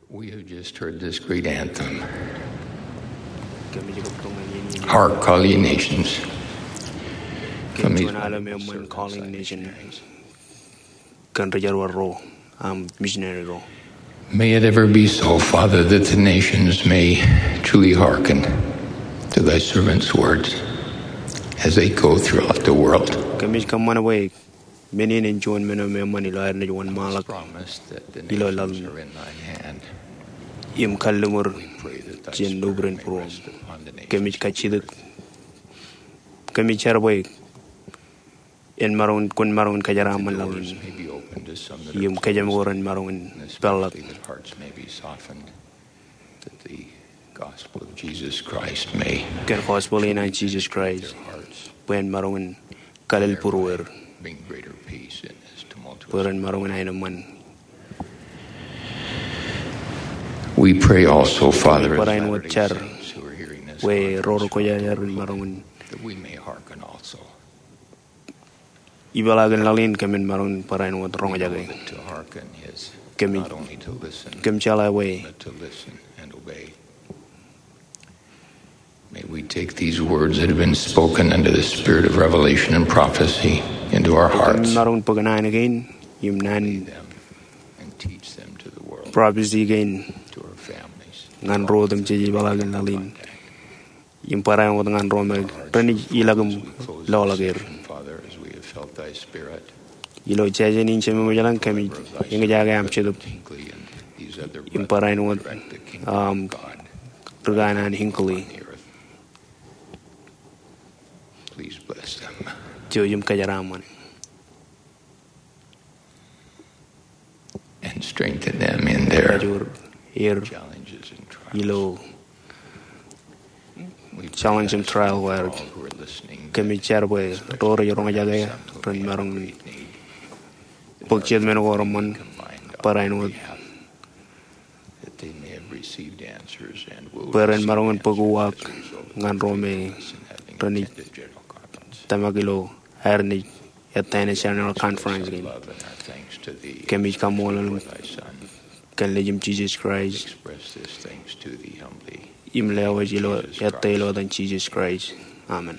We have just heard this great anthem. Kōmij kab kōṃṃan iien in. Hark, all ye nations. Kōmij juon aolep eṃṃan, calling nation. Kōn ri-jerbal ro, aṃ, missionary ro. May it ever be so, Father, that the nations may truly hearken to thy servants' words as they go throughout the world. Kōmij kōṃṃan bwe men in en juon men eo eṃṃan ilo ad naaj wōnṃaanḷọk ilo laḷ in. Im kalliṃur jān nōb ren būruōṃ. Kōmij kajjitōk, kōmij jar bwe en maroñ in, kwōn maroñ in kōjeraaṃṃan laḷ in. Im kōjām ko ren maroñ in peḷḷọk. That the gospel of Jesus Christ may kōn gospel in an Jesus Christ, bwe en maroñ in kalel būrueir. Bring greater peace in this tumultuous. Bwe ren maroñ in aenōṃṃan. We pray also, Father, as Latter-day Saints who are hearing this, bwe ro rej kwōjarjar ren maroñ in, that we may hearken also. Ipeḷaakin laḷ in kōmin maroñ in barāinwōt roñjake. Kōmin, kōm jeḷā bwe. May we take these words that have been spoken under the spirit of revelation and prophecy into our hearts. Kōmin maroñ in bōk naan kein im naan prophecy kein ñan ro otemjej ipeḷaakin laḷ in. Im barāinwōt ñan ro me renaaj ilọk im loḷọk er. Ilo jājen in Jemem ilañ kōmij eñjake aṃ Jetōb im barāinwōt, um, ri kanaan Hinckley. Jouj im kōjeraaṃṃan. And strengthen them in their challenges and trials. Ilo challenge im trial ko ad. Kōmij jar bwe ro rej roñjake ren maroñ in bōk jet men ko reṃṃan barāinwōt. Bwe ren maroñ in bōk uwaak ñan ro me renaaj tōmak ilo aer naaj ettā ṇe General Conference kein. Kōmij kaṃṃoolol eok kōn Nejiṃ Jesus Christ im lewōj ilo ettā ilo etan Jesus Christ. Amen.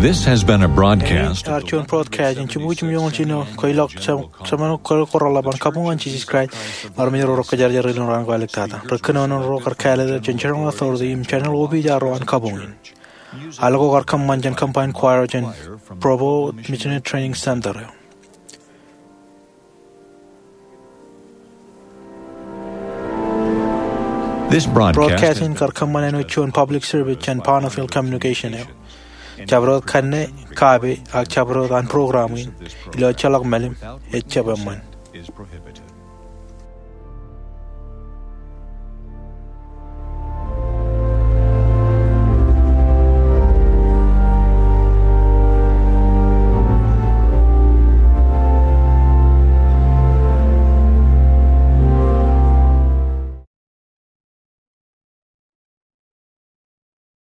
This has been a broadcast. Ear juon broadcast in jibukwi jimjuonñoul jiljino, kweilọk semenuk kōrḷọk ḷap an kabuñ an Jisōs Kraist im armej ro rekkajarjar ilo raan ko āliktata. Rej kōnono ro kar kāālōt jān General Authority im General Opiij ro an kabuñ in. Al ko kar kōṃṃan jān Combined Choir jān Provo Missionary Training Center eo. This broadcast Broadcast in kar kōṃṃan āinwōt juon public service jān Bonneville Communication eo. Jabdewōt kanne, kape, ak jabdewōt an program in ilo ejjeḷọk mālim ej jab eṃṃan.